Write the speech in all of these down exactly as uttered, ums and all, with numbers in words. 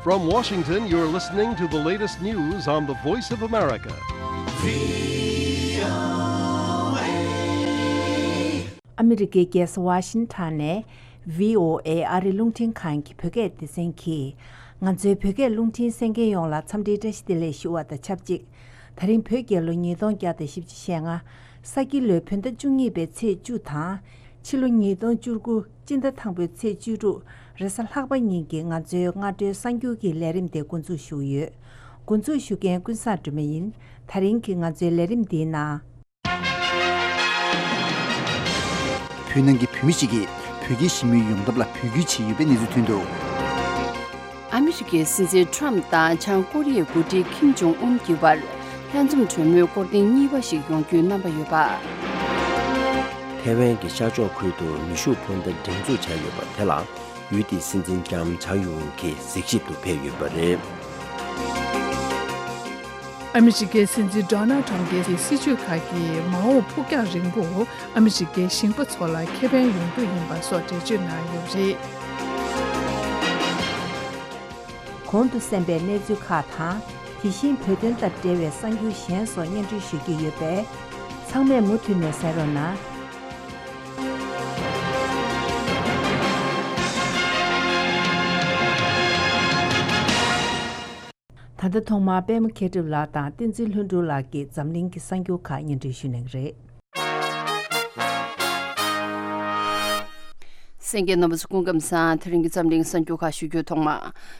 From Washington, you're listening to the latest news on the Voice of America. ཨ་མི་རི་ཀའི་རྒྱལ་ས་ཝ་ཤིང་ཊོན་ནས་བྷི་ཨོ་ཨེ་ཨ་རི་རླུང་འཕྲིན་ཁང་གི་བོད་སྐད་སྡེ་ཚན་གྱིས། ང་ཚོའི་བོད་སྐད་རླུང་འཕྲིན་གསན་མཁན་ཡོངས་ལ་འཚམས་འདྲིའི་བཀྲ་ཤིས་བདེ་ལེགས་ཞུ་བ་དང་ཆབས་ཅིག་དེ་རིང་བོད་རྒྱལ་ལོ་ཉིས་སྟོང་བརྒྱ་དང་བཞི་བཅུ་ཞེ་ལྔ། ས་ཁྱི་ལོའི་བོད་ཟླ་བཅུ་གཉིས་པའི་ཚེས་བཅུ་དང་། ཕྱི་ལོ་ཉིས་སྟོང་བཅུ་དགུ་སྤྱི་ཟླ་དང་པོའི་ཚེས་བཅུ་དྲུག་རེས་གཟའ་ལྷག་པ་ཉིན་གྱི་ང་ཚོའི་སྔ་དྲོའི་གསར་འགྱུར་གྱི་ལས་རིམ་དེ་འགོ་འཛུགས་ཞུ་གི་ཡོད། འགོ་འཛུགས་ཞུ་མཁན་ཀུན་བཟང་སྒྲོལ་མ་ཡིན། དེ་རིང་གི་ང་ཚོའི་ལས་རིམ་འདིའི་ནང་། བོད་ནང་གི་བོད་མི་ཞིག་གིས་བོད་ཀྱི་ཞི་མོལ་ཡོང་ཐབས་ལ་འབོད་སྐུལ་བྱས་ཡོད་པའི་གནས་ཚུལ་ཐོན་འདུག་ཨ་མི་རི་ཀའི་སྲིད་འཛིན་ཁྲོམ་དང་བྱང་ཀོ་རི་ཡའི་འགོ་ཁྲིད་ཁིམ་ཇོང་ཨུན་གྱི་བར་ལྷན་འཛོམས་གྲོས་མོལ་སྐོར་ཐེངས་གཉིས་པ་ཞིག་ཡོང་རྒྱུའི་རྣམ་པ་ཡོད་པ། ཐའེ་ཝན་གྱི་ཤར་ཕྱོགས་ཁུལ་དུ་མེ་ཤུགས་འཕུར་མདའ་སྒྲེང་འཛུགས་བྱས་ཡོད་པ་དེ་ལ་ཡུལ་དེའི་སྲིད་འཛིན་ལྕམ་ཆང་ཡུང་གིས་གཟིགས་ཞིབ་ཏུ་ཕེབས་ཡོད་པ་རེད། ཨ་མི་རི་ཀའི་སྲིད་འཛིན་ཌོ་ནལ་ཊམ་གྱི་སྲིད་བྱུས་ཁག་གིས་མ་འོངས་ཕུགས་རྒྱང་རིང་པོ་ཨ་མི་རི་ཀའི་ཞིང་པ་ཚོ་ལ་ཁེ་ཕན་ཡོང་རྒྱུ་ཡིན་པ་སོགས་འགྲེལ་བརྗོད་གནང་ཡོད་པ་རེད། གོང་དུ་གསན་པའི་གནས་ཚུལ་ཁག་དང་། དེ་བཞིན་བོད་དོན་དང་འབྲེལ་བའི་གསར་འགྱུར་གཞན་སོགས་སྙན་སྒྲོན་ཞུ་རྒྱུ་ཡོད་པས། ཚང་མས་མུ་མཐུད་ནས་གསན་རོགས་གནང་། ད་ལྟ་ཐོག་མར་པད་མ་མཁས་གྲུབ་ལགས་དང་བསྟན་འཛིན་ལྷུན་གྲུབ་ལགས་ཀྱིས་འཛམ་གླིང་གི་གསར་འགྱུར་ཁག་སྙན་སྒྲོན་ཞུ་གནང་གི་རེད། གསན་མཁན་རྣམ་པ་ཚོ་སྐུ་ཁམས་བཟང་། དེ་རིང་གི་འཛམ་གླིང་གསར་འགྱུར་ཁག་ཞུ་རྒྱུའི་ཐོག་མ།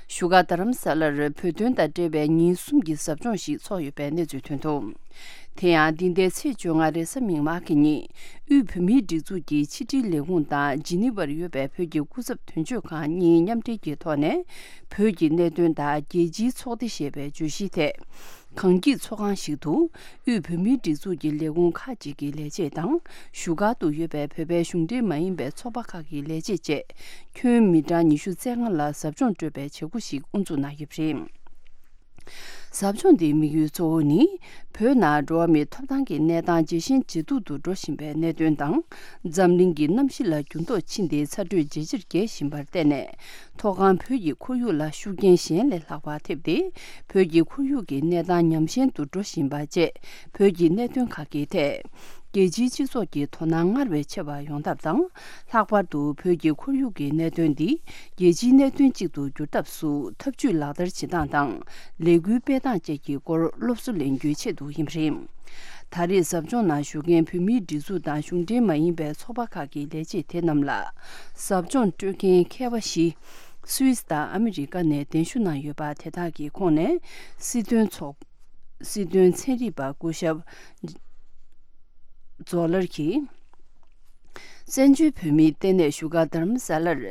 བཞུགས་སྒར་རྡ་རམ་ས་ལར་བོད་དོན་དང་འབྲེལ་བའི་ཉིན་གསུམ་གྱི་ཟབ་སྦྱོང་ཞིག་ཚོགས་ཡོད་པའི་གནས་ཚུལ་ཐོན་འདུག་དེ་ཡང་འདི་ཟླའི་ཚེས་བཅོ་ལྔ་རེས་གཟའ་མིག་དམར་གྱི་ཉིན། དབུས་བོད་མིའི་སྒྲིག་འཛུགས་ཀྱི་ཕྱི་དྲིལ་ལས་ཁུངས་དང་ཇི་ནི་ཝར་ཡོད་པའི་བོད་ཀྱི་སྐུ་ཚབ་དོན་གཅོད་ཁང་གཉིས་མཉམ་འབྲེལ་གྱི་ཐོག་ནས། བོད་ཀྱི་གནད་དོན་དང་རྒྱལ་སྤྱིའི་ཚོགས་སྡེ་ཞེས་པའི་བརྗོད་གཞིའི་ཐད། གངས་སྐྱིད་ཚོགས་ཁང་ཞིག་ཏུ། དབུས་བོད་མིའི་སྒྲིག་འཛུགས་ཀྱི་ལས་ཁུངས་ཁག་ཅིག་གི་ལས་བྱེད་དང་། བཞུགས་སྒར་དུ་ཡོད་པའི་བོད་པའི་གཞུང་འབྲེལ་མ་ཡིན་པའི་ཚོགས་པ་ཁག་གི་ལས་བྱེད་བཅས། ཁྱོན་མི་གྲངས་ཉི་ཤུ་རྩ་ལྔ་ལ་ཟབ་སྦྱོང་སྤྲོད་པའི་བྱེད་སྒོ་ཞིག་དབུ་འཛུགས་གནང་ཡོད་པ་རེད། ཟབ་སྦྱོང་འདིའི་དམིགས་ཡུལ་གཙོ་བོ་ནི། བོད་ནང་འགྲོ་བ་མིའི་ཐོབ་ཐང་གི་གནས་སྟངས་ཇེ་ཞན་ཇེ་སྡུག་ཏུ་འགྲོ་བཞིན་པའི་གནད་དོན་དང་། འཛམ་གླིང་གི་གནམ་གཤིས་ལ་འགྱུར་ལྡོག་ཕྱིན་ཏེ་ཚ་དྲོད་ཇེ་ཆེར་རྒྱས་བཞིན་པར་བརྟེན་ནས། མཐོ་སྒང་བོད་ཀྱི་ཁོར་ཡུག་ལ་ཤུགས་རྐྱེན་གཞན་ལས་ལྷག་པ་ཐེབས་ཏེ། བོད་ཀྱི་ཁོར་ཡུག་གི་གནས་སྟངས་ཉམས་ཞན་དུ་འགྲོ་བཞིན་པ་བཅས། བོད་ཀྱི་གནད་དོན་ཁག་གི་ཐད། རྒྱལ་སྤྱིའི་སྤྱི་ཚོགས་ཀྱི་དོ་སྣང་སྔར་བས་ཆེ་བ་ཡོང་ཐབས་དང་། ལྷག་པར་དུ་བོད་ཀྱི་ཁོར་ཡུག་གི་གནད་དོན་འདི་རྒྱལ་སྤྱིའི་གནད་དོན་གཅིག་ཏུ་འགྱུར་ཐབས་སུ་ཐབས་ཇུས་ལག་བསྟར་བྱེད་སྟངས་དང་། ལས་འགུལ་སྤེལ་སྟངས་བཅས་ཀྱི་སྐོར་སློབ་གསོ་ལེན་རྒྱུའི་ཆེད་དུ་ཡིན་པ་རེད། ད་རེས་ཟབ་སྦྱོང་ནང་ཞུགས་མཁན་བོད་མིའི་སྒྲིག་འཛུགས་དང་གཞུང་འབྲེལ་མ་ཡིན་པའི་ཚོགས་པ་ཁག་གི་ལས་བྱེད་དེ་རྣམས་ལ། ཟབ་སྦྱོང་སྤྲོད་མཁན་མཁས་པ་བཞི། སུད་སི་དང་ཨ་མི་རི་ཀ་ནས་གདན་ཞུ་གནང་ཡོད་པ་དེ་དག་གི་ཁོངས་ནས། སྲིད་དོན་ཚོགས། སྲིད་དོན་ཚན་རིག་པ་སྐུ་ཞབས་ཛོ་ལར་གྱིས། བཙན་བྱོལ་བོད་མིའི་ལྟེ་གནས་བཞུགས་སྒར་རྡ་རམ་ས་ལར།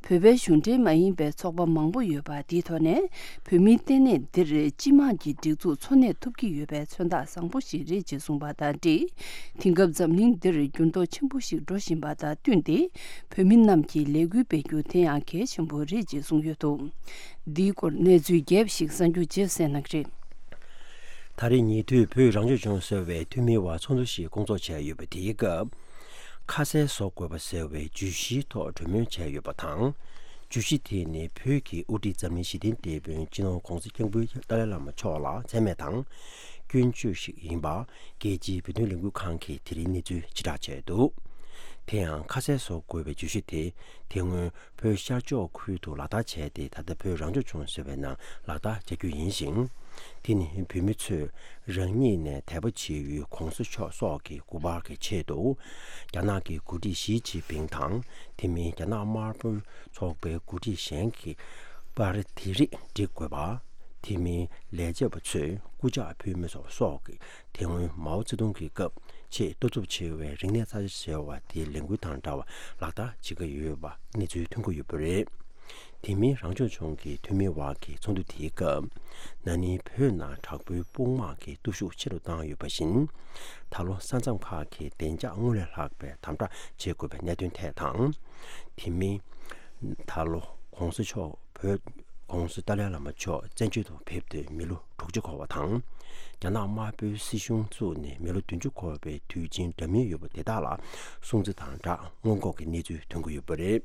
བོད་པའི་གཞུང་འབྲེལ་མ་ཡིན་པའི་ཚོགས་པ་མང་པོ་ཡོད་པ་འདིའི་ཐོག་ནས། བོད་མིའི་ལྟེ་གནས་འདིར་སྤྱི་དམངས་ཀྱི་སྒྲིག་འཛུགས་འཚོ་གནས་ཐུབ་ཀྱི་ཡོད་པའི་མཚོན་རྟགས་བཟང་པོ་ཞིག་རེད་ཅེས་གསུངས་པ་དང་འབྲེལ། དེང་སྐབས་འཛམ་གླིང་འདིར་འགྱུར་ལྡོག་ཆེན་པོ་ཞིག་འགྲོ་བཞིན་པ་དང་བསྟུན་ཏེ། བོད་མི་རྣམས་ཀྱིས་ལས་འགུལ་སྤེལ་རྒྱུ་དེ་ཡང་གལ་ཆེན་པོ་རེད་ཅེས་གསུངས་ཡོད་འདུག་འདིའི་སྐོར་གནས་ཚུལ་རྒྱས་པ་ཞིག་གསར་འགྱུར་རྗེས་གསན་གནང་གི་རེད། ད་རེས་ཉེ་དུས་བོད་རང་སྐྱོང་ལྗོངས་གསར་པའི་འཐུས་མིའི་དབར་ཚོགས་འདུ་ཞིག་སྐོང་ཚོགས་བྱས་ཡོད་པ་དེའི་སྐབས། ཁ་གསལ་བཟོ་དགོས་པ་ཟེར་བའི་བརྗོད་གཞིའི་ཐོག་གྲོས་མོལ་བྱས་ཡོད་པ་དང་། བརྗོད་གཞི་དེ་ནི་བོད་ཀྱི་དབུ་ཁྲིད་འཛམ་གླིང་ཞི་བདེའི་དེད་དཔོན་སྤྱི་ནོར་༧གོང་ས་༧སྐྱབས་མགོན་ཏཱ་ལའི་བླ་མ་མཆོག་ལ་མཚན་སྨད་དང་། སྐྱོན་བརྗོད་ཞིག་ཡིན་པ། རྒྱལ་སྤྱིའི་བོད་དོན་ལས་འགུལ་ཁང་གིས་དེ་རིང་གནས་ཚུལ་ཕྱིར་བསྒྲགས་བྱས་འདུག་དེ་ཡང་ཁ་གསལ་བཟོ་དགོས་པའི་བརྗོད་གཞི་དེ། དེ་སྔོན་བོད་ཤར་ཕྱོགས་ཁུལ་དུ་ལག་བསྟར་བྱས་ཏེ། ད་ལྟ་བོད་རང་སྐྱོང་ལྗོངས་ཟེར་བའི་ནང་ལག་བསྟར་བྱ་རྒྱུ་ཡིན་ཞིང་། དེ་ནི་བོད་མི་ཚོས་རང་ཉིད་ནས་དད་པ་བྱེད་ཡུལ་༧གོང་ས་མཆོག་སོགས་ཀྱི་སྐུ་པར་གྱི་ཆེད་དུ། རྒྱ་ནག་གི་འགོ་ཁྲིད་ཞི་ཅིན་ཕིང་དང་། དེ་མིན་རྒྱ་ནག་དམར་པོའི་ཚོགས་པའི་འགོ་ཁྲིད་གཞན་གྱི་པར་དེ་རིགས་སྒྲིག་དགོས་པ། དེ་མིན་ལས་བྱེད་པ་ཚོས་སྐུ་ཕྱག་ཕུལ་མི་སོགས་སོགས་ཀྱི་དེ་སྔོན་མའོ་ཙེ་ཏུང་གི་སྐབས་ཆེས་ལྟ་ཚུབ་ཆེ་བའི་རིག་གནས་རྩ་ཆེ་ཟེར་བ་དེའི་ལས་འགུལ་དང་འདྲ་བ་ལག་བསྟར་བྱེད་ཀྱི་ཡོད་པ་གནས་ཚུལ་ཐོན་གྱི་ཡོད་པ་རེད། དེ་མིན་རང་སྐྱོང་ལྗོངས་ཀྱི་འཐུས་མིའི་དབར་གྱི་ཚོགས་འདུ་དེའི་སྐབས། ན་ནིང་བོད་ནང་དྲག་པོའི་དཔུང་དམག་གི་སྟོབས་ཤུགས་ཆེ་རུ་བཏང་ཡོད་པ་བཞིན། ད་ལོ་ས་མཚམས་ཁག་གི་བདེ་འཇགས་སྔར་ལས་ལྷག་པའི་དམ་དྲག་བྱེད་དགོས་པའི་གནད་དོན་ཐད་དང་། དེ་མིན། ད་ལོ་༧གོང་ས་མཆོག་བོད་༧གོང་ས་ཏཱ་ལའི་བླ་མ་མཆོག་བཙན་བྱོལ་དུ་ཕེབས་ཏེ་མི་ལོ་དྲུག་ཅུ་འཁོར་བ་དང་། རྒྱ་ནག་དམར་པོའི་སྲིད་གཞུང་བཙུགས་ནས་མི་ལོ་བདུན་ཅུ་འཁོར་བའི་དུས་ཆེན་འདྲ་མིན་ཡོད་པ་དེ་དག་ལ་སྲུང་བརྩི་དང་སྦྲགས་སྔོན་འགོག་གི་གནས་ཚུལ་ཐོན་གྱི་ཡོད་པ་རེད།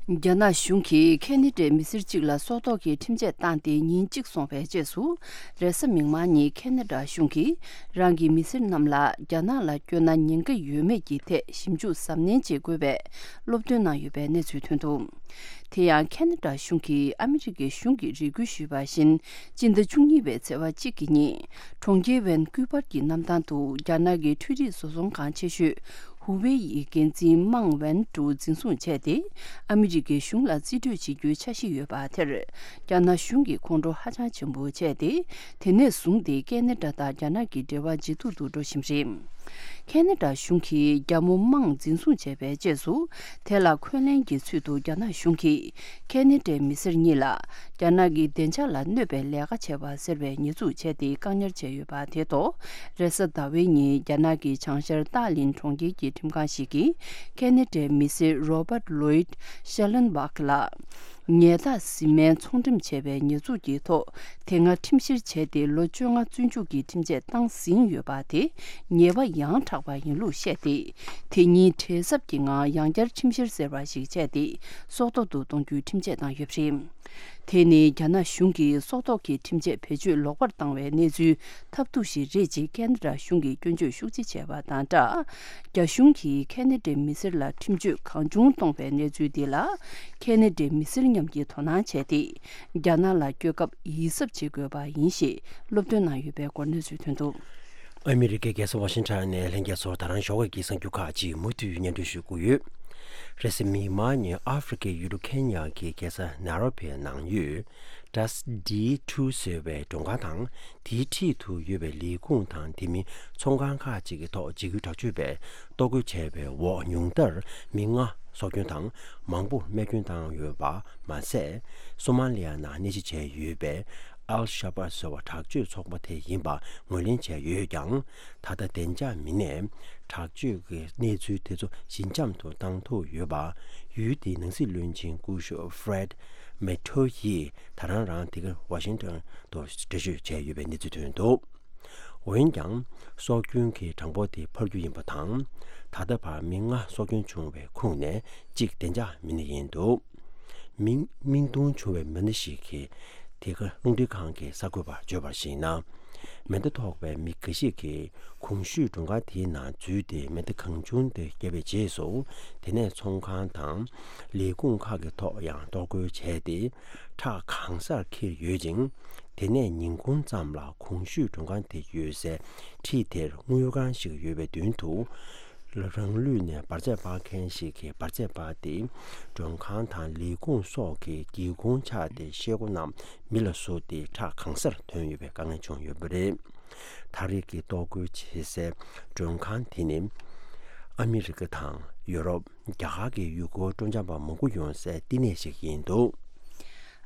རྒྱ་ནག་གཞུང་གིས་ཁེ་ན་ཌའི་མི་སེར་གཅིག་ལ་སྲོག་ཐོག་གི་ཁྲིམས་ཆད་བཏང་སྟེ་ཉིན་གཅིག་སོང་བའི་རྗེས་སུ། རེས་གཟའ་མིག་དམར་ཉིན་ཁེ་ན་ཌ་གཞུང་གིས་རང་གི་མི་སེར་རྣམས་ལ་རྒྱ་ནག་ལ་བསྐྱོད་ན་ཉེན་ཁ་ཡོད་མེད་ཀྱི་ཐད་ཞིབ་འཇུག་གཟབ་ནན་བྱེད་དགོས་པའི་སློབ་སྟོན་གནང་ཡོད་པའི་གནས་ཚུལ་ཐོན་འདུག། དེ་ཡང་ཁེ་ན་ཌ་གཞུང་གིས་ཨ་མི་རི་ཀའི་གཞུང་གིས་རེ་སྐུལ་ཞུས་པ་བཞིན། སྤྱི་ཟླ་བཅུ་གཉིས་པའི་ཚེས་པ་གཅིག་གི་ཉིན། གྲོང་ཁྱེར་ཝན་ཀུ་པར་གྱི་གནམ་ཐང་དུ་རྒྱ་ནག་གི་འཕྲུལ་རིག་བཟོ་ཚོང་ཁང་ཆེ་ཤོས་ཧུ་ཝེ་ཡི་འགན་འཛིན་མང་ཝན་ཀྲུའུ་འཛིན་བཟུང་བྱས་ཏེ། ཨ་མི་རི་ཀའི་གཞུང་ལ་རྩིས་སྤྲོད་བྱེད་རྒྱུའི་འཆར་གཞི་ཡོད་པ་དེར། རྒྱ་ནག་གཞུང་གིས་ཁོང་ཁྲོ་ཧ་ཅང་ཆེན་པོ་བྱས་ཏེ། དེ་ནས་བཟུང་སྟེ་ཁེ་ན་ཌ་དང་རྒྱ་ནག་གི་འབྲེལ་བ་ཇེ་སྡུག་ཏུ་འགྲོ་བཞིན་རེད། ཁེ་ན་ཌ་གཞུང་གིས་རྒྱ་མོ་མང་འཛིན་བཟུང་བྱས་པའི་རྗེས་སུ། དེ་ལ་འཁོན་ལན་གྱི་ཚུལ་དུ་རྒྱ་ནག་གཞུང་གིས་ཁེ་ན་ཌའི་མི་སེར་གཉིས་ལ་རྒྱ་ནག་གི་བདེ་འཇགས་ལ་གནོད་པའི་ལས་ཀ་བྱས་པ་ཟེར་བའི་ཉེས་འཛུགས་བྱས་ཏེ་བཀག་ཉར་བྱས་ཡོད་པ་དེ་ཐོག་རེས་གཟའ་ཟླ་བའི་ཉིན་རྒྱ་ནག་གི་བྱང་ཤར་ཏཱ་ལིན་གྲོང་ཁྱེར་གྱི་ཁྲིམས་ཁང་ཞིག་གིས་ཁེ་ན་ཌའི་མི་སེར་Robert Lloyd Schellenbach ལ། ཉལ་ཐ་ཟིན་མའི་ཚོང་འགྲེམས་བྱས་པའི་ཉེས་འཛུགས་ཀྱི་ཐོག་དེ་སྔ་ཁྲིམས་བཤེར་བྱས་ཏེ་ལོ་བཅོ་ལྔ་བཙོན་འཇུག་གི་ཁྲིམས་ཆད་བཏང་ཟིན་ཡོད་པ་དེ་ཉེས་པ་ཡང་དྲག་པ་ཡིན་ལུགས་བཤད་དེ། དེ་ཉིན་བྲེལ་འཚབ་ཀྱི་ངང་ཡང་བསྐྱར་ཁྲིམས་བཤེར་ཟེར་བ་ཞིག་བྱས་ཏེ་སྲོག་ཐོག་ཏུ་གཏོང་རྒྱུའི་ཁྲིམས་ཆད་བཏང་ཡོད་པ་རེད། དེ་ནི་རྒྱ་ནག་གཞུང་གིས་སྲོག་ཐོག་གི་ཁྲིམས་ཆད་བེད་སྤྱོད་ལོག་པར་བཏང་བའི་གནས་ཚུལ་ཐབས་སྡུག་ཞིག་རེད་ཅེས་ཁེ་ན་ཌ་གཞུང་གིས་སྐྱོན་བརྗོད་ཤུགས་ཆེ་བྱས་པ་དང་སྦྲགས། རྒྱ་གཞུང་གིས་ཁེ་ན་ཌའི་མི་སེར་ལ་ཁྲིམས་གཅོད་གང་བྱུང་གཏོང་བའི་གནས་ཚུལ་འདི་ལ་ཁེ་ན་ཌའི་མི་སེར་མཉམ་གྱིས་དོ་སྣང་བྱས་ཏེ། རྒྱ་ནག་ལ་བསྐྱོད་སྐབས་ཡིད་གཟབ་བྱེད་དགོས་པ་ཡིན་ཞེས་སློབ་སྟོན་གནང་ཡོད་པའི་སྐོར་གནས་ཚུལ་ཐོན་འདུག། ཨ་མི་རི་ཀའི་རྒྱལ་ས་ཝ་ཤིང་ཊོན་ནས་ལྷན་རྒྱས་ཚོར་ད་རང་ཞོགས་པའི་གསར་འགྱུར་ཁག་ཅིག་མུ་མཐུད་སྙན་སྒྲོན་ཞུ་གི་ཡོད། རེས་གཟའ་མིག་དམར་ཉིན་ཨ་ཧྥེ་རི་ཁའི་ཡུལ་གྲུ་ཁེན་ཡ་གི་རྒྱལ་ས་ནཱ་རོ་བིའི་ནང་ཡོད། Das D two ཟེར་བའི་མགྲོན་ཁང་དང་། དེའི་འཁྲིས་དུ་ཡོད་པའི་ལས་ཁུངས་དང་དེ་མིན་ཚོང་ཁང་ཁག་ཅིག་གི་ཐོག་འཇིགས་སྐུལ་དྲག་སྤྱོད་པས་གཏོར་རྒོལ་བྱས་པའི་འོག་ཉུང་མཐར་མི་ལྔ་སྲོག་སྐྱོན་དང་མང་པོ་རྨས་སྐྱོན་བཏང་ཡོད་པ་མ་ཟད། སོ་མ་ལི་ཡ་ནང་གནས་གཞི་བྱས་ཡོད་པའི་Al Shabaab ཟེར་བ་དྲག་སྤྱོད་ཚོགས་པ་དེ་ཡིན་པ་ངོས་ལེན་བྱས་ཡོད་ཀྱང་། ད་ལྟ་བདེ་འཇགས་མི་སྣས་དྲག་སྤྱོད་ཀྱི་གནས་ཚུལ་དེ་ཚོ་ཞི་འཇམ་དུ་བཏང་ཐུབ་ཡོད་པ། ཡུལ་དེའི་ནང་སྲིད་བློན་ཆེན་སྐུ་ཞབས་Fred Matoe ཡིས་ད་རང་རང་དེ་གར་ཝ་ཤིང་ཊོན་དུ་འགྲེལ་བརྗོད་བྱས་ཡོད་པའི་གནས་ཚུལ་ཐོན་འདུག། འོན་ཀྱང་། སྲོག་སྐྱོན་གྱི་གྲངས་འབོར་དེ་འཕར་རྒྱུ་ཡིན་པ་དང་། ད་ལྟ་བར་མི་ལྔ་སྲོག་སྐྱོན་བྱུང་བའི་ཁོངས་ནས་གཅིག་བདེ་འཇགས་མི་སྣ་ཡིན་འདུག། མིང་མིང་ཐོ་བྱུང་བའི་མི་སྣ་ཞིག་གིས་དེ་ག་རླུང་འཕྲིན་ཁང་གི་གསར་འགོད་པར་བརྗོད་པར་གཞིགས་ན། མེ་མདའ་ཐོགས་པའི་མི་འགའ་ཞིག་གིས་གོང་ཞུས་མགྲོན་ཁང་དེའི་ནང་འཛུལ་ཏེ་མེ་མདའ་གང་བྱུང་དེ་བརྒྱབ་པའི་རྗེས་སུ། དེ་ནས་ཚོང་ཁང་དང་ལས་ཁུངས་ཁག་གི་ཐོག་ཡང་གཏོར་རྒོལ་བྱས་ཏེ། ཁྲག་གང་སར་འཁྱིལ་ཡོད་ཅིང་། དེ་ནས་ཉིན་གུང་ཙམ་ལ་གོང་ཞུས་མགྲོན་ཁང་དེ་ཡོད་སའི་འཁྲིས་དེར་དངུལ་ཁང་ཞིག་ཡོད་པའི་མདུན་དུ། རང་ལུས་ནས་འབར་རྫས་སྤར་མཁན་ཞིག་གིས་འབར་རྫས་སྤར་ཏེ། མགྲོན་ཁང་དང་ལས་ཁུངས་སོགས་ཀྱི་སྒེའུ་ཁུང་ཕྱགས་ཏེ་ཤེལ་སྒོ་རྣམས་མེ་ལ་བཟོས་ཏེ་ཁྲག་གང་སར་ཐོན་ཡོད་པའི་དཀའ་ངལ་བྱུང་ཡོད་པ་རེད། ད་རེས་ཀྱི་གཏོར་རྒོལ་བྱེད་སའི་མགྲོན་ཁང་དེ་ནི། ཨ་མི་རི་ཀ་དང་ཡོ་རོབ། རྒྱ་གར་གྱི་ཡུལ་སྐོར་སྤྲོ་འཆམ་པ་མང་པོ་ཡོང་སའི་བསྟི་གནས་ཤིག་ཡིན་འདུག།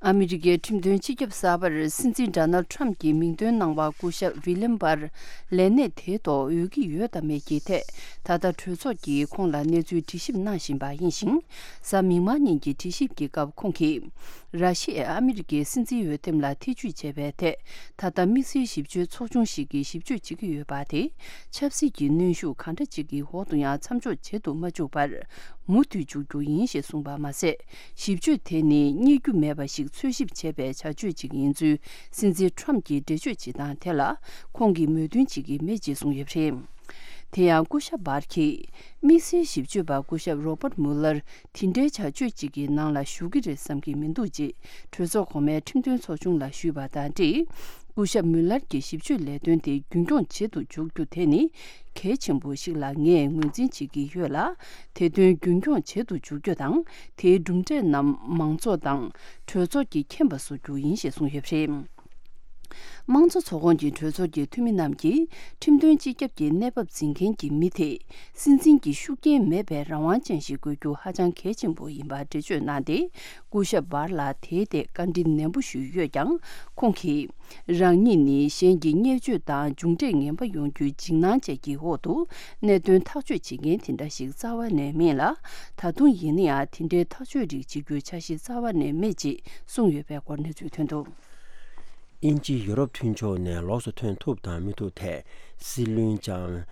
ཨ་མི་རི་ཀའི་ཁྲིམས་དོན་སྤྱི་ཁྱབ་གསར་པར་སྲིད་འཛིན་ཌོ་ནལ་ཁྲམ་གྱི་མིང་འདོན་གནང་བ་སྐུ་ཞབས་ཝི་ལེམ་བར་ལས་གནས་དེའི་ཐོག་འོས་ཀྱི་ཡོད་དམ་མེད་ཀྱི་ཐད། ད་ལྟ་གྲོས་ཚོགས་ཀྱིས་ཁོང་ལ་གནས་ཚུལ་དྲི་ཞིབ་གནང་བཞིན་པ་ཡིན་ཞིང་། གཟའ་མིག་དམར་ཉིན་གྱི་དྲི་ཞིབ་ཀྱི་སྐབས་ཁོང་གིས། ར་ཤི་ཡས་ཨ་མི་རི་ཀའི་སྲིད་འཛིན་འོས་འདེམས་ལ་ཐེ་ཇུས་བྱས་པའི་ཐད། ད་ལྟ་དམིགས་བསལ་ཞིབ་དཔྱོད་ཚོགས་ཆུང་ཞིག་གིས་ཞིབ་དཔྱོད་བྱེད་ཀྱི་ཡོད་པ་དེ། ཆབ་སྲིད་ཀྱི་གནོན་ཤུགས་གང་འདྲ་ཅིག་གི་འོག་ཏུ་ཡང་མཚམས་འཇོག་བྱེད་དུ་མ་བཅུག་པར། མུ་མཐུད་འཇུག་རྒྱུ་ཡིན་ཞེས་གསུངས་པ་མ་ཟད། ཞིབ་དཔྱོད་དེ་ནི་རྙེད་རྒྱུ་མེད་པ་ཞིག་འཚོལ་ཞིབ་བྱས་པའི་བྱ་སྤྱོད་ཅིག་ཡིན་ཚུལ་སྲིད་འཛིན་ཁྲོམ་གྱིས་འགྲེལ་བརྗོད་བྱེད་སྟངས་དེ་ལ་ཁོང་གིས་མོས་མཐུན་བྱེད་ཀྱི་མེད་ཅེས་གསུངས་ཡོད་པ་རེད། དེ་ཡང་སྐུ་ཞབས་བར་གྱིས། དམིགས་བསལ་ཞིབ་དཔྱོད་པ་སྐུ་ཞབས་རོ་པར་མུ་ལར་དེ་འདྲའི་བྱ་སྤྱོད་ཅིག་གི་ནང་ལ་ཞུགས་ཀྱི་རེད་བསམ་གྱི་མི་འདུག་ཅེས་གྲོས་ཚོགས་གོང་མའི་ཁྲིམས་དོན་ཚོགས་ཆུང་ལ་ཞུས་པ་དང་འབྲེལ། སྐུ་ཞབས་མུ་ལར་གྱི་ཞིབ་དཔྱོད་ལས་དོན་དེ་རྒྱུན་འཁྱོངས་བྱེད་དུ་འཇུག་རྒྱུ་དེ་ནི་གལ་ཆེན་པོ་ཞིག་ལ་ངས་ངོས་འཛིན་བྱེད་ཀྱི་ཡོད་ལ། དེ་དོན་རྒྱུན་འཁྱོངས་བྱེད་དུ་འཇུག་རྒྱུ་དང་། དེའི་གྲུབ་འབྲས་རྣམས་མང་ཚོགས་དང་གྲོས་ཚོགས་ཀྱིས་མཁྱེན་པ་བཟོ་རྒྱུ་ཡིན་ཞེས་གསུངས་ཡོད་པ་རེད། དམངས་གཙོ་ཚོགས་ཁོངས་ཀྱི་གྲོས་ཚོགས་ཀྱི་འཐུས་མི་རྣམས་ཀྱིས་ཁྲིམས་དོན་སྤྱི་ཁྱབ་ཀྱི་གནས་བབ་འཛིན་མཁན་གྱི་མི་དེས་སྲིད་འཛིན་གྱི་ཤུགས་རྐྱེན་མེད་པའི་རང་དབང་ཅན་ཞིག་དགོས་རྒྱུ་ཧ་ཅང་གལ་ཆེན་པོ་ཡིན་པ་འགྲེལ་བརྗོད་གནང་སྟེ། སྐུ་ཞབས་བར་ལ་དེའི་ཐད་བཀའ་འདྲི་ནན་པོ་ཞུས་ཡོད་ཀྱང་། ཁོང་གིས། རང་ཉིད་ནི་གཞན་གྱི་བརྙས་བཅོས་དང་མཇུག་འབྲས་ངན་པ་ཡོང་རྒྱུའི་འཇིགས་སྣང་བཅས་ཀྱི་འོག་ཏུ་གནད་དོན་ཐག་གཅོད་བྱེད་མཁན་དེ་འདྲ་ཞིག་རྩ་བ་ནས་མིན་ལ། ད་དུང་ཡིན་ན་ཡང་དེ་འདྲའི་ཐག་གཅོད་རིགས་བྱེད་རྒྱུའི་འཆར་གཞི་རྩ་བ་ནས་མེད་ཅེས་གསུངས་ཡོད་པའི་སྐོར་གནས་ཚུལ་ཐོན་འདུག། དབྱིན་ཇི་ཡུ་རོབ་མཐུན་ཕྱོགས་ནས་ལོགས་སུ་ཐོན་ཐུབ་དང་མི་ཐུབ་ཐད་སྲིད་བློན་ལྕམ་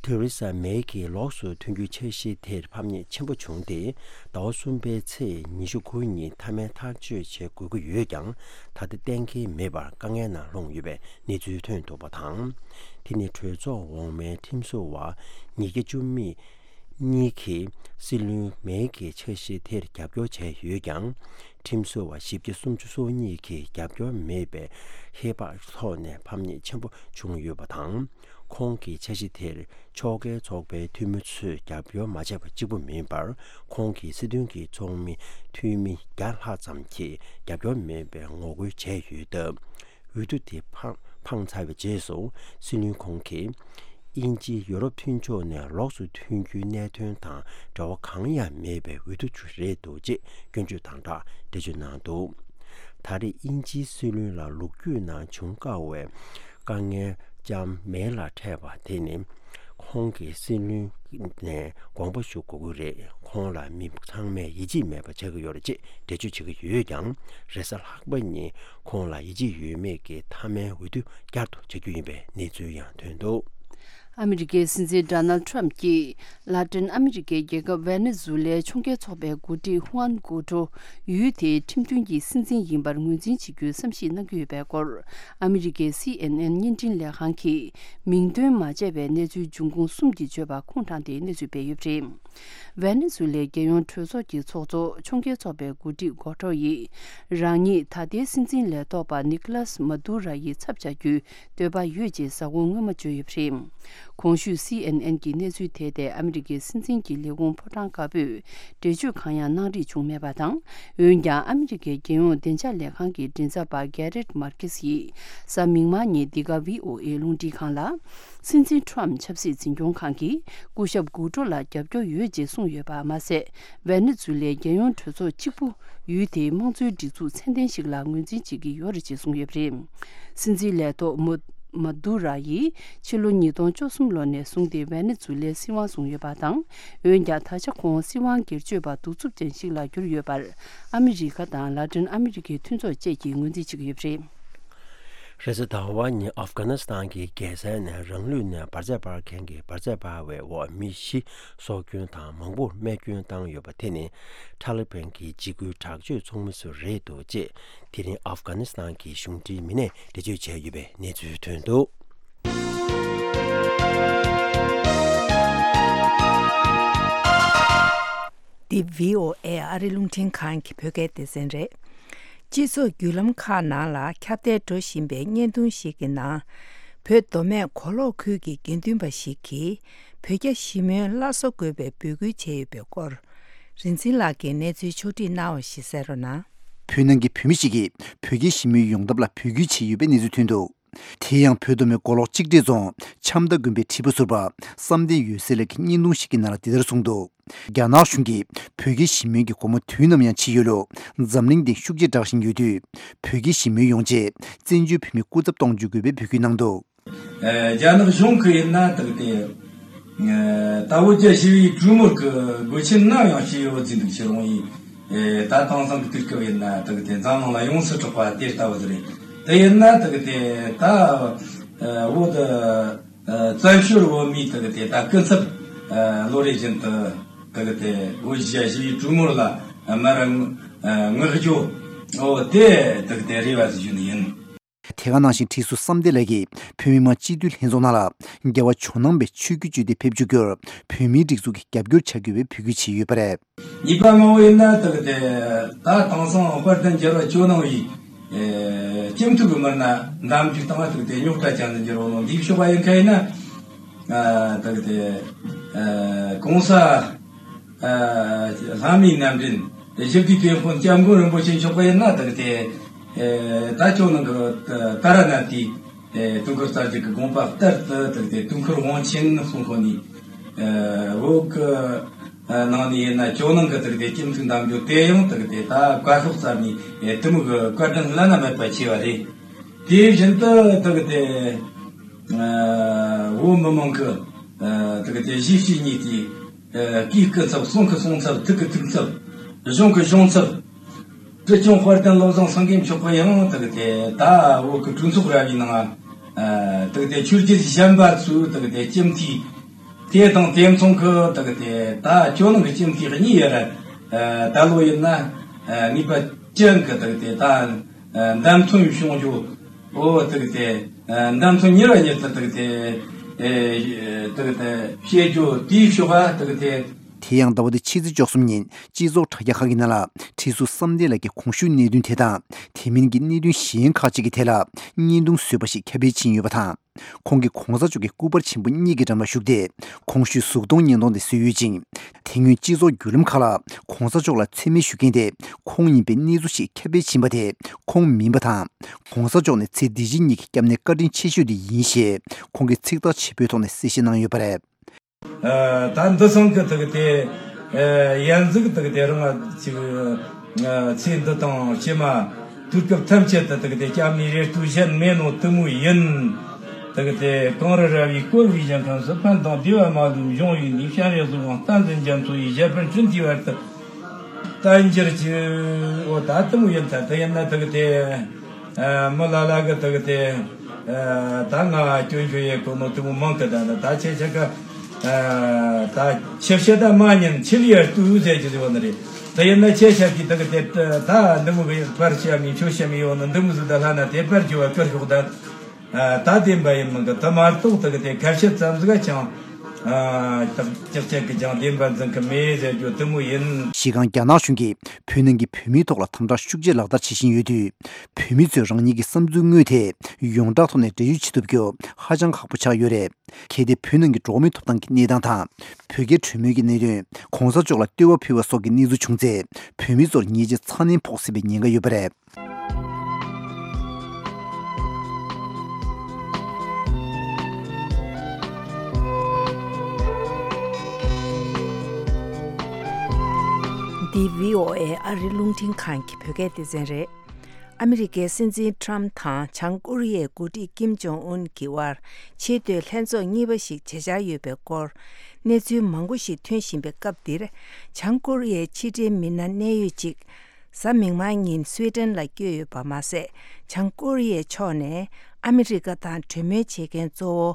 ཐེ་རེ་ས་མེ་གིས་ལོགས་སུ་ཐོན་རྒྱུའི་འཆར་གཞི་དེར་ཕམ་ཉེས་ཆེན་པོ་བྱུང་སྟེ། ཟླ་བ་གསུམ་པའི་ཚེས་ཉི་ཤུ་དགུ་ཉིན་མཐའ་མའི་ཐག་གཅོད་བྱེད་དགོས་ཀྱི་ཡོད་ཀྱང་། ད་ལྟ་གཏན་འཁེལ་མེད་པར་དཀའ་ངལ་ནང་ལྷུང་ཡོད་པའི་གནས་ཚུལ་ཐོན་འདུག་པ་དང་། དེ་ནི་གྲོས་ཚོགས་འོག་མའི་ཁྲིམས་བཟོ་བ་ཉིས་བརྒྱ་བཅུ་མེད་གཉིས་ཀྱིས་སྲིད་བློན་མེ་གི་འཆར་གཞི་དེར་རྒྱབ་སྐྱོར་བྱས་ཡོད་ཀྱང་། ཁྲིམས་བཟོ་བ་བཞི་བརྒྱ་སུམ་ཅུ་སོ་གཉིས་ཀྱིས་རྒྱབ་སྐྱོར་མེད་པའི་ཧེ་བག་ཐོག་ནས་ཕམ་ཉེས་ཆེན་པོ་བྱུང་ཡོད་པ་དང་། ཁོང་གི་འཆར་གཞི་དེར་ཕྱོགས་འགལ་ཚོགས་པའི་འཐུས་མི་ཚོས་རྒྱབ་སྐྱོར་མ་བྱས་པ་གཅིག་པུ་མིན་པར། ཁོང་གི་སྲིད་དོན་གྱི་ཚོགས་མི་འཐུས་མི་བརྒྱ་ལྷག་ཙམ་གྱིས་རྒྱབ་སྐྱོར་མེད་པའི་ངོ་རྒོལ་བྱས་ཡོད་སྟབས། འོས་བསྡུ་དེ་འཕངས་འཕངས་ཚར་བའི་རྗེས་སུ། སྲིད་བློན་ཁོང་གིས་དབྱིན་ཇི་ཡུ་རོབ་མཐུན་ཕྱོགས་ནས་ལོགས་སུ་ཐོན་རྒྱུའི་གནད་དོན་དང་འབྲེལ་བ་གང་ཡང་མེད་པའི་འོས་བསྡུ་ཅིག་རེད་འདུག་ཅེས་སྐྱོན་བརྗོད་དང་སྦྲགས་འགྲེལ་བརྗོད་གནང་འདུག་ད་རེས་དབྱིན་ཇིའི་སྲིད་བློན་ལ་ལོ་རྒྱུས་ནང་བྱུང་དཀའ་བའི་དཀའ་ངལ་ལྕམ་མེ་ལ་འཕྲད་པ་དེ་ནི། ཁོང་གིས་སྲིད་བློན་ནས་དགོངས་པ་ཞུ་དགོས་ཀྱི་རེད། ཁོང་ལ་མི་ཚང་མས་ཡིད་ཆེས་མེད་པ་ཆགས་ཀྱི་ཡོད་རེད་ཅེས་འགྲེལ་བརྗོད་བྱེད་ཀྱི་ཡོད་ཀྱང་། རེས་གཟའ་ལྷག་པ་ཉིན་ཁོང་ལ་ཡིད་ཆེས་ཡོད་མེད་ཀྱི་མཐའ་མའི་འོས་བསྡུ་བསྐྱར་དུ་བྱ་རྒྱུ་ཡིན་པའི་གནས་ཚུལ་ཡང་ཐོན་འདུག་ཨ་མི་རི་ཀའི་སྲིད་འཛིན་ཌོ་ནལ་ཌི་ཊརམ་གྱིས་ལ་ཏིན་ཨ་མི་རི་ཀའི་རྒྱལ་ཁབ་ཝེ་ནེ་ཛུ་ལའི་ཕྱོགས་འགལ་ཚོགས་པའི་འགོ་ཁྲིད་ཧུའན་གུའུ་ཀྲོ་ཡུལ་དེའི་ཁྲིམས་མཐུན་གྱི་སྲིད་འཛིན་ཡིན་པར་ངོས་འཛིན་བྱེད་རྒྱུའི་བསམ་གཞིག་གནང་གི་ཡོད་པའི་སྐོར། ཨ་མི་རི་ཀའི་སི་ཨེན་ཨེན་བརྙན་འཕྲིན་ལས་ཁང་གིས་མིང་འདོན་མ་བྱས་པའི་གནས་ཚུལ་འབྱུང་ཁུངས་གསུམ་གྱིས་བརྗོད་པ་ཁུངས་དྲངས་ཏེ་གནས་ཚུལ་སྤེལ་ཡོད་པ་རེད། ཝེ་ནེ་ཛུ་ལའི་རྒྱལ་ཡོངས་གྲོས་ཚོགས་ཀྱི་ཚོགས་གཙོ་ཕྱོགས་འགལ་ཚོགས་པའི་འགོ་ཁྲིད་གོ་ཊོ་ཡིས། རང་ཉིད་ད་ལྟའི་སྲིད་འཛིན་ལས་ཐོག་པ་ནི་ཀོ་ལཱས་མ་དུ་ར་ཡི་ཚབ་བྱ་རྒྱུའི་འདོད་པ་ཡོད་ཅེས་གཟའ་འཁོར་སྔོན་མ་བརྗོད་ཡོད་པ་རེད། གོང་ཞུས་སི་ཨེན་ཨེན་གྱིས་གནས་ཚུལ་དེ་དེ་ཨ་མི་རི་ཀའི་སྲིད་འཛིན་གྱི་ལས་ཁུངས་ཕོ་བྲང་དཀར་པོས་འགྲེལ་བརྗོད་གང་ཡང་གནང་རིགས་བྱུང་མེད་པ་དང་། འོན་ཀྱང་ཨ་མི་རི་ཀའི་རྒྱལ་ཡོངས་བདེ་འཇགས་ལས་ཁང་གི་མགྲིན་ཚབ་པ་གྷེ་རེད་མར་ཁེ་སི་ཡིས་གཟའ་མིག་དམར་ཉིན་འདི་ག་ཝི་ཨོ་ཨེ་རླུང་འཕྲིན་ཁང་ལ། སྲིད་འཛིན་ཊརམ་ཆབ་སྲིད་འཛིན་སྐྱོང་ཁང་གིས་སྐུ་ཞབས་གུའུ་ཀྲོ་ལ་རྒྱབ་སྐྱོར་ཡོད་ཅེས་གསུངས་ཡོད་པ་མ་ཟད། ཝེ་ནེ་ཛུ་ལའི་རྒྱལ་ཡོངས་གྲོས་ཚོགས་གཅིག་པུ་ཡུལ་དེའི་དམངས་གཙོའི་སྒྲིག་འཛུགས་ཚད་ལྡན་ཞིག་ལ་ངོས་འཛིན་བྱེད་ཀྱི་ཡོད་རེད་ཅེས་གསུངས་ཡོད་པ་རེད། སྲིད་འཛིན་ལས་ཐོག་མ་མ་དུ་ར་ཡིས་ཕྱི་ལོ་ཉིས་སྟོང་བཅུ་གསུམ་ལོ་ནས་བཟུང་སྟེ་ཝེ་ནེ་ཛུ་ལའི་སྲིད་དབང་བཟུང་ཡོད་པ་དང་། འོན་ཀྱང་ད་ཆ་ཁོང་སྲིད་དབང་སྒེར་གཅོད་པ་གདུག་རྩུབ་ཅན་ཞིག་ལ་གྱུར་ཡོད་པར་ཨ་མི་རི་ཀ་དང་ལ་ཏིན་ཨ་མི་རི་ཀའི་མཐུན་ཚོགས་བཅས་ཀྱིས་ངོས་འཛིན་བྱེད་ཀྱི་ཡོད་པ་རེད། རེས་གཟའ་ཟླ་བ་ཉིན་ཨབ་གྷ་ནི་སི་ཐན་གྱི་རྒྱལ་ས་ནས་རང་ལུས་ནས་འབར་རྫས་འབར་མཁན་གྱི་འབར་རྫས་འབར་བའི་འོག་མི་བཞི་སྲོག་སྐྱོན་དང་མང་པོར་རྨས་སྐྱོན་བཏང་ཡོད་པ་དེ་ནི་ཐ་ལི་བན་གྱི་འཇིགས་སྐུལ་དྲག་སྤྱོད་ཚོགས་མི་ཚོ་རེད་འདུག་ཅེས་དེ་རིང་ཨབ་གྷ་ནི་སི་ཐན་གྱི་གཞུང་འབྲེལ་མི་སྣས་འགྲེལ་བརྗོད་བྱས་ཡོད་པའི་གནས་ཚུལ་ཐོན་འདུག་འདི་བྷི་ཨོ་ཨེ་ཨ་རི་རླུང་འཕྲིན་ཁང་གི་བོད་སྐད་སྡེ་ཚན་རེད། སྤྱི་ཚོགས་བརྒྱུད་ལམ་ཁག་ནང་ལ་ཁྱབ་གདལ་འགྲོ་བཞིན་པའི་བརྙན་ཐུང་ཞིག་གི་ནང་། བོད་མདོ་སྨད་མགོ་ལོག་ཁུལ་གྱི་དགེ་འདུན་པ་ཞིག་གིས་བོད་རྒྱ་ཞི་མོལ་སླར་གསོ་དགོས་པའི་འབོད་སྐུལ་བྱས་ཡོད་པའི་སྐོར། རིན་ཆེན་ལགས་ཀྱིས་གནས་ཚུལ་ཕྱོགས་བསྒྲིགས་གནང་བ་ཞིག་གསན་རོགས་གནང་། བོད་ནང་གི་བོད་མི་ཞིག་གིས་བོད་རྒྱའི་ཞི་མོལ་ཡོང་ཐབས་ལ་འབོད་སྐུལ་བྱས་ཡོད་པའི་གནས་ཚུལ་ཐོན་འདུག་དེ་ཡང་བོད་མདོ་སྨད་མགོ་ལོག་གཅིག་སྒྲིལ་རྫོང་འཆམ་མདའ་དགོན་པའི་ཁྲི་པ་ཟུར་པ་བསམ་གཏན་འོད་ཟེར་ལགས་ཀྱིས་བརྙན་ཐུང་ཞིག་གི་ནང་ལ་འདི་ལྟར་གསུངས་འདུག་རྒྱ་ནག་གཞུང་གིས་བོད་རྒྱའི་ཞི་མོལ་གྱི་སྒོ་མོ་དུས་ནམ་ཡང་ཕྱེ་ཡོད་ལུགས། འཛམ་གླིང་སྟེང་ཤུགས་ཆེ་དྲག་བཞིན་ཡོད་དུས། བོད་རྒྱའི་ཞི་མོལ་ཡོང་ཆེད་བཙན་བྱོལ་བོད་མི་སྐུ་ཚབ་གཏོང་བཅུག་དགོས་པའི་འབོད་སྐུལ་གནང་འདུག་ཨ། རྒྱ་ནག་གཞུང་གིས་ཡིན་ན་དག་དེ། ཨ། ད་བོད་རྒྱ་ཞི་བའི་གྲོས་མོལ་གྱི་དགོས་ཆེན་ནམ་ཡང་ཞིག་ཡོད་ཟིན་འདུག་ཕྱི་རོང་ཡིན། ཨ། ད་དེང་སང་གི་དུས་སྐབས་ཡིན་ན་དག་དེ་འཛམ་གླིང་ལ་ཡོངས་སུ་གྲགས་པ་དེ་ལྟ་བུ་ཟིག་རེད། དེ་ཡིན་ན་དག་དེ་ད། ཨ། བོད། ཨ། བཙན་བྱོལ་བོད་མིའི་དག་དེ་ད་སྐུ་ཚབ། ཨ། ལོ་རེ་བཞིན་དུ་དག་དེ་བོད་རྒྱ་ཞི་བའི་གྲོས་མོལ་ལ་མར། ཨ། ངོ་རྒོལ། འོ་དེ་དག་དེ་རེ་བ་ཟིག་ཞུ་ནི་ཡིན། དེ་ག་ནང་བཞིན་ཁྲི་ཟུར་བསམ་གཏན་ལགས་ཀྱིས་བོད་མི་མང་སྤྱི་འཐུས་ལྷན་ཚོགས་ནང་ལ་རྒྱལ་བ་ཇོ་ནང་པའི་ཆོས་བརྒྱུད་བརྗོད་དེ་ཕེབས་བཅུག་རྒྱུར་བོད་མིའི་སྒྲིག་འཛུགས་ཀྱིས་རྒྱབ་སྐྱོར་བྱ་དགོས་པའི་འབོད་སྐུལ་བྱས་ཡོད་པ་རེད། གཉིས་པ་མང་བོ་ཡིན་ན་དག་དེ་ད་དེང་སང་དཔལ་ལྡན་རྒྱལ་བ་ཇོ་ནང་པའི་ཨེ་སྤྱི་འཐུས་ཀྱི་མི་སྣ་འདེམས་རྒྱུ་དང་དག་དེ་རྙོག་དྲ་ཅན་དུ་འགྱུར་བ་ལོ་འདིའི་ཕྱོགས་པ་ཡིན་མཁན་ཡིན་ན། ཨ། དག་དེ་ཨེ་གོང་ས། ཨ། ལྷ་མིའི་རྣམ་འདྲེན་ཞི་བདེའི་དེད་དཔོན་སྐྱབས་མགོན་རིན་པོ་ཆེ་མཆོག་པ་ཡིན་ན་དག་དེ། ཨེ་ད་ཇོ་ནང་གི་ད་ར་ནཱ་ཐའི། ཨེ་དུས་འཁོར་གསར་བརྗེ་གི་དགོངས་པ་ལྟར་དུ་དག་དེ་དུས་འཁོར་དབང་ཆེན་གསུང་ཁོ་ནི། ཨེ་བོད་གི་ཨ་ནང་ནས་ཡིན་ན་ཇོ་ནང་གི་དག་དེ་སྤྱི་འཐུས་འདེམས་རྒྱུ་དེ་ཡང་དག་དེ་ད་བཀའ་ཤོག་བརྩམས་ནས་ཨེ་དེ་མོ་གི་བཀའ་དྲིན་བླ་ན་མེད་པ་ཆེ་བ་རེད། དེ་བཞིན་དུ་དག་དེ། ཨ། བོད་མི་མང་གི། ཨ། དག་དེ་གཞིས་བྱེས་གཉིས་ཀྱི། ཨ། སྐུའི་སྐུ་ཚབ། གསུང་གི་གསུང་ཚབ། ཐུགས་ཀྱི་ཐུགས་ཚབ། གཞུང་གི་གཞུང་ཚབ། ཁྲི་སྐྱོང་དཔལ་ལྡན་བློ་བཟང་སེང་གེ་མཆོག་གིས་ཡང་དག་དེ་ད་བོད་ཀྱི་གྲོས་ཚོགས་ར་བའི་ནང་། ཨ། དག་དེ་ཆོས་བརྒྱུད་གཞན་པ་ཚོའི་དག་དེ་སྤྱི་འཐུས། དེ་དང་དེ་མཚུངས་ཀྱི་དག་དེ་ད་ཇོ་ནང་གི་སྤྱི་འཐུས་གཉིས་ཡོད་རེད། ད་ལོ་ཡིན་ན་ངེས་པ་ཅན་གྱི་དག་དེ་ད་འདེམས་ཐོན་བྱུང་རྒྱུ། འོ་དག་དེ་འདེམས་ཐོན་གཉིས་པ་ཉིད་དུ་དག་དེ་དག་དེ་བཤད་རྒྱུ་དེའི་ཕྱོགས་ཨ་དག་དེ། དེ་ཡང་ཟླ་བ་འདི་ཕྱི་ཚེས་བཅུ་གསུམ་ཉིན་སྤྱི་ཚོགས་དྲ་རྒྱ་ཁག་གི་ནང་ལ་ཁྲི་ཟུར་བསམ་གཏན་ལགས་ཀྱི་གོང་ཞུས་གནད་དོན་དེ་དང་དེ་མིན་གྱི་གནད་དོན་གཞན་ཁག་ཅིག་གི་ཐད་ལ་བརྙན་ཐུང་བཟོས་པ་ཞིག་ཁྱབ་སྤེལ་ཕྱིན་ཡོད་པ་དང་། ཁོང་གིས་གོང་ས་མཆོག་གི་སྐུ་པར་ཆེན་པོ་གཉིས་ཀྱི་འགྲམ་ལ་བཞུགས་ཏེ་གོང་ཞུས་གཟུགས་མཐོང་བརྙན་ཐུང་དེ་བཟོས་ཡོད་ཅིང་། དེ་སྔོན་སྤྱི་ཚོགས་བརྒྱུད་ལམ་ཁག་ལ་གོང་ས་མཆོག་ལ་མཚན་སྨད་ཞུ་མཁན་དེ་ཁོང་ཡིན་པའི་གནས་ཚུལ་ཞིག་ཁྱབ་སྤེལ་ཕྱིན་པ་དེ་ཁོང་མིན་པ་དང་། གོང་ས་མཆོག་ནི་ཚེ་འདི་ཕྱི་གཉིས་ཀྱི་སྐྱབས་གནས་བཀའ་དྲིན་ཆེ་ཤོས་དེ་ཡིན་ཞེས་ཁོང་གིས་ཚིག་ཐག་ཆོད་པོའི་ཐོག་ནས་གསལ་བཤད་གནང་ཡོད་པ་རེད། ད་འདི་སང་གི་དག་དེ་ཡན་ཟིག་དག་དེ་རང་ཅིག་ཚེ་འདི་དང་ཕྱི་མ་དུས་སྐབས་ཐམས་ཅད་དུ་དག་དེ་སྐྱབས་གནས་རེ་ལྟོས་གཞན་མེད་ནོ་དེ་མོ་ཡིན། དག་དེ་གངས་རི་ར་བས་བསྐོར་བའི་ཞིང་ཁམས་སུ་ཕན་དང་བདེ་བ་མ་ལུས་འབྱུང་བའི་གནས། སྤྱན་རས་གཟིགས་དབང་བསྟན་འཛིན་རྒྱ་མཚོ་ཡི་ཞབས་པད་སྤྲིན་བསིལ་བར་དུ་བརྟན་གྱུར་ཅིག་འོ་ད་དེ་མོ་ཡིན་ད་དེ་ཡིན་ན་དག་དེ། མི་ལ་ལ་གི་དག་དེ། ད་ང་སྐྱོན་བརྗོད་ཡེ་གོ་ནོ་དེ་མོ་མང་གི་ད་ནི་ད་ཁྱེད་ཆ་ག་ད་ཁྱེད་བཤད་ད་མ་ཉན་ཁྱེད་ལ་ཡར་ལྟོས་ཟེར་གྱི་ཟེར་བ་ནི་རེད། དེ་ཡིན་ན་ཁྱེད་ཆ་གི་དག་དེ་ད་འདི་མོ་གི་པར་བཤད་མི་ཁྱོད་བཤད་མི་ཡོང་ནི་འདི་མོ་ཟིག་ད་ལྷ་ན་དེ་པར་བརྗོད་བ་ཀར་ཤོག་ད། ད་བདེན་པ་ཡིན་མིན་གི་དེ་མ་གཏོགས་དག་དེ་ཁ་བཤད་ཙམ་ཟིག་ཀྱང་། ཨ། ཏག་ཅག་ཅག་གི་ཀྱང་བདེན་པ་འཛིན་གི་མེད་ཟེར་རྒྱུ་དེ་མོ་ཡིན། གཞི་རྐང་རྒྱ་ནག་གཞུང་གིས་བོད་ནང་གི་བོད་མིའི་ཐོག་ལ་དམ་དྲག་ཤུགས་ཆེ་ལག་བསྟར་བྱེད་བཞིན་ཡོད་དུས། བོད་མི་ཚོས་རང་ཉིད་ཀྱི་བསམ་ཚུལ་དངོས་དེ་ཡོངས་གྲགས་ཐོག་ནས་འགྲེལ་བརྗོད་བྱེད་ཐུབ་རྒྱུ་ཧ་ཅང་ཁག་པོ་ཆགས་ཡོད་རེད། གལ་ཏེ་བོད་ནང་གི་འགྲོ་བ་མིའི་ཐོབ་ཐང་གི་གནས་སྟངས་དང་། བོད་རྒྱའི་གྲོས་མོལ་གྱི་གནད་དོན། གོང་ས་མཆོག་ལ་བསྟོད་པ་ཕུལ་བ་སོགས་ཀྱི་གནས་ཚུལ་བྱུང་ཚེ། བོད་མི་ཚོར་ཉེས་ཆད་ཚ་ནན་ཕོག་སྲིད་པའི་ཉེན་ཁ་ཡོད་པ་རེད། འདི་བྷི་ཨོ་ཨེ་ཨ་རིའི་རླུང་འཕྲིན་ཁང་གི་བོད་སྐད་སྡེ་ཚན་རེད། ཨ་མི་རི་ཀའི་སྲིད་འཛིན་ཁྲམ་དང་བྱང་ཀོ་རི་ཡའི་འགོ་ཁྲིད་ཀིམ་ཇོང་ཨུན་གྱི་དབར་ཆེས་མཐོའི་ལྷན་ཚོགས་གཉིས་པ་ཞིག་བྱེད་འཆར་ཡོད་པའི་སྐོར་གནས་ཚུལ་མང་པོ་ཞིག་ཐོན་བཞིན་པའི་སྐབས་འདིར། བྱང་ཀོ་རི་ཡའི་ཕྱི་འབྲེལ་མི་སྣ་གནད་ཡོད་ཅིག་གཟའ་མིག་དམར་ཉིན་སུའེ་ཏེན་ལ་བསྐྱོད་ཡོད་པ་མ་ཟད། བྱང་ཀོ་རི་ཡའི་ཕྱོགས་ནས་ཨ་མི་རི་ཀ་དང་གྲོས་མོལ་བྱེད་མཁན་གཙོ་བོ་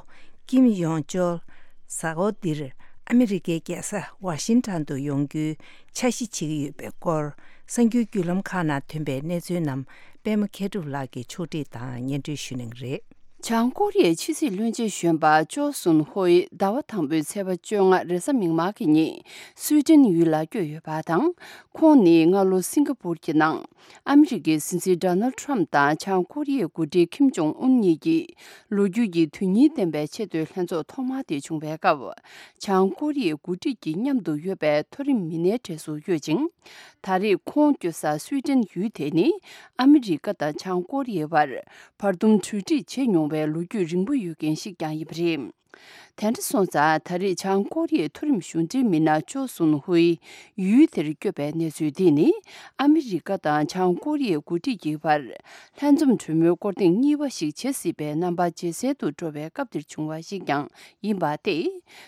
ཀིམ་ཡོང་ཅོལ་གཟའ་འཁོར་འདིར་ཨ་མི་རི་ཀའི་རྒྱལ་ས་ཝ་ཤིང་ཊོན་དུ་ཡོང་རྒྱུའི་འཆར་གཞི་བྱེད་ཀྱི་ཡོད་པའི་སྐོར། གསར་འགྱུར་བརྒྱུད་ལམ་ཁག་ནང་ཐོན་པའི་གནས་ཚུལ་རྣམས་པད་མ་མཁས་གྲུབ་ལགས་ཀྱིས་ཕྱོགས་སྒྲིག་དང་སྙན་སྒྲོན་ཞུ་གནང་གི་རེད། བྱང་ཀོ་རི་ཡའི་ཕྱི་སྲིད་བློན་ཆེན་གཞོན་པ་ཅོ་སུན་ཧོ་ཡི་ཟླ་བ་དང་པོའི་ཚེས་པ་བཅོ་ལྔ་རེས་གཟའ་མིག་དམར་གྱི་ཉིན་སུའེ་ཏེན་ཡུལ་ལ་བསྐྱོད་ཡོད་པ་དང་། ཁོང་ནི་སྔ་ལོ་སིང་ག་པུར་གྱི་ནང་ཨ་མི་རི་ཀའི་སྲིད་འཛིན་ཌོ་ནལ་ཁྲམ་དང་བྱང་ཀོ་རི་ཡའི་འགོ་ཁྲིད་ཁིམ་ཇོང་ཨུན་གཉིས་ཀྱིས་ལོ་རྒྱུས་ཀྱི་དོན་སྙིང་ལྡན་པའི་ཆེས་མཐོའི་ལྷན་ཚོགས་ཐོག་མ་དེ་བྱུང་བའི་སྐབས། བྱང་ཀོ་རི་ཡའི་འགོ་ཁྲིད་ཀྱི་མཉམ་དུ་ཡོད་པའི་མཐོ་རིམ་མི་སྣའི་གྲས་སུ་ཡོད་ཅིང་། ད་རེས་ཁོང་བསྐྱོད་ས་སུའེ་ཏེན་ཡུལ་དེ་ནི་ཨ་མི་རི་ཀ་དང་བྱང་ཀོ་རི་ཡའི་བར་བར་འདུམ་གྲོས་འགྲིག་བྱེད་མྱོང་བའི་ལོ་རྒྱུས་རིང་པོ་ཡོད་མཁན་ཞིག་ཀྱང་ཡིན་པ་རེད། དེ་འདྲ་སོང་ཙང་ད་རེས་བྱང་ཀོ་རི་ཡའི་མཐོ་རིམ་གཞུང་འབྲེལ་མི་སྣ་ཅོ་སུན་ཧུའི་ཡུལ་དེར་བསྐྱོད་པའི་གནས་ཚུལ་འདི་ནི་ཨ་མི་རི་ཀ་དང་བྱང་ཀོ་རི་ཡའི་འགོ་ཁྲིད་ཀྱི་བར་ལྷན་འཛོམས་གྲོས་མོལ་སྐོར་ཐེངས་གཉིས་པ་ཞིག་བྱེད་སྲིད་པའི་རྣམ་པ་ཇེ་གསལ་དུ་འགྲོ་བའི་སྐབས་འདིར་བྱུང་བ་ཞིག་ཀྱང་ཡིན་པ་སྟེ།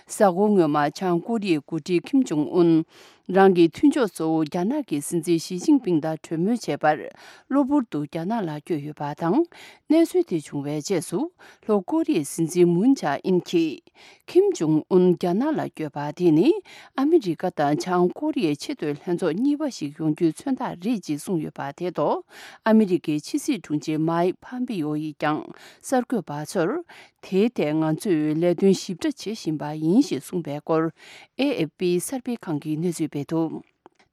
གཟའ་འཁོར་སྔོན་མ་བྱང་ཀོ་རི་ཡའི་འགོ་ཁྲིད་ཁིམ་ཇོང་ཨུན། རང་གི་མཐུན་ཕྱོགས་གཙོ་བོ་རྒྱ་ནག་གི་སྲིད་འཛིན་ཞི་ཅིན་ཕིང་དང་གྲོས་མོལ་བྱེད་པར་གློ་བུར་དུ་རྒྱ་ནག་ལ་བསྐྱོད་ཡོད་པ་དང་། གནས་ཚུལ་དེ་བྱུང་བའི་རྗེས་སུ། ལྷོ་ཀོ་རི་ཡའི་སྲིད་འཛིན་མུན་ཇཱ་ཨིན་གྱིས། ཁིམ་ཇོང་ཨུན་རྒྱ་ནག་ལ་བསྐྱོད་པ་དེ་ནི་ཨ་མི་རི་ཀ་དང་བྱང་ཀོ་རི་ཡའི་ཆེས་མཐོའི་ལྷན་ཚོགས་གཉིས་པ་ཞིག་ཡོང་རྒྱུའི་མཚོན་རྟགས་རེད་ཅེས་གསུངས་ཡོད་པ་དེ་ཐོག་ཨ་མི་རི་ཀའི་ཕྱི་སྲིད་དྲུང་ཆེ་མཱིག་ཕམ་པེ་ཡོ་ཡིས་ཀྱང་གསར་འགོད་པ་ཚོར། དེའི་ཐད་ང་ཚོས་ལས་དོན་ཞིབ་ཕྲ་བྱེད་བཞིན་པ་ཡིན་ཞེས་གསུངས་པའི་སྐོར། ཨེ་ཨེཕ་པི་གསར་སྤེལ་ཁང་གིས་གནས་ཚུལ་སྤེལ་འདུག་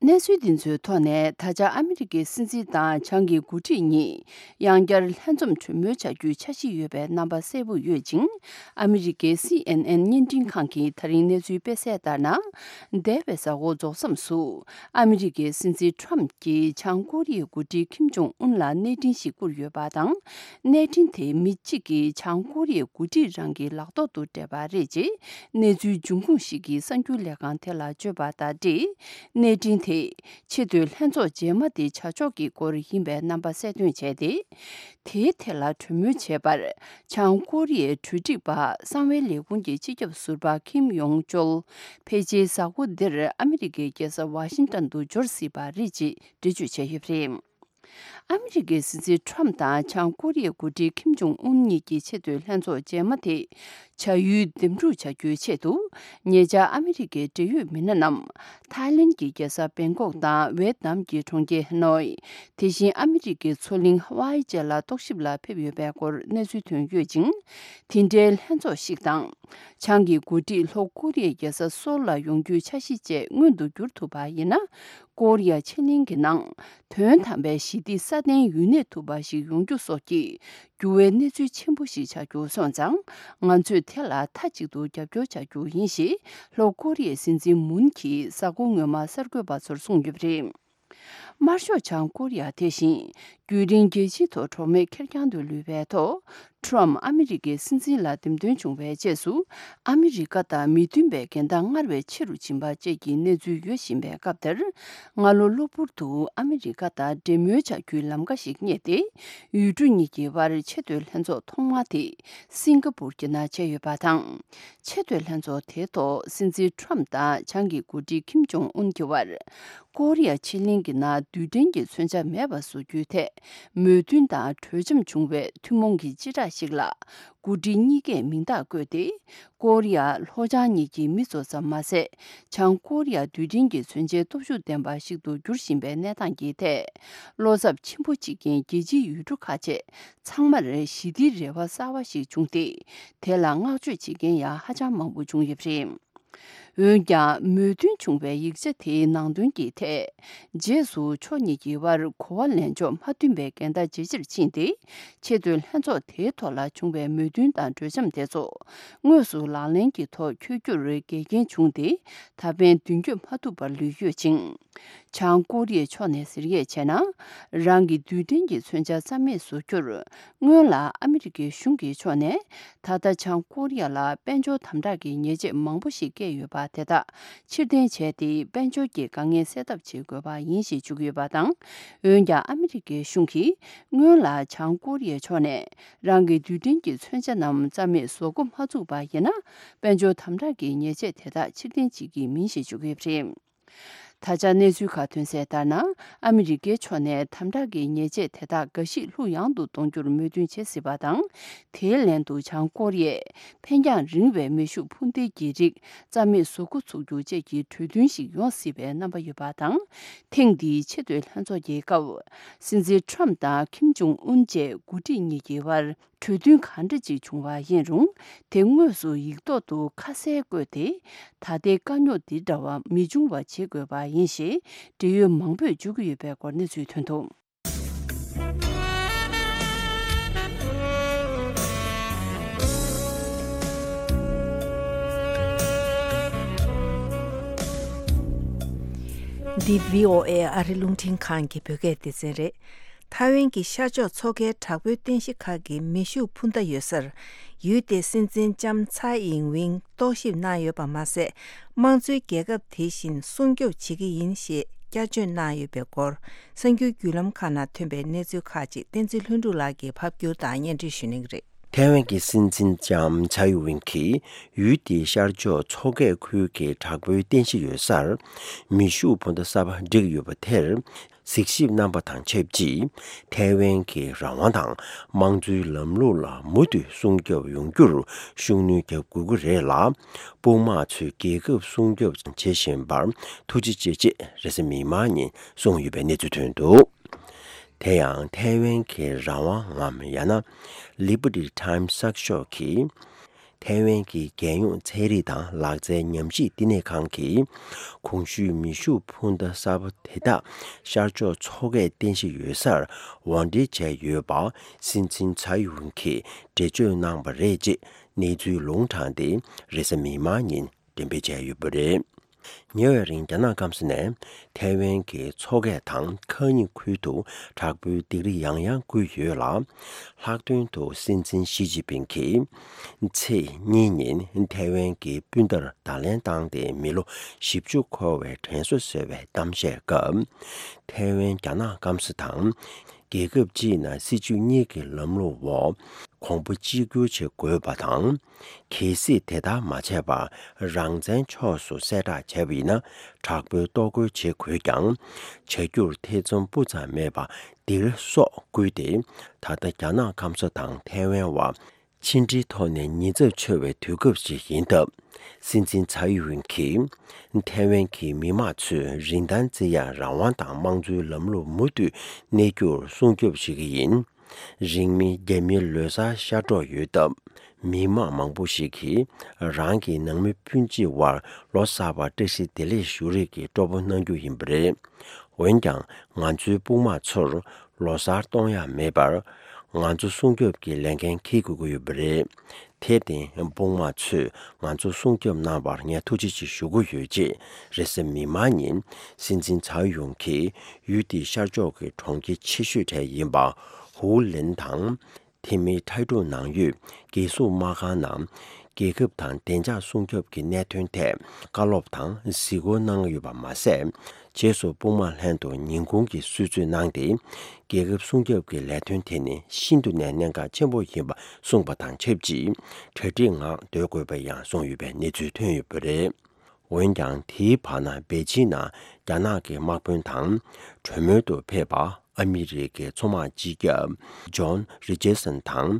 གནས་ཚུལ་འདི་ཚོའི་ཐོག་ནས་ད་ཆ་ཨ་མི་རི་ཀའི་སྲིད་འཛིན་དང་བྱང་གི་འགོ་ཁྲིད་གཉིས་ཡང་བསྐྱར་ལྷན་འཛོམས་གྲོས་མོལ་བྱ་རྒྱུའི་འཆར་གཞི་ཡོད་པའི་རྣམ་པ་གསལ་པོ་ཡོད་ཅིང་། ཨ་མི་རི་ཀའི་སི་ཨེན་ཨེན་བརྙན་འཕྲིན་ཁང་གིས་ད་རིང་གནས་ཚུལ་སྤེལ་གསལ་ལྟར་ན། འདས་པའི་གཟའ་འཁོར་རྫོགས་མཚམས་སུ། ཨ་མི་རི་ཀའི་སྲིད་འཛིན་ཁྲམ་གྱིས་བྱང་ཀོ་རི་ཡའི་འགོ་ཁྲིད་ཁིམ་ཇོང་ཨུན་ལ་གནས་འཕྲིན་ཞིག་བསྐུར་ཡོད་པ་དང་། གནས་འཕྲིན་དེ་མི་གཅིག་གིས་བྱང་ཀོ་རི་ཡའི་འགོ་ཁྲིད་རང་གི་ལག་ཐོག་ཏུ་སྤྲད་པ་རེད་ཅེས་གནས་ཚུལ་འབྱུང་ཁུངས་ཤིག་གིས་གསར་འགྱུར་ལས་ཁང་དེ་ལ་བརྗོད་པ་དང་འབྲེལ། གནས་འཕྲིན་དེ་ཆེས་མཐོའི་ལྷན་ཚོགས་རྗེས་མ་དེ་བྱ་ཕྱོགས་ཀྱི་སྐོར་ཡིན་པའི་རྣམ་པ་གསལ་སྟོན་བྱས་ཏེ། དེའི་ཐད་ལ་གྲོས་མོལ་བྱས་པར། བྱང་ཀོ་རི་ཡའི་གྲོས་སྒྲིག་པ་གསང་བའི་ལས་ཁུངས་ཀྱི་སྤྱི་ཁྱབ་ཟུར་པ་ཁིམ་ཡོང་ཅོལ། ཕལ་ཆེར་གཟའ་འཁོར་འདིར་ཨ་མི་རི་ཀའི་རྒྱལ་ས་ཝ་ཤིང་ཏོན་དུ་འབྱོར་སྲིད་པ་རེད་ཅེས་འགྲེལ་བརྗོད་བྱས་ཡོད་པ་རེད། ཨ་མི་རི་ཀའི་སྲིད་འཛིན་ཁྲམ་དང་བྱང་ཀོ་རི་ཡའི་འགོ་ཁྲིད་ཁིམ་ཇོང་ཨུན་གཉིས་ཀྱི་ཆེས་མཐོའི་ལྷན་ཚོགས་རྗེས་མ་དེ། བྱ་ཡུལ་འདེམས་སྒྲུག་བྱ་རྒྱུའི་ཆེད་དུ། ཉེ་ཆར་ཨ་མི་རི་ཀའི་འབྲེལ་ཡོད་མི་སྣ་རྣམས་ཐའི་ལེན་གྱི་རྒྱལ་ས་བེང་ཀོག་དང་ཝེད་ནམ་གྱི་གྲོང་ཁྱེར་ཧ་ནོའི། དེ་བཞིན་ཨ་མི་རི་ཀའི་མཚོ་གླིང་ཧ་ཝའི་བཅས་ལ་རྟོག་ཞིབ་ལ་ཕེབས་ཡོད་པའི་སྐོར་གནས་ཚུལ་ཐོན་ཡོད་ཅིང་། དེ་འདྲའི་ལྷན་ཚོགས་ཤིག་དང་། བྱང་གི་འགོ་ཁྲིད་ལྷོ་ཀོ་རི་ཡའི་རྒྱལ་ས་སོལ་ལ་ཡོང་རྒྱུའི་འཆར་གཞི་བཅས་མངོན་དུ་འགྱུར་ཐུབ་པ་ཡིན་ན། ཀོ་རི་ཡ་ཕྱེད་གླིང་གི་ནང་དོན་དམ་པའི་ཞི་བདེ་སྲ་བརྟན་ཡུན་གནས་ཐུབ་པ་ཞིག་ཡོང་རྒྱུ་སོགས་ཀྱི་འགྱུར་བའི་གནས་ཚུལ་ཆེན་པོ་ཞིག་ཆགས་རྒྱུ་སོང་ཙང་། ང་ཚོས་དེ་ལ་མཐའ་གཅིག་ཏུ་རྒྱབ་སྐྱོར་བྱ་རྒྱུ་ཡིན་ཞེས་ལྷོ་ཀོ་རི་ཡའི་སྲིད་འཛིན་མུན་གྱིས་གཟའ་འཁོར་སྔོན་མ་གསར་འགོད་པ་ཚོར་གསུངས་ཡོད་པ་རེད། དམར་ཤོག་བྱང་ཀོ་རི་ཡ་དེ་བཞིན་རྒྱུན་རིང་རྒྱལ་སྤྱིའི་ཐོག་གྲོགས་མེད་ཁེར་རྐྱང་དུ་ལུས་པའི་ཐོག་ཊརམ་ཕ་ཨ་མི་རི་ཀའི་སྲིད་འཛིན་ལ་འདེམས་ཐོན་བྱུང་བའི་རྗེས་སུ། ཨ་མི་རི་ཀ་དང་མི་མཐུན་པའི་འགལ་ཟླ་སྔར་བས་ཆེ་རུ་ཕྱིན་པ་བཅས་ཀྱི་གནས་ཚུལ་ཡོད་བཞིན་པའི་སྐབས་དེར། སྔ་ལོ་གློ་བུར་དུ་ཨ་མི་རི་ཀ་དང་འབྲེལ་མོལ་བྱ་རྒྱུའི་ལམ་ཁ་ཞིག་རྙེད་དེ། ཡུལ་གྲུ་གཉིས་ཀྱི་དབར་ཆེས་མཐོའི་ལྷན་ཚོགས་ཐོག་མ་དེ་སིང་ག་པུར་གྱི་ནང་བྱས་ཡོད་པ་དང་། ཆེས་མཐོའི་ལྷན་ཚོགས་དེའི་ཐོག་སྲིད་འཛིན་ཊརམ་དང་བྱང་གི་འགོ་ཁྲིད་ཁིམ་ཇོང་ཨུན་གྱི་དབར། ཀོ་རི་ཡ་ཕྱེད་གླིང་གི་ནང་རྡུལ་ཕྲན་གྱི་མཚོན་ཆ་མེད་པ་བཟོ་རྒྱུའི་ཐད་མོས་མཐུན་དང་གྲོས་འཆམ་བྱུང་བའི་ཐུན་མོང་གི་སྤྱི་བསྒྲགས་ཤིག་ལ། འགོ་ཁྲིད་གཉིས་ཀས་མིང་རྟགས་བཀོད་དེ། ཀོ་རི་ཡ་ལྷོ་བྱང་གཉིས་ཀྱི་མི་ཚོ་ཙམ་མ་ཟད། བྱང་ཀོ་རི་ཡ་རྡུལ་ཕྲན་གྱི་མཚོན་ཆའི་སྟོབས་ཤུགས་ལྡན་པ་ཞིག་ཏུ་འགྱུར་བཞིན་པའི་གནས་སྟངས་ཀྱི་ཐད། བློ་འཚབ་ཆེན་པོ་བྱེད་མཁན་རྒྱལ་སྤྱིའི་ཡུལ་གྲུ་ཁག་ཅིག་ཚང་མར་ཞི་བདེའི་རེ་བ་གསར་བ་ཞིག་བྱུང་སྟེ། དེ་ལ་བསྔགས་བརྗོད་བྱེད་མཁན་ཡང་ཧ་ཅང་མང་པོ་བྱུང་ཡོད་པ་རེད། འོན་ཀྱང་། མོས་མཐུན་བྱུང་བའི་ཡིག་ཆ་དེའི་ནང་དོན་གྱི་ཐད། རྗེས་སུ་ཕྱོགས་གཉིས་ཀྱི་དབར་གོ་བ་ལེན་ཕྱོགས་མ་མཐུན་པའི་འགལ་ཟླ་ཇེ་ཆེར་ཕྱིན་ཏེ། ཆེས་མཐོའི་ལྷན་ཚོགས་དེའི་ཐོག་ལ་བྱུང་བའི་མོས་མཐུན་དང་གྲོས་འཆམ་དེ་ཚོ། དངོས་སུ་ལག་ལེན་གྱི་ཐོག་འཁྱོལ་རྒྱུར་འགལ་རྐྱེན་བྱུང་སྟེ། ད་ཕན་མདུན་སྐྱོད་མ་ཐུབ་པར་ལུས་ཡོད་ཅིང་། བྱང་ཀོ་རི་ཡའི་ཕྱོགས་ནས་ཟེར་ཡས་བྱས་ན། རང་གི་རྡུལ་ཕྲན་གྱི་མཚོན་ཆ་རྩ་མེད་བཟོ་རྒྱུར། སྔོན་ལ་ཨ་མི་རི་ཀའི་གཞུང་གི་ཕྱོགས་ནས། ད་ལྟ་བྱང་ཀོ་རི་ཡ་ལ་དཔལ་འབྱོར་དམ་དྲག་གི་ཉེས་ཆད་མང་པོ་ཞིག་བཀལ་ཡོད་པ་དེ་དག་ཕྱིར་འཐེན་བྱས་ཏེ། དཔལ་འབྱོར་གྱི་དཀའ་ངལ་སེལ་ཐབས་བྱེད་དགོས་པ་ཡིན་ཞེས་བརྗོད་ཀྱི་ཡོད་པ་དང་། འོན་ཀྱང་། ཨ་མི་རི་ཀའི་གཞུང་གིས་སྔོན་ལ་བྱང་ཀོ་རི་ཡའི་ཕྱོགས་ནས་རང་གི་རྡུལ་ཕྲན་གྱི་མཚོན་ཆ་རྣམས་རྩ་མེད་བཟོ་འགོ་མ་བཙུགས་པ་ཡིན་ན། དཔལ་འབྱོར་དམ་དྲག་གི་ཉེས་ཆད་དེ་དག་ཕྱིར་འཐེན་བྱེད་ཀྱི་མིན་ཞེས་བརྗོད་ཀྱི་ཡོད་པ་རེད། ད་ཆ་གནས་ཚུལ་ཁག་ཐོན་གསལ་ལྟར་ན། ཨ་མི་རི་ཀའི་ཕྱོགས་ནས་དམ་དྲག་གི་ཉེས་ཆད་དེ་དག་འགའ་ཞིག་ལྷུག་ཡངས་དུ་གཏོང་རྒྱུར་མོས་མཐུན་བྱེད་སྲིད་པ་དང་། དེའི་ལན་དུ་བྱང་ཀོ་རི་ཡས་འཕེན་རྒྱང་རིང་བའི་མེ་ཤུགས་འཕུར་མདེལ་གྱི་རིགས་རྩ་མེད་བཟོ་འགོ་ཚུགས་རྒྱུ་བཅས་ཀྱི་གྲོས་མཐུན་ཞིག་ཡོང་སྲིད་པའི་རྣམ་པ་ཡོད་པ་དང་། ཐེངས་འདིའི་ཆེས་མཐོའི་ལྷན་ཚོགས་ཀྱི་སྐབས། སྲིད་འཛིན་ཊརམ་དང་ཁིམ་ཇོང་ཨུན་བཅས་འགོ་ཁྲིད་གཉིས་ཀྱི་དབར། གྲོས་མཐུན་གང་འདྲ་ཅིག་བྱུང་བ་ཡིན་རུང་། དེ་དངོས་སུ་ཡིག་ཐོག་ཏུ་ཁ་གསལ་བཀོད་དེ། ད་ལྟའི་དཀའ་རྙོག་འདི་འདྲ་བ་མི་འབྱུང་བ་བྱེད་དགོས་པ་ཡིན་ཞེས་འབྲེལ་ཡོད་མང་པོས་བརྗོད་ཀྱི་ཡོད་པའི་སྐོར་གནས་ཚུལ་ཐོན་འདུག། འདི་བྷི་ཨོ་ཨེ་ཨ་རི་རླུང་འཕྲིན་ཁང་གི་བོད་སྐད་སྡེ་ཚན་རེད། ཐའེ་ཝན་གྱི་ཤར་ཕྱོགས་མཚོ་ཁའི་དྲག་པོའི་རྟེན་གཞི་ཁག་གི་མེ་ཤུགས་འཕུར་མདའ་ཡོད་སར། ཡུལ་དེའི་སྲིད་འཛིན་ལྕམ་ཚའེ་ཨིང་ཝིང་རྟོག་ཞིབ་གནང་ཡོད་པ་མ་ཟད། དམངས་གཙོའི་རྒྱལ་ཁབ་དེ་བཞིན་སྲུང་སྐྱོབ་བྱེད་ཀྱི་ཡིན་ཞེས་བསྐྱར་བརྗོད་གནང་ཡོད་པའི་སྐོར། གསར་འགྱུར་བརྒྱུད་ལམ་ཁག་ནང་ཐོན་པའི་གནས་ཚུལ་ཁག་ཅིག་བསྟན་འཛིན་ལྷུན་གྲུབ་ལགས་ཀྱིས་ཕབ་བསྒྱུར་དང་སྙན་སྒྲོན་ཞུ་གནང་གི་རེད། ཐའེ་ཝན་གྱི་སྲིད་འཛིན་ལྕམ་ཚའེ་ཝིང་གིས་ཡུལ་དེའི་ཤར་ཕྱོགས་མཚོ་ཁའི་ཁུལ་གྱི་དྲག་པོའི་རྟེན་གཞི་ཡོད་སར། མེ་ཤུགས་འཕུར་མདའ་གསར་པ་བསྒྲིགས་ཡོད་པ་དེར། གཟིགས་ཞིབ་གནང་པ་དང་ཆབས་ཅིག། ཐའེ་ཝན་གྱི་རང་དབང་དང་དམངས་གཙོའི་ལམ་ལུགས་ལ་མུ་མཐུད་སྲུང་སྐྱོབ་ཡོང་རྒྱུར་ཤུགས་སྣོན་རྒྱག་དགོས་ཀྱི་རེད་ལ། དཔུང་དམག་ཚོས་རྒྱལ་ཁབ་སྲུང་སྐྱོབ་བྱེད་བཞིན་པར་ཐུགས་རྗེ་ཆེ་ཅེས་རེས་གཟའ་མིག་དམར་ཉིན་གསུངས་ཡོད་པའི་གནས་ཚུལ་ཐོན་འདུག། དེ་ཡང་ཐའེ་ཝན་གྱི་རང་དབང་ངམ་ཡང་ན་Liberty Times་གསར་ཤོག་གིས། ཐའེ་ཝན་གྱི་རྒྱལ་ཡོངས་ཚན་རིག་དང་ལག་རྩལ་ཉམས་ཞིབ་བསྟི་གནས་ཁང་གིས། གོང་ཞུས་མེ་ཤུགས་འཕུར་མདའ་གསར་པ་དེ་དག་ཤར་ཕྱོགས་མཚོ་ཁའི་རྟེན་གཞི་ཡོད་སར་དབོར་འདྲེན་བྱས་ཡོད་པ། སྲིད་འཛིན་ཚའེ་ཝུན་གྱིས་འགྲེལ་བརྗོད་གནང་བ་རེད་ཅེས་གནས་ཚུལ་ལུང་དྲངས་ཏེ། རེས་གཟའ་མིག་དམར་ཉིན་འགྲེམས་སྤེལ་བྱས་ཡོད་པ་རེད། ཉེ་བའི་རིང་། རྒྱ་ནག་སྐམ་ས་ནས་ཐའེ་ཝན་གྱི་མཚོ་ཁ་དང་ཁ་ཉིན་ཁུལ་དུ་དྲག་པོའི་སྡིགས་ར་ཡང་ཡང་བསྐུལ་ཡོད་ལ། ལྷག་དོན་དུ་སྲིད་འཛིན་ཞི་ཅིན་ཕིང་གིས་ཚེས་གཉིས་ཉིན་ཐའེ་ཝན་གྱི་སྤུན་ཟླར་བརྡ་ལན་བཏང་སྟེ། མི་ལོ་བཞི་བཅུ་འཁོར་བའི་དྲན་གསོ་ཟེར་བའི་གཏམ་བཤད་སྐབས། ཐའེ་ཝན་རྒྱ་ནག་སྐམ་ས་དང་། རྒྱལ་ཁབ་སྤྱིའི་ནང་སྲིད་ཇུས་གཉིས་ཀྱི་ལམ་ལུགས་འོག་གོང་བུ་གཅིག་གྱུར་བྱེད་དགོས་པ་དང་། གལ་སྲིད་དེ་ལྟར་མ་བྱས་པར་རང་བཙན་ཕྱོགས་སུ་གསལ་བསྒྲགས་བྱས་པ་ཡིན་ན། དྲག་པོའི་གཏོར་རྒོལ་བྱེད་དགོས་ཀྱང་། བྱ་རྒྱུར་ཐེ་ཚོམ་སྤུ་ཙམ་མེད་པར་སྡིགས་ར་སོགས་བསྐུལ་ཏེ། ད་ལྟ་རྒྱ་ནག་སྐམ་ས་དང་ཐའེ་ཝན་བར། ཕྱི་འབྲེལ་ཐོག་ནས་ཉེན་ཚབས་ཆེ་བའི་དུས་སྐབས་ཤིག་ཡིན་སྟབས། སྲིད་འཛིན་ཚའེ་ཡུན་གྱིས་ཐའེ་ཝན་གྱི་མི་དམངས་ཚོས་རིན་ཐང་བརྩི་ཡག་རང་དབང་དང་དམངས་གཙོའི་ལམ་ལུགས་མུ་མཐུད་གནས་རྒྱུར་སྲུང་སྐྱོབ་བྱེད་ཀྱི་ཡིན། རིང་མིན་རྒྱ་མིའི་ལོ་གསར་ཤར་འགྲོ་ཡོད་སྟབས། མི་དམངས་མང་པོ་ཞིག་གིས་རང་གི་ནང་མི་སྤུན་མཆེད་དབར་ལོ་གསར་པར་བཀྲ་ཤིས་བདེ་ལེགས་ཞུ་རེས་ཀྱི་སྤྲོ་པོ་གནང་རྒྱུ་ཡིན་པ་རེད། འོན་ཀྱང་། ང་ཚོའི་དཔུང་དམག་ཚོར་ལོ་གསར་གཏོང་ཡག་མེད་པར། ང་ཚོ་སྲུང་སྐྱོབ་ཀྱི་ལས་འགན་འཁྱེར་དགོས་ཀྱི་ཡོད་པ་རེད། དེར་བརྟེན། དཔུང་དམག་ཚོས་ང་ཚོ་སྲུང་སྐྱོབ་གནང་བར་ངས་ཐུགས་རྗེ་ཆེ་ཞུ་གི་ཡོད། ཅེས་རེས་གཟའ་མིག་དམར་ཉིན་སྲིད་འཛིན་ཚའེ་ཡུན་གྱིས་ཡུལ་དེའི་ཤར་ཕྱོགས་ཀྱི་གྲོང་ཁྱེར་ཆེ་ཤོས་གྲས་ཡིན་པ། ཧུའུ་ལིན་དང་། དེ་མིན་ཐའེ་ཀྲུའུ་ནང་ཡོད་རྒྱལ་སྲུང་དམག་ཁང་ནང་། རྒྱལ་ཁབ་དང་བདེ་འཇགས་སྲུང་སྐྱོབ་ཀྱི་གནད་དོན་ཐད་བཀའ་སློབ་དང་གཟིགས་སྐོར་གནང་ཡོད་པ་མ་ཟད། རྗེས་སུ་དཔུང་དམག་ལྷན་དུ་ཉིན་གུང་གི་གསོལ་ཚིགས་གནང་སྟེ། རྒྱལ་ཁབ་སྲུང་སྐྱོབ་ཀྱི་ལས་དོན་དེ་ནི་ཤིན་ཏུ་ནས་གནད་འགག་ཆེན་པོ་ཡིན་པ་གསུངས་པ་དང་ཆབས་ཅིག་གྲ་སྒྲིག་ངང་སྡོད་དགོས་པ་ཡང་གསུངས་ཡོད་པའི་གནས་ཚུལ་ཐོན་ཡོད་པ་རེད། འོན་ཀྱང་། དེའི་བར་ན་པེ་ཅིན་ནང་རྒྱ་ནག་གི་དམག་དཔོན་དང་གྲོས་མོལ་དུ་ཕེབས་པ། ཨ་མི་རི་ཀའི་མཚོ་དམག་སྤྱི་ཁྱབ་ཇོན་རི་ཅར་སན་དང་།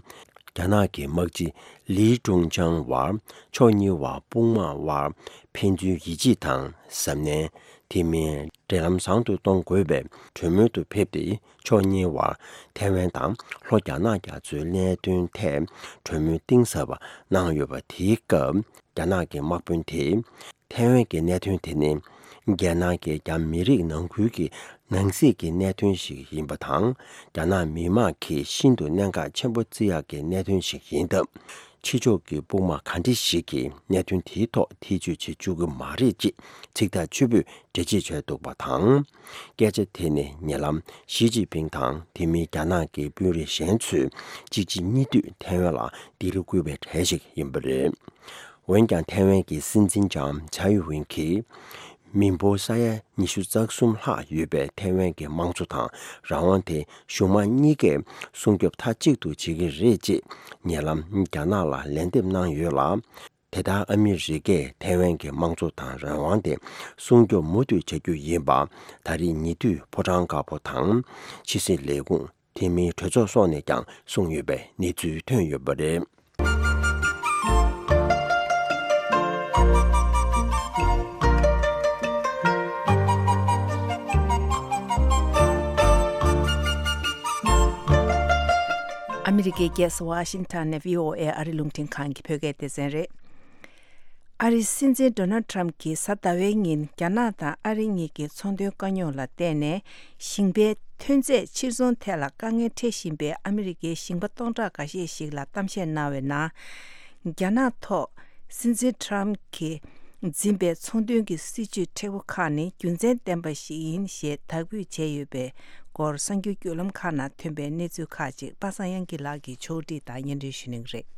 རྒྱ་ནག་གི་དམག་སྤྱི་ལི་ཀྲུང་ཅང་བར། ཕྱོགས་གཉིས་བར་དཔུང་དམག་དབར་ཕན་ཚུན་ཡིད་ཆེས་དང་གཟབ་ནན། དེ་མིན། འབྲེལ་ལམ་བཟང་དུ་གཏོང་དགོས་པའི་གྲོས་མོལ་དུ་ཕེབས་ཏེ། ཕྱོགས་གཉིས་བར་ཐའེ་ཝན་དང་ལྷོ་རྒྱ་ནག་རྒྱ་མཚོའི་གནད་དོན་ཐད་གྲོས་མོལ་གཏིང་ཟབ་པ་གནང་ཡོད་པ། དེའི་སྐབས། རྒྱ་ནག་གི་དམག་དཔོན་དེས། ཐའེ་ཝན་གྱི་གནད་དོན་དེ་ནི། རྒྱལ་ནང་གི་རྒྱ་མི་རིགས་ནང་ཁུལ་གྱི་ནང་སྲིད་ཀྱི་གནད་དོན་ཞིག་ཡིན་པ་དང་། རྒྱ་ནག་མི་དམངས་ཀྱིས་ཤིན་ཏུ་གནད་འགག་ཆེན་པོ་བརྩི་ཡག་གི་གནད་དོན་ཞིག་ཡིན་སྟབས། ཕྱི་ཕྱོགས་ཀྱི་དཔུང་དམག་ག་འདྲ་ཞིག་གིས་གནད་དོན་དེའི་ཐོག་ཐེ་བྱུས་བྱེད་བཅུག་གི་མ་རེད། ཅེས་ཚིག་ཐག་ཆོད་པོས་འགྲེལ་བརྗོད་བྱས་འདུག་པ་དང་། སྐད་ཆ་དེ་ནི་ཉེ་ལམ་ཞི་ཅིན་ཕིང་དང་དེ་མིན་རྒྱ་ནག་གི་དཔོན་རིགས་གཞན་ཚོས་གཅིག་རྗེས་གཉིས་མཐུད་ཐའེ་ཝན་ལ་ལྡི་ལི་བསྐུལ་བའི་གྲས་ཤིག་ཡིན་པ་རེད། འོན་ཀྱང་། ཐའེ་ཝན་གྱི་སྲིད་འཛིན་ལྕམ་ཚའེ་ཡུན་གྱིས། མི་འབོར་ས་ཡ་ཉི་ཤུ་རྩ་གསུམ་ལྷག་ཡོད་པའི་ཐའེ་ཝན་གྱི་དམངས་གཙོ་དང་རང་དབང་དེ་གཞུང་མང་གཉིས་ཀས་སྲུང་སྐྱོབ་མཐའ་གཅིག་ཏུ་བྱེད་ཀྱི་རེད། ཅེས་ཉེ་ལམ་རྒྱ་ནག་ལ་ལན་འདེབས་གནང་ཡོད་ལ། དེ་ལྟར་ཨ་མི་རི་ཀས་ཐའེ་ཝན་གྱི་དམངས་གཙོ་དང་རང་དབང་དེ་སྲུང་སྐྱོབ་མུ་མཐུད་བྱ་རྒྱུ་ཡིན་པ། ད་རེས་ཉེ་དུས་ཕོ་བྲང་དཀར་པོ་དང་ཕྱི་སྲིད་ལས་ཁུངས། དེ་མིན་གྲོས་ཚོགས་སོགས་ནས་ཀྱང་གསུངས་ཡོད་པའི་གནས་ཚུལ་ཐོན་ཡོད་པ་རེད། ཨ་མི་རི་ཀའི་རྒྱལ་ས་ཝ་ཤིང་ཊོན་ནས་བྷི་ཨོ་ཨེ་ཨ་རི་རླུང་འཕྲིན་ཁང་གི་བོད་སྐད་སྡེ་ཚན་རེད། ཨ་རིའི་སྲིད་འཛིན་ཌོ་ནལ་ཊམ་གྱིས་གཟའ་ཟླ་བའི་ཉིན་རྒྱ་ནག་དང་ཨ་རི་གཉིས་ཀྱི་ཚོང་དོན་དཀའ་རྙོག་ལ་བརྟེན་ནས་ཞིང་པའི་ཐོན་རྫས་ཕྱིར་ཚོང་ཐད་ལ་དཀའ་ངལ་འཕྲད་བཞིན་པའི་ཨ་མི་རི་ཀའི་ཞིང་པ་སྟོང་ཕྲག་འགའ་ཤས་ཤིག་ལ་གཏམ་བཤད་གནང་བའི་ནང་། རྒྱ་ནག་ཐོག་སྲིད་འཛིན་ཊམ་གྱིས་འཛིན་པའི་ཚོང་དོན་གྱི་སྲིད་ཇུས་མཁྲེགས་པོ་ཁག་ནི་རྒྱུ་མཚན་ལྡན་པ་ཞིག་ཡིན་ཞེས་དག་འབུལ་བྱས་ཡོད་པའི་སྐོར་གསར་འགྱུར་བརྒྱུད་ལམ་ཁག་ནང་ཐོན་པའི་གནས་ཚུལ་ཁག་ཅིག་པ་སངས་དབྱངས་སྐྱིད་ལགས་ཀྱིས་ཕྱོགས་སྒྲིག་དང་སྙན་སྒྲོན་ཞུ་གནང་གི་རེད།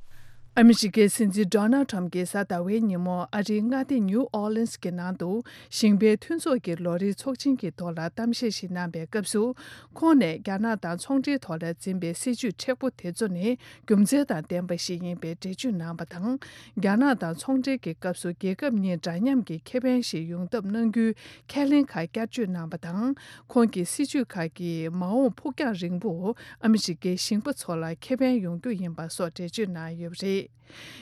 ཨ་མི་རི་ཀའི་སྲིད་འཛིན་ཌོ་ནལ་ཊམ་གྱིས་གཟའ་ཟླ་བའི་ཉིན་མོ་ཨ་རིའི་མངའ་སྡེ་ནིའུ་ཨོ་ལིན་སི་གི་ནང་དུ་ཞིང་པའི་མཐུན་ཚོགས་ཀྱི་ལོ་རེའི་ཚོགས་ཆེན་གྱི་ཐོག་ལ་གཏམ་བཤད་ཞིག་གནང་པའི་སྐབས་སུ། ཁོང་ནས་རྒྱ་ནག་དང་ཚོང་འབྲེལ་ཐོག་ལ་འཛིན་པའི་སྲིད་ཇུས་མཁྲེགས་པོ་དེ་ཚོ་ནི་རྒྱུ་མཚན་དང་ལྡན་པ་ཞིག་ཡིན་པའི་འགྲེལ་བརྗོད་གནང་བ་དང་། རྒྱ་ནག་དང་ཚོང་འབྲེལ་གྱི་སྐབས་སུ་རྒྱལ་ཁབ་གཉིས་འདྲ་མཉམ་གྱི་ཁེ་ཕན་ཞིག་ཡོང་ཐབས་གནང་རྒྱུའི་ཁས་ལེན་ཁག་བསྐྱར་བརྗོད་གནང་བ་དང་། ཁོང་གིས་སྲིད་ཇུས་ཁག་གིས་མ་འོངས་ཕུགས་རྒྱང་རིང་པོ་ཨ་མི་རི་ཀའི་ཞིང་པ་ཚོ་ལ་ཁེ་ཕན་ཡོང་རྒྱུ་ཡིན་པ་སོགས་འགྲེལ་བརྗོད་གནང་ཡོད་པ་རེད།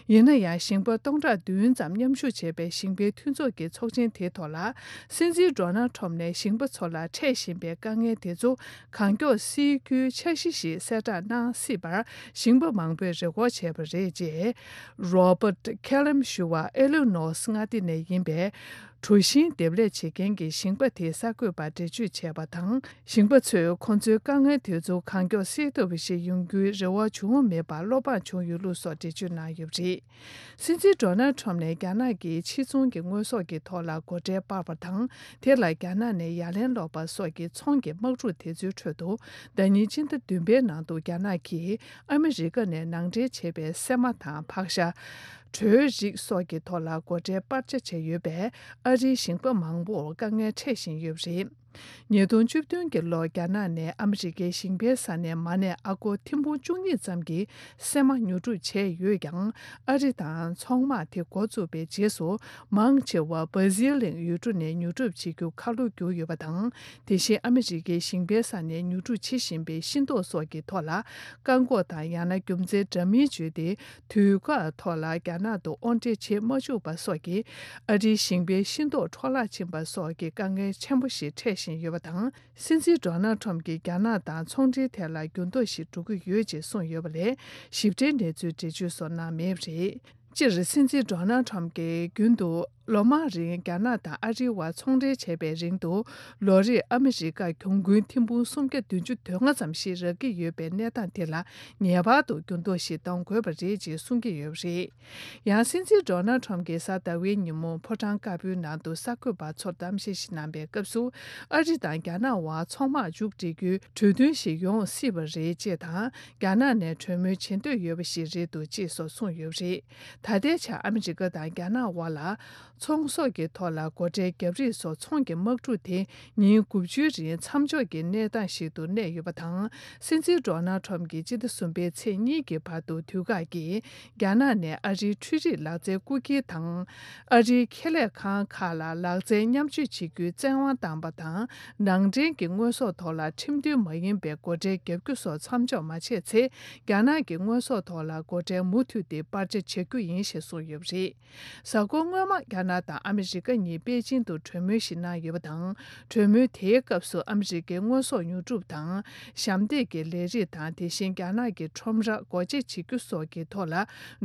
ཡིན་ན་ཡང་། ཞིང་པ་སྟོང་ཕྲག་བདུན་ཙམ་མཉམ་ཞུགས་བྱས་པའི་ཞིང་པའི་མཐུན་ཚོགས་ཀྱི་ཚོགས་ཆེན་དེའི་ཐོག་ལ། སྲིད་འཛིན་ཌོ་ནལ་ཊམ་ནས་ཞིང་པ་ཚོ་ལ་འཕྲད་བཞིན་པའི་དཀའ་ངལ་དེ་ཚོ་གང་མགྱོགས་སེལ་རྒྱུའི་འཆར་གཞི་ཞིག་གསལ་བསྒྲགས་གནང་སྲིད་པར་ཞིང་པ་མང་པོས་རེ་སྐུལ་བྱས་པ་རེད། ཅེས་རོ་བྷར་ཊི་ཁེ་ལམ་ཞུ་བ་ཨེ་ལི་ནོ་སི་མངའ་སྡེ་ནས་ཡིན་པའི་གྲོ་ཞིང་འདེབས་ལས་བྱེད་མཁན་གྱི་ཞིང་པ་དེས་གསར་འགོད་པར་འགྲེལ་བརྗོད་བྱས་པ་དང་། ཞིང་པ་ཚོས་ཁོ་ཚོའི་དཀའ་ངལ་དེ་ཚོ་གང་མགྱོགས་སེལ་ཐུབ་པ་ཞིག་ཡོང་རྒྱུའི་རེ་བ་བྱུང་མེད་པར་བློ་ཕམ་བྱུང་ཡོད་ལུགས་སོགས་འགྲེལ་བརྗོད་གནང་ཡོད་པ་རེད། སྲིད་འཛིན་ཌོ་ནལ་ཊམ་ནས་རྒྱ་ནག་གིས་ཕྱིར་ཚོང་གི་དངོས་ཟོག་གི་ཐོག་ལ་སྒོ་ཁྲལ་སྤར་བ་དང་། དེ་ལ་རྒྱ་ནག་ནས་ཡ་ལན་སློག་པ་སོགས་ཀྱི་ཚོང་གི་དམག་འཁྲུག་དེ་ཚོའི་ཁྲོད་དུ། ཟླ་ཉིན་སྤྱི་ཟླ་བདུན་པའི་ནང་དུ་རྒྱ་ནག་གིས་ཨ་མི་རི་ཀ་ནས་ནང་འདྲེན་བྱས་པའི་སྲན་མ་དང་ཕག་ཤ། གྲོའི་རིགས་སོགས་ཀྱི་ཐོག་ལ་སྒོ་ཁྲལ་སྤར་ཆ་བྱས་ཡོད་པས། ཨ་རིའི་ཞིང་པ་མང་པོར་དཀའ་ངལ་འཕྲད་བཞིན་ཡོད་པ་རེད། ཉིས་སྟོང་བཅུ་བདུན་གྱི་ལོར་རྒྱ་ནག་ནས་ཨ་མི་རི་ཀའི་ཞིང་པའི་ས་ནས་མ་ཎི་ཨ་སྒོར་ཐེར་འབུམ་བཅུ་གཉིས་ཙམ་གྱི་སྲན་མ་ཉོ་སྒྲུབ་བྱས་ཡོད་ཀྱང་། ཨ་རི་དང་ཚོང་དམག་དེ་འགོ་བཙུགས་པའི་རྗེས་སུ། མང་ཆེ་བ་སྦ་ཟིལ་གླིང་ཡུལ་གྲུ་ནས་ཉོ་སྒྲུབ་བྱེད་རྒྱུ་ཁ་ལོ་བསྒྱུར་ཡོད་པ་དང་། དེ་བཞིན་ཨ་མི་རི་ཀའི་ཞིང་པའི་ས་ནས་ཉོ་སྒྲུབ་བྱེད་བཞིན་པའི་ཤིང་ཏོག་སོགས་ཀྱི་ཐོག་ལ་བཀག་འགོག་དང་ཡང་ན་རྒྱུ་མཚན་འདྲ་མིན་བརྗོད་དེ། དུས་བཀག་ཐོག་ལ་རྒྱ་ནག་ཏུ་དབོར་འདྲེན་བྱེད་མ་བཅུག་པ་སོགས་ཀྱིས་ཨ་རིའི་ཞིང་པའི་ཤིང་ཏོག་འཕྲོ་བརླག་ཕྱིན་པ་སོགས་ཀྱི་དཀའ་ངལ་ཆེན་པོ་ཞིག་འཕྲད་བཞིན་ཡོད་པ་དང་། སྲིད་འཛིན་ཌོ་ནལ་ཁྲོམ་གྱིས་རྒྱ་ནག་དང་ཚོང་འབྲེལ་ཐད་ལ་འགྱུར་ལྡོག་ཞིག་འགྲོ་གི་ཡོད་ཅེས་གསུངས་ཡོད་པ་ལས། ཞིབ་ཕྲའི་གནས་ཚུལ་འགྲེལ་བརྗོད་སོགས་གནང་མེད་པ་རེད། སྤྱིར་སྲིད་འཛིན་ཌོ་ནལ་ཁྲོམ་གྱིས་རྒྱུན་དུ་ལོ་མང་རིང་རྒྱ་ནག་དང་ཨ་རིའི་བར་ཚོང་འབྲེལ་བྱས་པའི་རིང་དུ། ལོ་རེར་ཨ་མི་རི་ཀར་གྱོང་གུན་ཐེར་འབུམ་སུམ་བརྒྱ་བདུན་ཅུ་དོན་ལྔ་ཙམ་ཞིག་རག་གི་ཡོད་པའི་གནས་སྟངས་དེ་ལ་ངེས་པར་དུ་འགྱུར་ལྡོག་ཞིག་གཏོང་དགོས་པ་རེད་ཅེས་གསུང་གི་ཡོད་པ་རེད། ཡང་སྲིད་འཛིན་ཌོ་ནལ་ཁྲོམ་གྱིས་གཟའ་ཟླ་བའི་ཉིན་མོ་ཕོ་བྲང་དཀར་པོའི་ནང་དུ་གསར་འགོད་པ་ཚོར་གཏམ་བཤད་ཞིག་གནང་པའི་སྐབས་སུ། ཨ་རི་དང་རྒྱ་ནག་དབར་ཚོང་དམག་མཇུག་སྒྲིལ་རྒྱུའི་གྲོས་མཐུན་ཞིག་ཡོང་སྲིད་པ་རེད་ཅེས་དང་། རྒྱ་ནག་ནས་གྲོས་མོལ་བྱེད་འདོད་ཡོད་པ་ཞིག་རེད་འདུག་ཅེས་སོགས་གསུངས་ཡོད་པ་རེད། ད་ལྟའི་ཆར་ཨ་མི་རི་ཀ་དང་རྒྱ་ནག་དབར་ལ། ཚོང་ཟོག་གི་ཐོག་ལ་སྒོ་ཁྲལ་བརྒྱབ་རིགས་སོགས་ཚོང་གི་དམག་འཁྲུག་དེ་ཉིན་དགུ་བཅུའི་རིང་མཚམས་འཇོག་གི་གནས་སྟངས་ཤིག་ཏུ་གནས་ཡོད་པ་དང་། སྲིད་འཛིན་ཌོ་ནལ་ཁྲོམ་གྱིས་སྤྱི་ཟླ་གསུམ་པའི་ཚེས་གཉིས་ཀྱི་བར་དུ་དུས་བཀག་གིས་རྒྱ་ནག་ནས་ཨ་རིའི་འཕྲུལ་རིག་ལག་རྩལ་རྐུ་འཁྱེར་དང་། ཨ་རིའི་ཁེ་ལས་ཁང་ཁག་ལ་ལག་རྩལ་མཉམ་སྤྱོད་བྱེད་རྒྱུའི་བཙན་དབང་བཏང་པ་དང་། ནང་འདྲེན་གྱི་དངོས་ཟོག་ཐོག་ལ་ཁྲིམས་མཐུན་མ་ཡིན་པའི་སྒོ་ཁྲལ་བརྒྱབ་རྒྱུ་སོགས་མཚམས་འཇོག་མ་བྱས་ཚེ། རྒྱ་ནག་གི་དངོས་ཟོག་ཐོག་ལ་སྒོ་ཁྲལ་མུ་མཐུད་དེ་སྤར་ཆ་བྱ་རྒྱུ་ཡིན་ཞེས་གསུངས་ཡོད་པ་རེད། གཟའ་འཁོར་སྔོན་མ་རྒྱ་ནག་དང་ཨ་མི་རི་ཀ་གཉིས་པེ་ཅིང་དུ་གྲོས་མོལ་ཞིག་གནང་ཡོད་པ་དང་། གྲོས་མོལ་དེའི་སྐབས་སུ་ཨ་མི་རི་ཀའི་དངོས་ཟོག་ཉོ་སྒྲུབ་དང་། ཞབས་འདེགས་ཀྱི་ལས་རིགས་དང་། དེ་བཞིན་རྒྱ་ནག་གི་ཁྲོམ་ར་སྒོ་འབྱེད་བྱེད་རྒྱུ་སོགས་ཀྱི་ཐོག་ལ་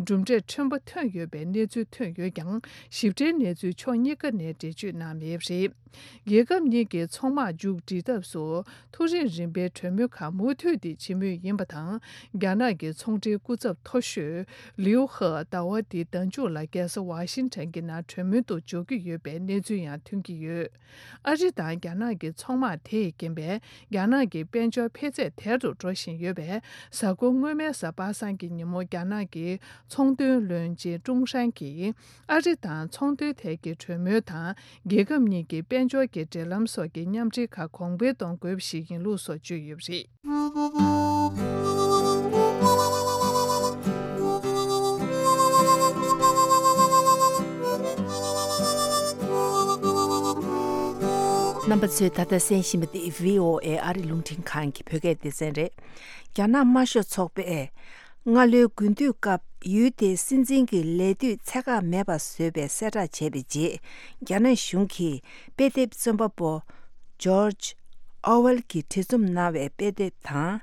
གྲུབ་འབྲས་ཕྲན་བུ་ཐོན་ཡོད་པའི་གནས་ཚུལ་ཐོན་ཡོད་ཀྱང་། ཞིབ་ཕྲའི་གནས་ཚུལ་ཕྱོགས་གཉིས་ཀ་ནས་འགྲེལ་བརྗོད་གནང་མེད་པ་རེད། རྒྱལ་ཁབ་གཉིས་ཀྱི་ཚོང་དམག་མཇུག་སྒྲིལ་ཐབས་སུ། མཐོ་རིམ་རིམ་པའི་གྲོས་མོལ་ཁག་མུ་མཐུད་དེ་བྱེད་མུས་ཡིན་པ་དང་། རྒྱ་ནག་གི་ཚོང་འབྲེལ་སྐུ་ཚབ་མཐོ་ཤོས་ལིའུ་ཧེ་ཟླ་བ་འདིའི་ཟླ་མཇུག་ལ་རྒྱལ་ས་ཝ་ཤིང་ཊོན་གྱི་ནང་གྲོས་མོལ་དུ་འཇུག་གི་ཡོད་པའི་གནས་ཚུལ་ཡང་ཐོན་གྱི་ཡོད། ཨ་རི་དང་རྒྱ་ནག་གི་ཚོང་དམག་དེས་རྐྱེན་པས་རྒྱ་ནག་གི་དཔལ་འབྱོར་འཕེལ་ཚད་དལ་དུ་འགྲོ་བཞིན་ཡོད་པས། གཟའ་འཁོར་སྔོན་མའི་གཟའ་པ་སངས་ཀྱི་ཉིན་མོ་རྒྱ་ནག་གི་ཚོང་དོན་བློན་ཆེན་ཀྲུང་ཧྲན་གྱིས། ཨ་རི་དང་ཚོང་དོན་ཐད་ཀྱི་གྲོས་མོལ་དང་། རྒྱལ་ཁབ་གཉིས་ཀྱི་དཔལ་འབྱོར་གྱི་འབྲེལ་ལམ་སོགས་ཀྱི་མཉམ་འབྲེལ་ཁག་གོང་འཕེལ་གཏོང་དགོས་པ་ཞིག་ཡིན་ལུགས་སོགས་བརྗོད་ཡོད་པ་རེད། རྣམ་པ་ཚོས་ད་ལྟ་གསན་བཞིན་པ་འདི་བྷི་ཨོ་ཨེ་ཨ་རི་རླུང་འཕྲིན་ཁང་གི་བོད་སྐད་སྡེ་ཚན་རེད། རྒྱ་ནག་དམར་ཤོག་ཚོགས་པས། སྔ་ལོའི་དགུན་དུས་སྐབས་ཡུལ་དེའི་སྲིད་འཛིན་གྱི་ལས་དུས་ཚད་བཀག་མེད་པ་བཟོས་པའི་གསལ་བསྒྲགས་བྱས་པའི་རྗེས། རྒྱ་ནག་གཞུང་གིས་དཔེ་དེབ་རྩོམ་པ་པོ་ཇོརྗ་ཨོ་ཝེལ་གྱིས་བྲིས་རྩོམ་གནང་བའི་དཔེ་དེབ་དང་།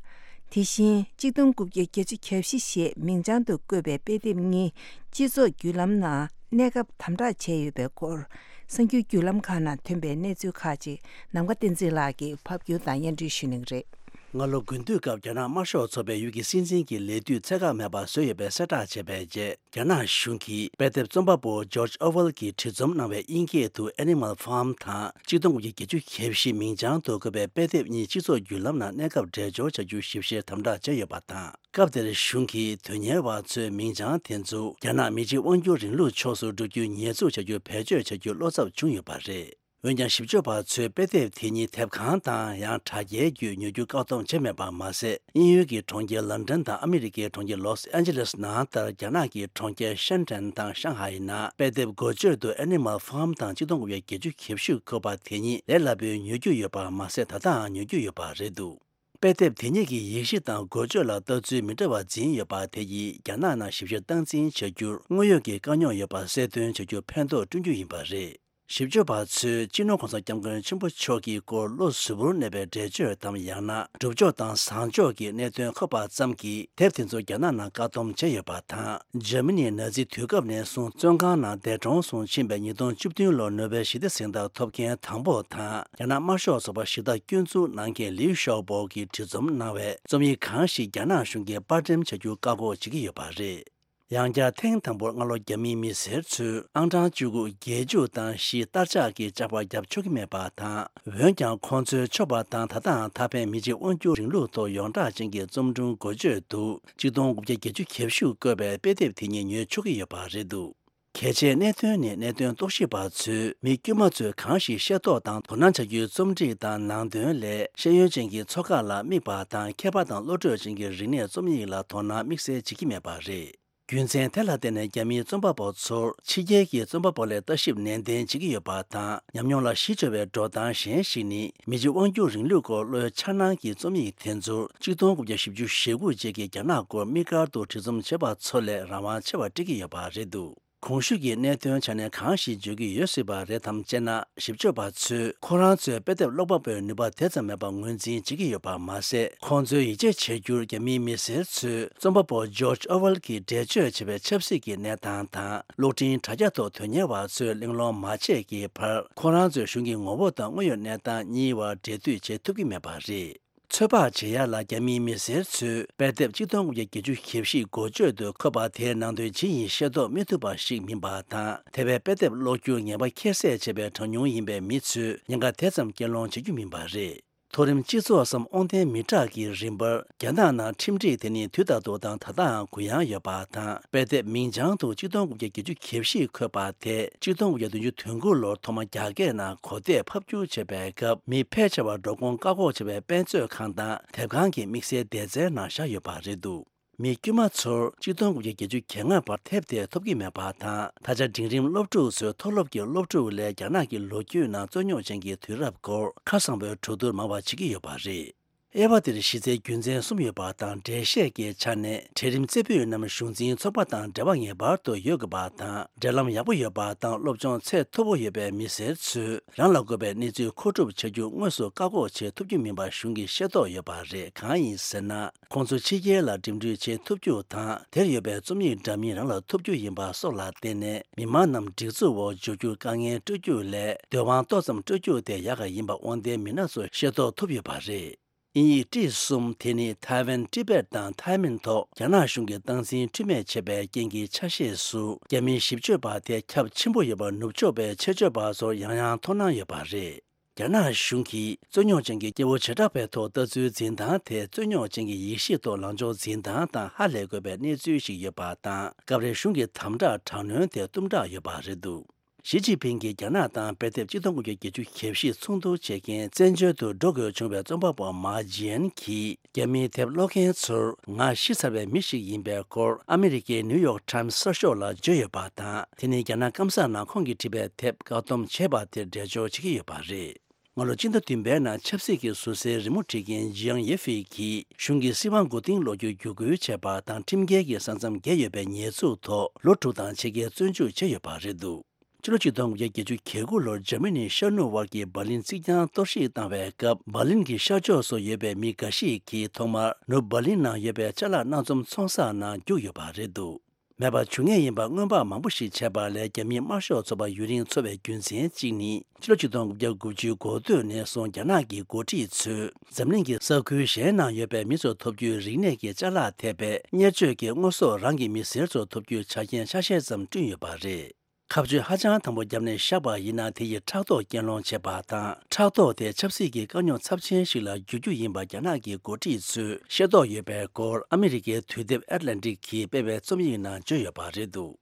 དེ་བཞིན་གཅིག་སྟོང་དགུ་བརྒྱ་བརྒྱད་ཅུ་གྱ་བཞི་ཞེས་མིང་བྱང་དུ་བཀོད་པའི་དཔེ་དེབ་གཉིས་སྤྱི་ཚོགས་བརྒྱུད་ལམ་ནང་གནས་སྐབས་དམ་དྲག་བྱས་ཡོད་པའི་སྐོར། གསར་འགྱུར་བརྒྱུད་ལམ་ཁག་ནང་ཐོན་པའི་གནས་ཚུལ་ཁག་ཅིག་ནམ་མཁའ་བསྟན་འཛིན་ལགས་ཀྱིས་ཕབ་སྒྱུར་དང་སྙན་སྒྲོན་ཞུ་གནང་གི་རེད། སྔ་ལོ་དགུན་དུས་སྐབས་རྒྱ་ནག་དམར་ཤོག་ཚོགས་པའི་ཡུལ་གྱི་སྲིད་འཛིན་གྱི་ལས་དུས་ཚད་བཀག་མེད་པ་བཟོས་ཡོད་པའི་གསལ་བསྒྲགས་བྱས་པའི་རྗེས། རྒྱ་ནག་གཞུང་གིས་དཔེ་དེབ་རྩོམ་པ་པོ་ཇོརྗ་ཨོ་ཝེལ་གྱིས་བྲིས་རྩོམ་གནང་བའི་དབྱིན་སྐད་དུ་Animal Farm དང་གཅིག་སྟོང་དགུ་བརྒྱ་བརྒྱད་ཅུ་གྱ་བཞི་མིང་བྱང་དུ་བཀོད་པའི་དཔེ་དེབ་གཉིས་སྤྱི་ཚོགས་བརྒྱུད་ལམ་ནང་གནས་སྐབས་འགྲེལ་བརྗོད་བྱ་རྒྱུ་ཞིབ་བཤེར་དམ་དྲག་བྱས་ཡོད་པ་དང་། སྐབས་དེར་གཞུང་གིས་དོན་གཉེར་བ་ཚོའི་མིང་བྱང་དེ་ཚོ་རྒྱ་ནག་མི་གཅིག་དབང་སྒྱུར་རིང་ལུགས་ཕྱོགས་སུ་འགྲོ་རྒྱུ་ཉེས་འཛུགས་བྱ་རྒྱུ་བེད་སྤྱོད་བྱ་རྒྱུ་བློ་འཚབ་བྱུང་ཡོད་པ་རེད། འོན་ཀྱང་། ཞིབ་དཔྱོད་པ་ཚོས་དཔེ་དེབ་དེ་ཉིད་དེབ་ཁང་དང་ཡང་དྲ་རྒྱའི་བརྒྱུད་ཉོ་རྒྱུ་བཀག་སྡོམ་བྱས་མེད་པ་མ་ཟད། དབྱིན་ཡུལ་གྱི་གྲོང་ཁྱེར་ལན་ཀྲན་དང་ཨ་མི་རི་ཀའི་གྲོང་ཁྱེར་ལོས་ཨན་ཇེ་ལེས་ནང་ལྟར། རྒྱ་ནག་གི་གྲོང་ཁྱེར་ཤན་ཀྲན་དང་ཤང་ཧའེ་ནང་དཔེ་དེབ་འགོ་བརྗོད་དུ་Animal Farm དང་གཅིག་སྟོང་དགུ་བརྒྱ་བརྒྱད་ཅུ་གྱ་བཞི་བཀོད་པ་དེ་ཉིད་ལས་སླ་པོའི་ཉོ་རྒྱུ་ཡོད་པ་མ་ཟད། ད་ལྟའང་ཉོ་རྒྱུ་ཡོད་པ་རེད་འདུག་དཔེ་དེབ་དེ་ཉིད་ཀྱི་ཡིག་གཞི་དང་འགོ་བརྗོད་ལ་ལྟ་ཚུལ་མི་འདྲ་བ་འཛིན་ཡོད་པ་དེ་ཡིས་རྒྱ་ནག་ནང་ཞིབ་བཤེར་སྟངས་འཛིན་བྱ་རྒྱུར་དངོས་ཡོད་ཀྱི་དཀའ་རྙོག་ཡོད་པ་གསལ་སྟོན་བྱ་རྒྱུར་ཕན་ཐོགས་བསྐྲུན་རྒྱུ་ཡིན་པ་རེད། ཞིབ་དཔྱོད་པ་ཚོས་སྤྱི་ནོར་༸གོང་ས་༸སྐྱབས་མགོན་ཆེན་པོ་མཆོག་གི་སྐོར་བློ་གཟུ་བོར་གནས་པའི་འགྲེལ་བརྗོད་དམ། ཡང་ན་སྒྲུབ་ཕྱོགས་དང་བཟང་ཕྱོགས་ཀྱི་གནད་དོན་འཁོད་པ་ཙམ་གྱིས་དེབ་དེ་ཚོ་རྒྱ་ནག་ནང་བཀག་སྡོམ་བྱས་ཡོད་པ་དང་། འཇར་མ་ནིའི་ནཱ་ཛི་དུས་སྐབས་ནས་བཟུང་བཙོན་ཁང་ནང་འདས་གྲོངས་སུ་ཕྱིན་པའི་ཉིས་སྟོང་བཅུ་བདུན་ལོར་ནོ་བེལ་ཞི་བདེ་གཟེངས་རྟགས་ཐོབ་མཁན་དང་པོ་དང་། རྒྱ་ནག་དམར་ཤོག་ཚོགས་པ་ཞི་བདག་སྐྱོན་འཛུགས་གནང་མཁན་ལིའུ་ཞའོ་པོ་གིས་བྲིས་རྩོམ་གནང་བའི་རྩོམ་ཡིག་གང་ཞིག་རྒྱ་ནག་གཞུང་གིས་པར་འགྲེམས་བྱ་རྒྱུ་བཀག་འགོག་བྱེད་ཀྱི་ཡོད་པ་རེད། ཡང་བསྐྱར་ཐེངས་དང་པོར་སྔ་ལོ་རྒྱ་མིའི་མི་སེར་ཚོས་ཨང་གྲངས་བཅུ་དགུ་རྒྱལ་འཇུག་དང་བཞི་སྟར་ཆག་གི་བཅག་པ་བརྒྱབ་ཆོག་གི་མེད་པ་དང་། འོན་ཀྱང་ཁོང་ཚོའི་ཆོག་པ་དང་ད་ལྟའང་ད་ཕན་མི་གཅིག་དབང་སྒྱུར་རིང་ལུགས་ཐོག་ཡོངས་གྲགས་ཅན་གྱི་རྩོམ་སྒྲུང་འགོ་བརྗོད་དུ་གཅིག་སྟོང་དགུ་བརྒྱ་བརྒྱད་ཅུ་གྱ་བཞི་བཀོད་པའི་དཔེ་དེབ་དེ་ཉིད་ཉོ་ཆོག་གི་ཡོད་པ་རེད་འདུག་གལ་ཆེའི་གནད་དོན་ནི་གནད་དོན་རྟོག་ཞིབ་པ་ཚོས་མི་དཀྱུས་མ་ཚོས་གང་ཞིག་ཤེས་རྟོགས་དང་དོ་སྣང་བྱ་རྒྱུའི་རྩོམ་སྒྲིག་དང་ནང་དོན་ལས་ཤེས་ཡོན་ཅན་གྱི་ཚོགས་ཁག་ལ་དམིགས་པ་དང་མཁས་པ་དང་བློ་གྲོས་ཅན་གྱི་རིག་གནས་རྩོམ་ཡིག་ལ་དོ་སྣང་དམིགས་བསལ་བྱེད་ཀྱི་མེད་པ་རེད། རྒྱུ་མཚན་དེ་ལ་བརྟེན་ནས་རྒྱ་མིའི་རྩོམ་པ་པོ་ཚོར་ཕྱི་རྒྱལ་གྱི་རྩོམ་པ་པོ་ལས་ལྟ་ཞིབ་ནན་ཏན་བྱེད་ཀྱི་ཡོད་པ་དང་། ཉམས་མྱོང་ལ་གཞི་བཅོལ་བའི་འགྲོ་སྟངས་གཞན་ཞིག་ནི། མི་གཅིག་དབང་སྒྱུར་རིང་ལུགས་སྐོར་བློའི་འཆར་སྣང་གི་རྩོམ་ཡིག་དེ་ཚོར་ཆིག་སྟོང་དགུ་བརྒྱ་བཞི་བཅུ་ཞེ་དགུ་རྗེས་ཀྱི་རྒྱ་ནག་སྐོར་དམིགས་བཀར་དུ་བྲིས་རྩོམ་བྱས་པ་ཚོ་ལས་རང་དབང་ཆེ་བ་སྤྲད་ཀྱི་ཡོད་པ་རེད་འདུག་གོང་ཞུས་ཀྱི་གནད་དོན་ཆ་ནས་གང་ཞིག་བརྗོད་ཀྱི་ཡོད་སྲིད་པ་རེད་དམ་ཅེ་ན། ཞིབ་དཔྱོད་པ་ཚོས་ཁོ་རང་ཚོའི་དཔེ་དེབ་ཀློག་པ་པོའི་ནུས་པ་དེ་ཙམ་མེད་པ་ངོས་འཛིན་བྱེད་ཀྱི་ཡོད་པ་མ་ཟད། ཁོང་ཚོའི་ཡིད་ཆེས་བྱ་རྒྱུར་རྒྱ་མིའི་མི་སེར་ཚོས་རྩོམ་པ་པོ་ཇོརྗ་ཨོ་ཝེལ་གྱིས་འགྲེལ་བརྗོད་བྱས་པའི་ཆབ་སྲིད་ཀྱི་གནས་སྟངས་དང་། གློག་འཕྲིན་དྲ་རྒྱ་ཐོག་དོན་གཉེར་བ་ཚོས་གླེང་སློང་མ་བྱས་ཀྱི་བར། ཁོ་རང་ཚོས་གཞུང་གི་ངོ་བོ་དང་དངོས་ཡོད་གནས་སྟངས་གཉིས་བར་འབྲེལ་མཐུད་བྱེད་ཐུབ་ཀྱི་མེད་པ་རེད། ཚོད་དཔག་བྱེད་ཡ་ལ་རྒྱ་མིའི་མི་སེར་ཚོས་དཔེ་དེབ་ཆིག་སྟོང་དགུ་བརྒྱ་བརྒྱད་ཅུ་གྱ་བཞི་འགོ་བརྗོད་དུ་འཁོད་པ་དེའི་ནང་དོན་ཇི་ཡིན་ཤེས་རྟོགས་མི་ཐུབ་པ་ཞིག་མིན་པ་དང་། དེ་བས་དཔེ་དེབ་ཀློག་རྒྱུར་ངེས་པ་ཁྱད་བསད་བྱས་པའི་གྲངས་ཉུང་ཡིན་པའི་མི་ཚོས་ཉེན་ཁ་དེ་ཙམ་སྐྱེལ་སློང་བྱེད་རྒྱུ་མིན་པ་རེད། མཐོ་རིམ་སྤྱི་ཚོགས་སམ་དབང་ལྡན་མི་དྲག་གི་རིམ་པར། རྒྱ་ནག་ནང་ཁྲིམས་སྒྲིག་དེ་ནི་དུས་ལྟར་དུ་དང་ད་ལྟའང་གུ་ཡངས་ཡོད་པ་དང་། དཔེ་དེབ་མིང་བྱང་དུ་ཆིག་སྟོང་དགུ་བརྒྱ་བརྒྱད་ཅུ་གྱ་བཞི་འཁོད་པ་དེ་ཆིག་སྟོང་དགུ་བརྒྱ་བདུན་ཅུ་དོན་དགུ་ལོར་ཐོག་མ་རྒྱ་སྐད་ནང་གོ་བརྡས་ཕབ་བསྒྱུར་བྱས་པའི་སྐབས། མི་ཕལ་ཆེ་བར་འགྲོ་ཁུངས་བཀག་འགོག་བྱས་པའི་དཔེ་མཛོད་ཁང་དང་དེབ་ཁང་གི་དམིགས་བསལ་སྡེ་ཚན་ནང་བཞག་ཡོད་པ་རེད་འདུག་མི་དཀྱུས་མ་ཚོར་ཆིག་སྟོང་དགུ་བརྒྱ་བརྒྱད་ཅུ་གྱ་ལྔ་བར་དེབ་དེ་ཐོབ་ཀྱི་མེད་པ་དང་། ད་ཆ་འབྲིང་རིམ་སློབ་ཕྲུག་ཚོའི་མཐོ་སློབ་ཀྱི་སློབ་ཕྲུག་ལས་རྒྱ་ནག་གི་ལོ་རྒྱུས་ནང་རྩོད་རྙོག་ཅན་གྱི་དུས་རབས་སྐོར་ཁ་གསང་པོའི་གྲོས་བསྡུར་མང་བ་བྱེད་ཀྱི་ཡོད་པ་རེད། དབྱེ་བ་འདིར་གཞི་རྩའི་རྒྱུ་མཚན་གསུམ་ཡོད་པ་དང་། འགྲེལ་བཤད་ཀྱི་ཆ་ནས། གྲལ་རིམ་རྩེ་ཕུད་རྣམས་གཞུང་འཛིན་ཚོགས་པ་དང་འབྲེལ་བ་ངེས་པར་དུ་ཡོད་དགོས་པ་དང་། འབྲེལ་ལམ་ཡག་པོ་ཡོད་པ་དང་། སློབ་སྦྱོང་ཚད་མཐོ་པོ་ཡོད་པའི་མི་སེར་ཚོས་རང་ལ་དགོས་པའི་གནས་ཚུལ་མཁོ་སྒྲུབ་བྱ་རྒྱུ་དངོས་སུ་བཀག་འགོག་བྱེད་ཐུབ་རྒྱུ་མིན་པ་གཞུང་གིས་ཤེས་རྟོགས་ཡོད་པ་རེད། གང་ཡིན་ཟེར་ན། ཁོང་ཚོ་ཕྱི་རྒྱལ་ལ་འགྲིམ་འགྲུལ་བྱེད་ཐུབ་རྒྱུ་དང་། དེར་ཡོད་པའི་རྩོམ་ཡིག་འདྲ་མིན་རང་ལ་ཐོབ་རྒྱུ་ཡིན་པ་སོགས་ལ་བརྟེན་ནས། མི་མང་རྣམས་སྒྲིག་འཛུགས་འོག་འཇུག་རྒྱུར་དཀའ་ངལ་སྤྲོད་རྒྱུ་ལས། འདོད་དབང་ཏོག་ཙམ་སྤྲོད་རྒྱུ་དེ་ཡག་ག་ཡིན་པ་དབང་ལྡན་མི་སྣ་ཚོས་ཤེས་རྟོགས་ཐུབ་ཡོད་པ་རེད། དབྱིན་ཡིག་ཊི་གསུམ་དེ་ནི་ཐའེ་ཝན། ཏི་བེད་དང་ཐའེ་མིན་ཐོག་རྒྱ་ནག་གཞུང་གིས་སྟངས་འཛིན་འཁྲུལ་མེད་བྱས་པའི་རྐྱེན་གྱི་ཆ་ཤས་སུ། རྒྱ་མིའི་ཞིབ་དཔྱོད་པ་དེ་ཁྱབ་ཆེན་པོ་ཡོད་པ་ནུབ་ཕྱོགས་པའི་ཆེད་སྤྱོད་པ་ཚོར་ཡང་ཡང་མཐོང་སྣང་ཡོད་པ་རེད། རྒྱ་ནག་གཞུང་གིས་རྩོད་རྙོག་ཅན་གྱི་སྐྱེ་བོ་བྱེ་བྲག་པའི་ཐོག་ལྟ་ཚུལ་འཛིན་སྟངས་དེ། རྩོད་རྙོག་ཅན་གྱི་ཡིག་གཞི་ཐོག་ལངས་ཕྱོགས་འཛིན་སྟངས་དང་ཧ་ལས་དགོས་པའི་གནས་ཚུལ་ཞིག་ཡོད་པ་དང་། སྐབས་རེ་གཞུང་གི་དམ་དྲག་དྲག་གནོན་དེ་གཏུམ་དྲག་ཡོད་པ་རེད་འདུག་ཞི་ཅིན་ཕིང་གིས་རྒྱ་ནག་དང་དཔེ་དེབ་ཆིག་སྟོང་དགུ་བརྒྱ་བརྒྱད་ཅུ་གྱ་བཞི་ཚོགས་འདུ་བྱེད་མཁན་བཙན་བྱོལ་དུ་འགྲོ་དགོས་བྱུང་བའི་རྩོམ་པ་པོ་མཱ་ཇི་ཡན་གྱིས། རྒྱ་མིའི་དེབ་ཀློག་མཁན་ཚོར་ང་ཤི་ཚར་བའི་མི་ཞིག་ཡིན་པའི་སྐོར་ཨ་མི་རི་ཀའི་ནིའུ་ཡོག་ཊའིམ་གསར་ཤོག་ལ་བརྗོད་ཡོད་པ་དང་། དེ་ནི་རྒྱ་ནག་སྐམ་ས་ནང་ཁོང་གིས་བྲིས་པའི་དེབ་བཀག་སྡོམ་བྱས་པ་དེར་འགྲེལ་བརྗོད་བྱེད་ཀྱི་ཡོད་པ་རེད། སྔ་ལོ་སྤྱི་ཟླ་བདུན་པའི་ནང་ཆབ་སྲིད་ཀྱི་ཟུར་སའི་རི་མོ་བྲིས་མཁན་ཇི་ཡང་ཡེ་ཧྥེ་གྱིས་གཞུང་གིས་སྲིད་དབང་མགོ་རྟིང་སློག་རྒྱུར་བརྒྱུད་སྐུལ་བྱས་པ་དང་། ཁྲིམས་འགལ་གྱི་ས་མཚམས་བརྒལ་ཡོད་པའི་ཉེས་འཛུགས་ཐོག་ལོ་དྲུག་དང་ཕྱེད་ཀའི་བཙོན་འཇུག་བྱས་ཡོད་པ་རེད་འདུག་ཕྱི་ལོ་ཆིག་སྟོང་དགུ་བརྒྱ་བརྒྱད་ཅུ་གྱ་དགུ་ལོར་འཇར་མ་ནིའི་ཤར་ནུབ་བར་གྱི་འབར་ལིན་རྩིག་གྱང་གཏོར་བཤིག་བཏང་བའི་སྐབས། འབར་ལིན་གྱི་ཤར་ཕྱོགས་སུ་ཡོད་པའི་མི་འགའ་ཞིག་གིས་ཐོག་མར་ནུབ་འབར་ལིན་ནང་ཡོད་པའི་ཅ་ལག་སྣ་འཛོམས་ཚོང་གསར་ནང་རྒྱུགས་ཡོད་པ་རེད་འདུག་མེད་པར་འགྱུར་ངེས་ཡིན་པ་སྔོན་དཔག་མང་པོ་ཞིག་བྱས་པ་ལས། རྒྱ་མིའི་དམར་ཤོག་ཚོགས་པ་ཡུན་རིང་འཚོ་བའི་རྒྱུ་མཚན་གཅིག་ནི། ཕྱི་ལོ་ཆིག་སྟོང་དགུ་བརྒྱ་དགུ་བཅུའི་འགོ་སྟོད་ནས་བཟུང་རྒྱ་ནག་གི་འགོ་ཁྲིད་ཚོས་འཛམ་གླིང་གི་ས་ཁུལ་གཞན་ནང་ཡོད་པའི་མི་ཚོར་ཐོབ་རྒྱུའི་རིག་གནས་ཀྱི་ཅ་ལག་ཐེབས་པའི་གཉེར་སྤྱོད་ཀྱི་དངོས་ཟོག་རང་གི་མི་སེར་ཚོར་ཐོབ་རྒྱུའི་ཆ་རྐྱེན་ཆ་ཤས་ཙམ་བསྐྲུན་ཡོད་པ་རེད། ཁ་གཅོད་ཧ་ཅང་དམ་པོ་བརྒྱབ་ནས་བཞག་པ་ཡིན་ན། དེ་ཡིས་ཕྲག་དོག་སྐྱེལ་སློང་བྱེད་པ་དང་། ཕྲག་དོག་དེ་ཆབ་སྲིད་ཀྱི་དཀའ་རྙོག་ཚབས་ཆེན་ཞིག་ལ་འགྱུར་རྒྱུ་ཡིན་པ་རྒྱ་ནག་གི་འགོ་ཁྲིད་ཚོས་ཤེས་རྟོགས་ཡོད་པའི་སྐོར་ཨ་མི་རི་ཀའི་དུས་དེབ་ཨེ་ཊ་ལན་ཊིག་གིས་སྤེལ་བའི་རྩོམ་ཡིག་ནང་བརྗོད་ཡོད་པ་རེད་འདུག་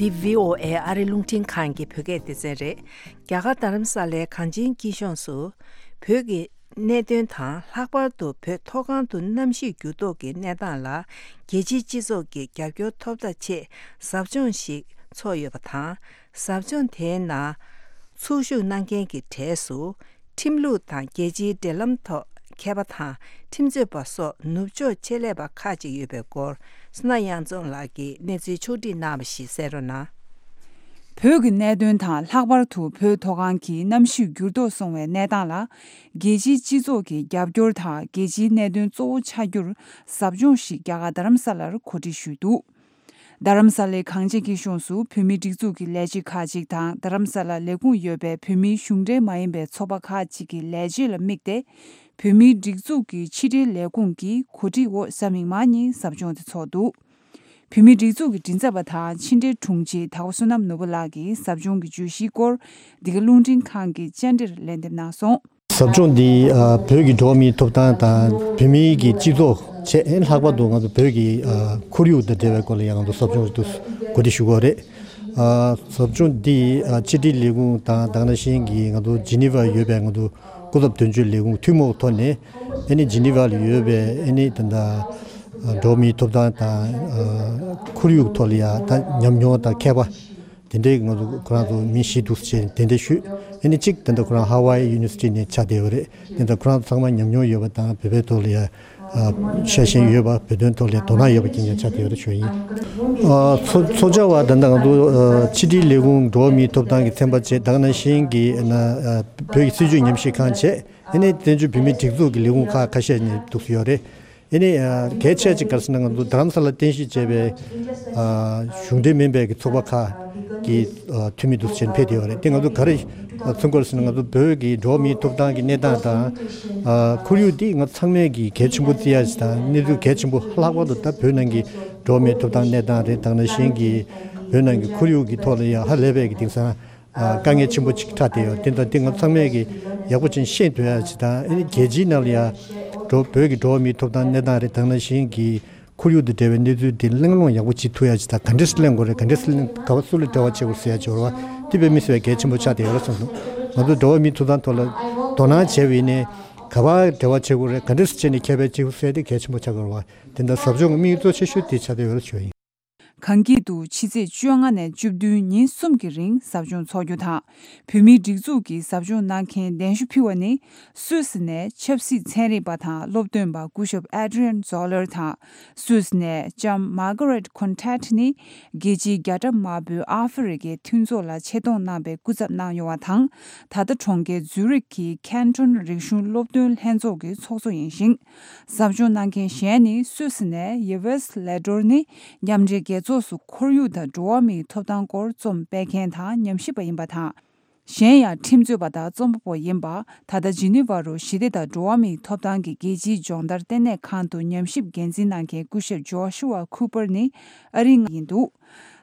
འདི་བྷི་ཨོ་ཨེ་ཨ་རི་རླུང་འཕྲིན་ཁང་གི་བོད་སྐད་སྡེ་ཚན་རེད། རྒྱ་གར་རྡ་རམ་ས་ལའི་གངས་ཅན་སྐྱིད་གཤོངས་སུ། བོད་ཀྱི་གནད་དོན་དང་། ལྷག་པར་དུ་བོད་མཐོ་སྒང་དུ་གནམ་གཤིས་འགྱུར་ལྡོག་གི་གནས་སྟངས་ལ། རྒྱལ་སྤྱིའི་སྤྱི་ཚོགས་ཀྱི་རྒྱབ་སྐྱོར་ཐོབ་ཐབས་ཆེད། ཟབ་སྦྱོང་ཞིག་འཚོགས་ཡོད་པ་དང་། ཟབ་སྦྱོང་དེའི་ནང་ཚོགས་ཞུགས་གནང་མཁན་གྱི་གྲས་སུ། ཁྲིམས་ལུགས་དང་རྒྱལ་སྤྱིའི་འབྲེལ་ལམ་ཐོག་མཁས་པ་དང་། ཁྲིམས་རྩོད་པ་སོགས་ནུབ་ཕྱོགས་ཆེད་ལས་པ་ཁག་ཅིག་ཡོད་པའི་སྐོར། སོ་ན་གཡང་འཛོམས་ལགས་ཀྱིས་གནས་ཚུལ་ཕྱོགས་བསྒྲིགས་གནང་བ་ཞིག་གསན་རོགས་གནང་། བོད་ཀྱི་གནད་དོན་དང་། ལྷག་པར་དུ་བོད་མཐོ་སྒང་གི་གནམ་གཤིས་འགྱུར་ལྡོག་སོང་བའི་གནས་སྟངས་ལ། རྒྱལ་སྤྱིའི་སྤྱི་ཚོགས་ཀྱི་རྒྱབ་སྐྱོར་དང་། རྒྱལ་སྤྱིའི་གནད་དོན་གཙོ་བོ་ཆགས་རྒྱུར། ཟབ་སྦྱོང་ཞིག་རྒྱ་གར་རྡ་རམ་ས་ལར་གོ་སྒྲིག་ཞུས་འདུག་རྡ་རམ་ས་ལའི་གངས་ཅན་སྐྱིད་གཤོངས་སུ་བོད་མིའི་སྒྲིག་འཛུགས་ཀྱི་ལས་བྱེད་ཁག་ཅིག་དང་། རྡ་རམ་ས་ལར་ལས་ཁུངས་ཡོད་པའི་བོད་མིའི་གཞུང་འབྲེལ་མ་ཡིན་པའི་ཚོགས་པ་ཁག་ཅིག་གི་ལས་བྱེད་ལ་དམིགས་ཏེ། བོད་མིའི་སྒྲིག་འཛུགས་ཀྱི་ཕྱི་དྲིལ་ལས་ཁུངས་ཀྱིས་གོ་སྒྲིག་འོག་གཟའ་མིག་དམར་ཉིན་ཟབ་སྦྱོང་དེ་འཚོགས་འདུག་བོད་མིའི་སྒྲིག་འཛུགས་ཀྱི་མགྲིན་ཚབ་པ་དང་ཕྱི་འབྲེལ་དྲུང་ཆེ་དྭགས་པོ་བསོད་ནམས་ནོར་བུ་ལགས་ཀྱིས་ཟབ་སྦྱོང་གི་བརྗོད་གཞིའི་སྐོར་འདི་ག་རླུང་འཕྲིན་ཁང་གི་བཅར་འདྲིར་ལན་འདེབས་གནང་སོང་། ཟབ་སྦྱོང་འདི་ཨ་བོད་ཀྱི་འགྲོ་བ་མིའི་ཐོབ་ཐང་དང་བོད་མིའི་གི་སྤྱི་ཚོགས་བཅས་ལྷག་པར་དུ་ང་ཚོ་བོད་ཀྱི་ཨ་ཁོར་ཡུག་དང་འབྲེལ་བའི་སྐོར་ལ་ཡང་ང་ཚོ་ཟབ་སྦྱོང་ཞིག་ཏུ་གོ་སྒྲིག་ཞུ་དགོས་རེད། ཨ་ཟབ་སྦྱོང་འདི་ཨ་ཕྱི་དྲིལ་ལས་ཁུངས་དང་དེ་ནང་བཞིན་གྱི་ང་ཚོ་ཇི་ནི་ཝར་ཡོད་པའི་ང་ཚོ་སྐུ་ཚབ་དོན་གཅོད་ལས་ཁུངས་ཐུན་མོང་ཐོག་ནས་ཨ་ནི་ཇི་ནི་ཝར་ལ་ཡོད་པའི་ཨ་ནི་ད་ལྟ་འགྲོ་བ་མིའི་ཐོབ་ཐང་དང་ཨ་ཁོར་ཡུག་ཐོག་ལ་ཡང་ད་ཉམས་མྱོང་དང་མཁས་པ་དེ་འདྲའི་ང་ཚོ་ཁོ་རང་ཚོ་མི་བཞི་འདུག་ཅེས་གདན་འདྲེན་ཞུས། ཨ་ནི་གཅིག་ད་ལྟ་ཁོ་རང་ཧ་ཝའི་ཡུ་ནི་ཝར་སི་ཊི་ནས་ཆགས་བསྡད་ཡོད་རེད། དེ་ལྟར་ཁོ་རང་ཚང་མ་ཉམས་མྱོང་ཡོད་པ་དང་བོད་པའི་ཐོག་ལ་ཡང་ཤ་ཞེན་ཡོད་པ། བོད་དོན་ཐོག་ལ་དོ་སྣང་ཡོད་པ་རྐྱང་རྐྱང་ཆགས་བསྡད་ཡོད་རེད་ཞུ་ཡིན། ཚོགས་བཅར་བ་ད་ལྟ་ང་ཚོ་ཕྱི་དྲིལ་ལས་ཁུངས་འགྲོ་བ་མིའི་ཐོབ་ཐང་གི་ཚན་པ་བཅས་དེ་ནང་བཞིན་གྱི་བོད་ཀྱི་སྲིད་བྱུས་ཉམས་ཞིབ་ཁང་བཅས་ཨ་ནི་བཙན་བྱོལ་བོད་མིའི་སྒྲིག་འཛུགས་ཀྱི་ལས་ཁུངས་ཁག་ཁ་ཤས་ནས་འདུག་སེ་ཡོད་རེད། ཨ་ནི་གལ་ཆེ་ཅིག་ག་རེ་ཟེར་ན་ང་ཚོ་རྡ་རམ་ས་ལ་རྟེན་གཞི་བྱས་པའི་གཞུང་འབྲེལ་མིན་པའི་གི་ཚོགས་པ་ཁག་གི་འཐུས་མི་འདུག་སེ་ཕེབས་བསྡད་ཡོད་རེད། དེ་ང་ཚོ་ག་རེ་མཚོན་གྱི་ཡོད་ཟེར་ན་ང་ཚོ་བོད་ཀྱི་འགྲོ་བ་མིའི་ཐོབ་ཐང་གི་གནས་སྟངས་དང་ཁོར་ཡུག་འདི་ང་ཚང་མས་ཀྱི་གལ་ཆེན་པོ་བརྩི་ཡ་ཞིག་དང་གནས་ཚུལ་གལ་ཆེན་པོ་ལྷག་པར་དུ་ད་བོད་ནང་གི་འགྲོ་བ་མིའི་ཐོབ་ཐང་གནས་སྟངས་རེད། དེ་ནང་བཞིན་གྱི་བོད་ནང་གི་ཁོར་ཡུག་གི་ཐོག་ལ་ཡང་ཧ་ལས་པའི་གི་དེང་སང་དཀའ་ངལ་ཆེན་པོ་ཅིག་འཕྲད་བསྡད་ཡོད། དེ་ད་དེ་ང་ཚང་མས་ཀྱི་ཡག་པོ་ཅིག་ཤེས་ཐུབ་ཡ་ཅིག་དང་ཨ་ནི་རྒྱལ་སྤྱིའི་ནང་ལ་ཡང་འགྲོ་བོད་ཀྱི་འགྲོ་བ་མིའི་ཐོབ་ཐང་གནས་སྟངས་རེད། དེ་ནང་བཞིན་གྱི་ཁོར་ཡུག་དང་འབྲེལ་བའི་གནས་ཚུལ་དེ་གླེང་སློང་ཡག་པོ་བྱེད་ཐུབ་ཡ་ཅིག་དང་ག་འདྲས་སེ་གླེང་དགོས་རེད། ག་འདྲས་སེ་གླེང་ག་བ་སུ་ལ་འབྲེལ་བ་བྱེད་དགོས་ཟེར་ཡ་ཅིག་ཡོད་རེད་བ། དེ་དཔེ་མི་སྲིད་པའི་གལ་ཆེན་པོ་ཆགས་བསྡད་ཡོད་རེད་བསམ་སོང་། ང་ཚོ་འགྲོ་བ་མིའི་ཐོབ་ཐང་ཐོག་ལ་དོ་སྣང་བྱས་པ་ཡིན་ནའི་ག་བ་འབྲེལ་བ་བྱེད་དགོས་རེད། ག་འདྲས་སེ་བྱས་ནས་ཁྱབ་སྤེལ་བྱེད་དགོས་ཟེར་དེ་གལ་ཆེན་པོ་ཆགས་ཀྱི་ཡོད་རེད་བ། དེ་འདྲ་ཟབ་སྦྱོང་གི་དམིགས་ཡུལ་གཙོ་ཆེ་ཤོས་དེ་ཆགས་བསྡད་ཡོད་རེད་ཞུ་ཡ་ཡིན། གངས་སྐྱིད་དུ་ཕྱི་ཚེས་བཅོ་ལྔ་ནས་བཅུ་བདུན་ཉིན་གསུམ་གྱི་རིང་ཟབ་སྦྱོང་འཚོགས་རྒྱུ་དང་། བོད་མིའི་སྒྲིག་འཛུགས་ཀྱི་ཟབ་སྦྱོང་གནང་མཁན་གདན་ཞུ་ཕུལ་བ་ནི། སུད་སི་ནས་ཆབ་སྲིད་ཚན་རིག་པ་དང་སློབ་སྟོན་པ་སྐུ་ཞབས་Adrian Zoller དང་། སུད་སི་ནས་ལྕམ་Margaret Contat ནི་རྒྱལ་སྤྱིའི་རྒྱ་གྲམ་དམར་པོའི་ཨ་ཧྥེ་རི་ཁའི་མཐུན་ཚོགས་ལ་ཆེད་གཏོང་གནང་བའི་སྐུ་ཚབ་གནང་ཡོང་བ་དང་། ད་ལྟ་གྲོང་ཁྱེར་ཛུ་རིག་གི་ཁེན་ཊོན་རིག་གཞུང་སློབ་སྟོན་ལྷན་ཚོགས་ཀྱི་ཚོགས་གཙོ་ཡིན་ཞིང་། ཟབ་སྦྱོང་གནང་མཁན་གཞན་ནི་སུད་སི་ནས་Yves Le Droit ནི་མཉམ་འབྲེལ་རྒྱལ་ཚོགས་སུ་ཁོར་ཡུག་དང་འགྲོ་བ་མིའི་ཐོབ་ཐང་སྐོར་རྩོམ་སྤེལ་མཁན་དང་ཉམས་ཞིབ་པ་ཡིན་པ་དང་། གཞན་ཡང་ཁྲིམས་རྩོད་པ་དང་རྩོམ་པ་པོ་ཡིན་པ། ད་ལྟ་ཇི་ནི་ཝ་རུ་ཞི་བདེ་དང་འགྲོ་བ་མིའི་ཐོབ་ཐང་གི་རྒྱལ་སྤྱིའི་སྦྱོང་བརྡར་ལྟེ་གནས་ཁང་དུ་ཉམས་ཞིབ་འགན་འཛིན་གནང་མཁན་སྐུ་ཞབས་Joshua Cooper ནི་ཨ་རིའི་ཡིན་འདུག་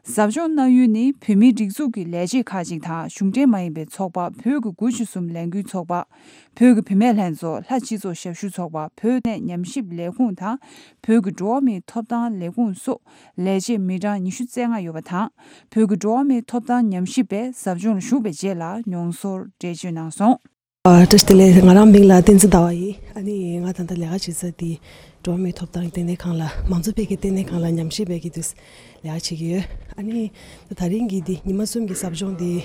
ཟབ་སྦྱོང་གནང་ཡུལ་ནི་བོད་མིའི་སྒྲིག་འཛུགས་ཀྱི་ལས་བྱེད་ཁག་ཅིག་དང་གཞུང་འབྲེལ་མ་ཡིན་པའི་ཚོགས་པ་བོད་ཀྱི་དགུ་བཅུ་གསུམ་ལས་འགུལ་ཚོགས་པ། བོད་ཀྱི་བུད་མེད་ལྷན་ཚོགས། ལྷ་སྤྱི་ཚོགས་ཞབས་ཞུ་ཚོགས་པ། བོད་གནས་ཉམས་ཞིབ་ལས་ཁུངས་དང་། བོད་ཀྱི་འགྲོ་བ་མིའི་ཐོབ་ཐང་ལས་ཁུངས་སོགས་ལས་བྱེད་མི་གྲངས་ཉི་ཤུ་རྩ་ལྔ་ཡོད་པ་དང་། བོད་ཀྱི་འགྲོ་བ་མིའི་ཐོབ་ཐང་ཉམས་ཞིབ་པས་ཟབ་སྦྱོང་ལ་ཞུགས་པའི་རྗེས་ལ་མྱོང་ཚོར་འགྲེལ་བརྗོད་གནང་སོང་། ཨ། བཀྲ་ཤིས་བདེ་ལེགས། ང་རང་མིང་ལ་བསྟན་འཛིན་ཟླ་བ་ཡིན། ཨ་ནི་ང་ད་ལྟ་ལས་ཀ་བྱེད་ས་དེ་འགྲོ་བ་མིའི་ཐོབ་ཐང་ལྟེ་གནས་ཁང་ལ། མང་གཙོ་འཕེལ་རྒྱས་ལྟེ་གནས་ཁང་ལ་ཉམས་ཞིབ་པའི་གི་དུས་ལས་ཀ་བྱེད་ཀྱི་ཡོད། ཨ་ནི་ད་རིང་གི་འདི་ཉི་མ་གསུམ་གྱི་ཟབ་སྦྱོང་འདི།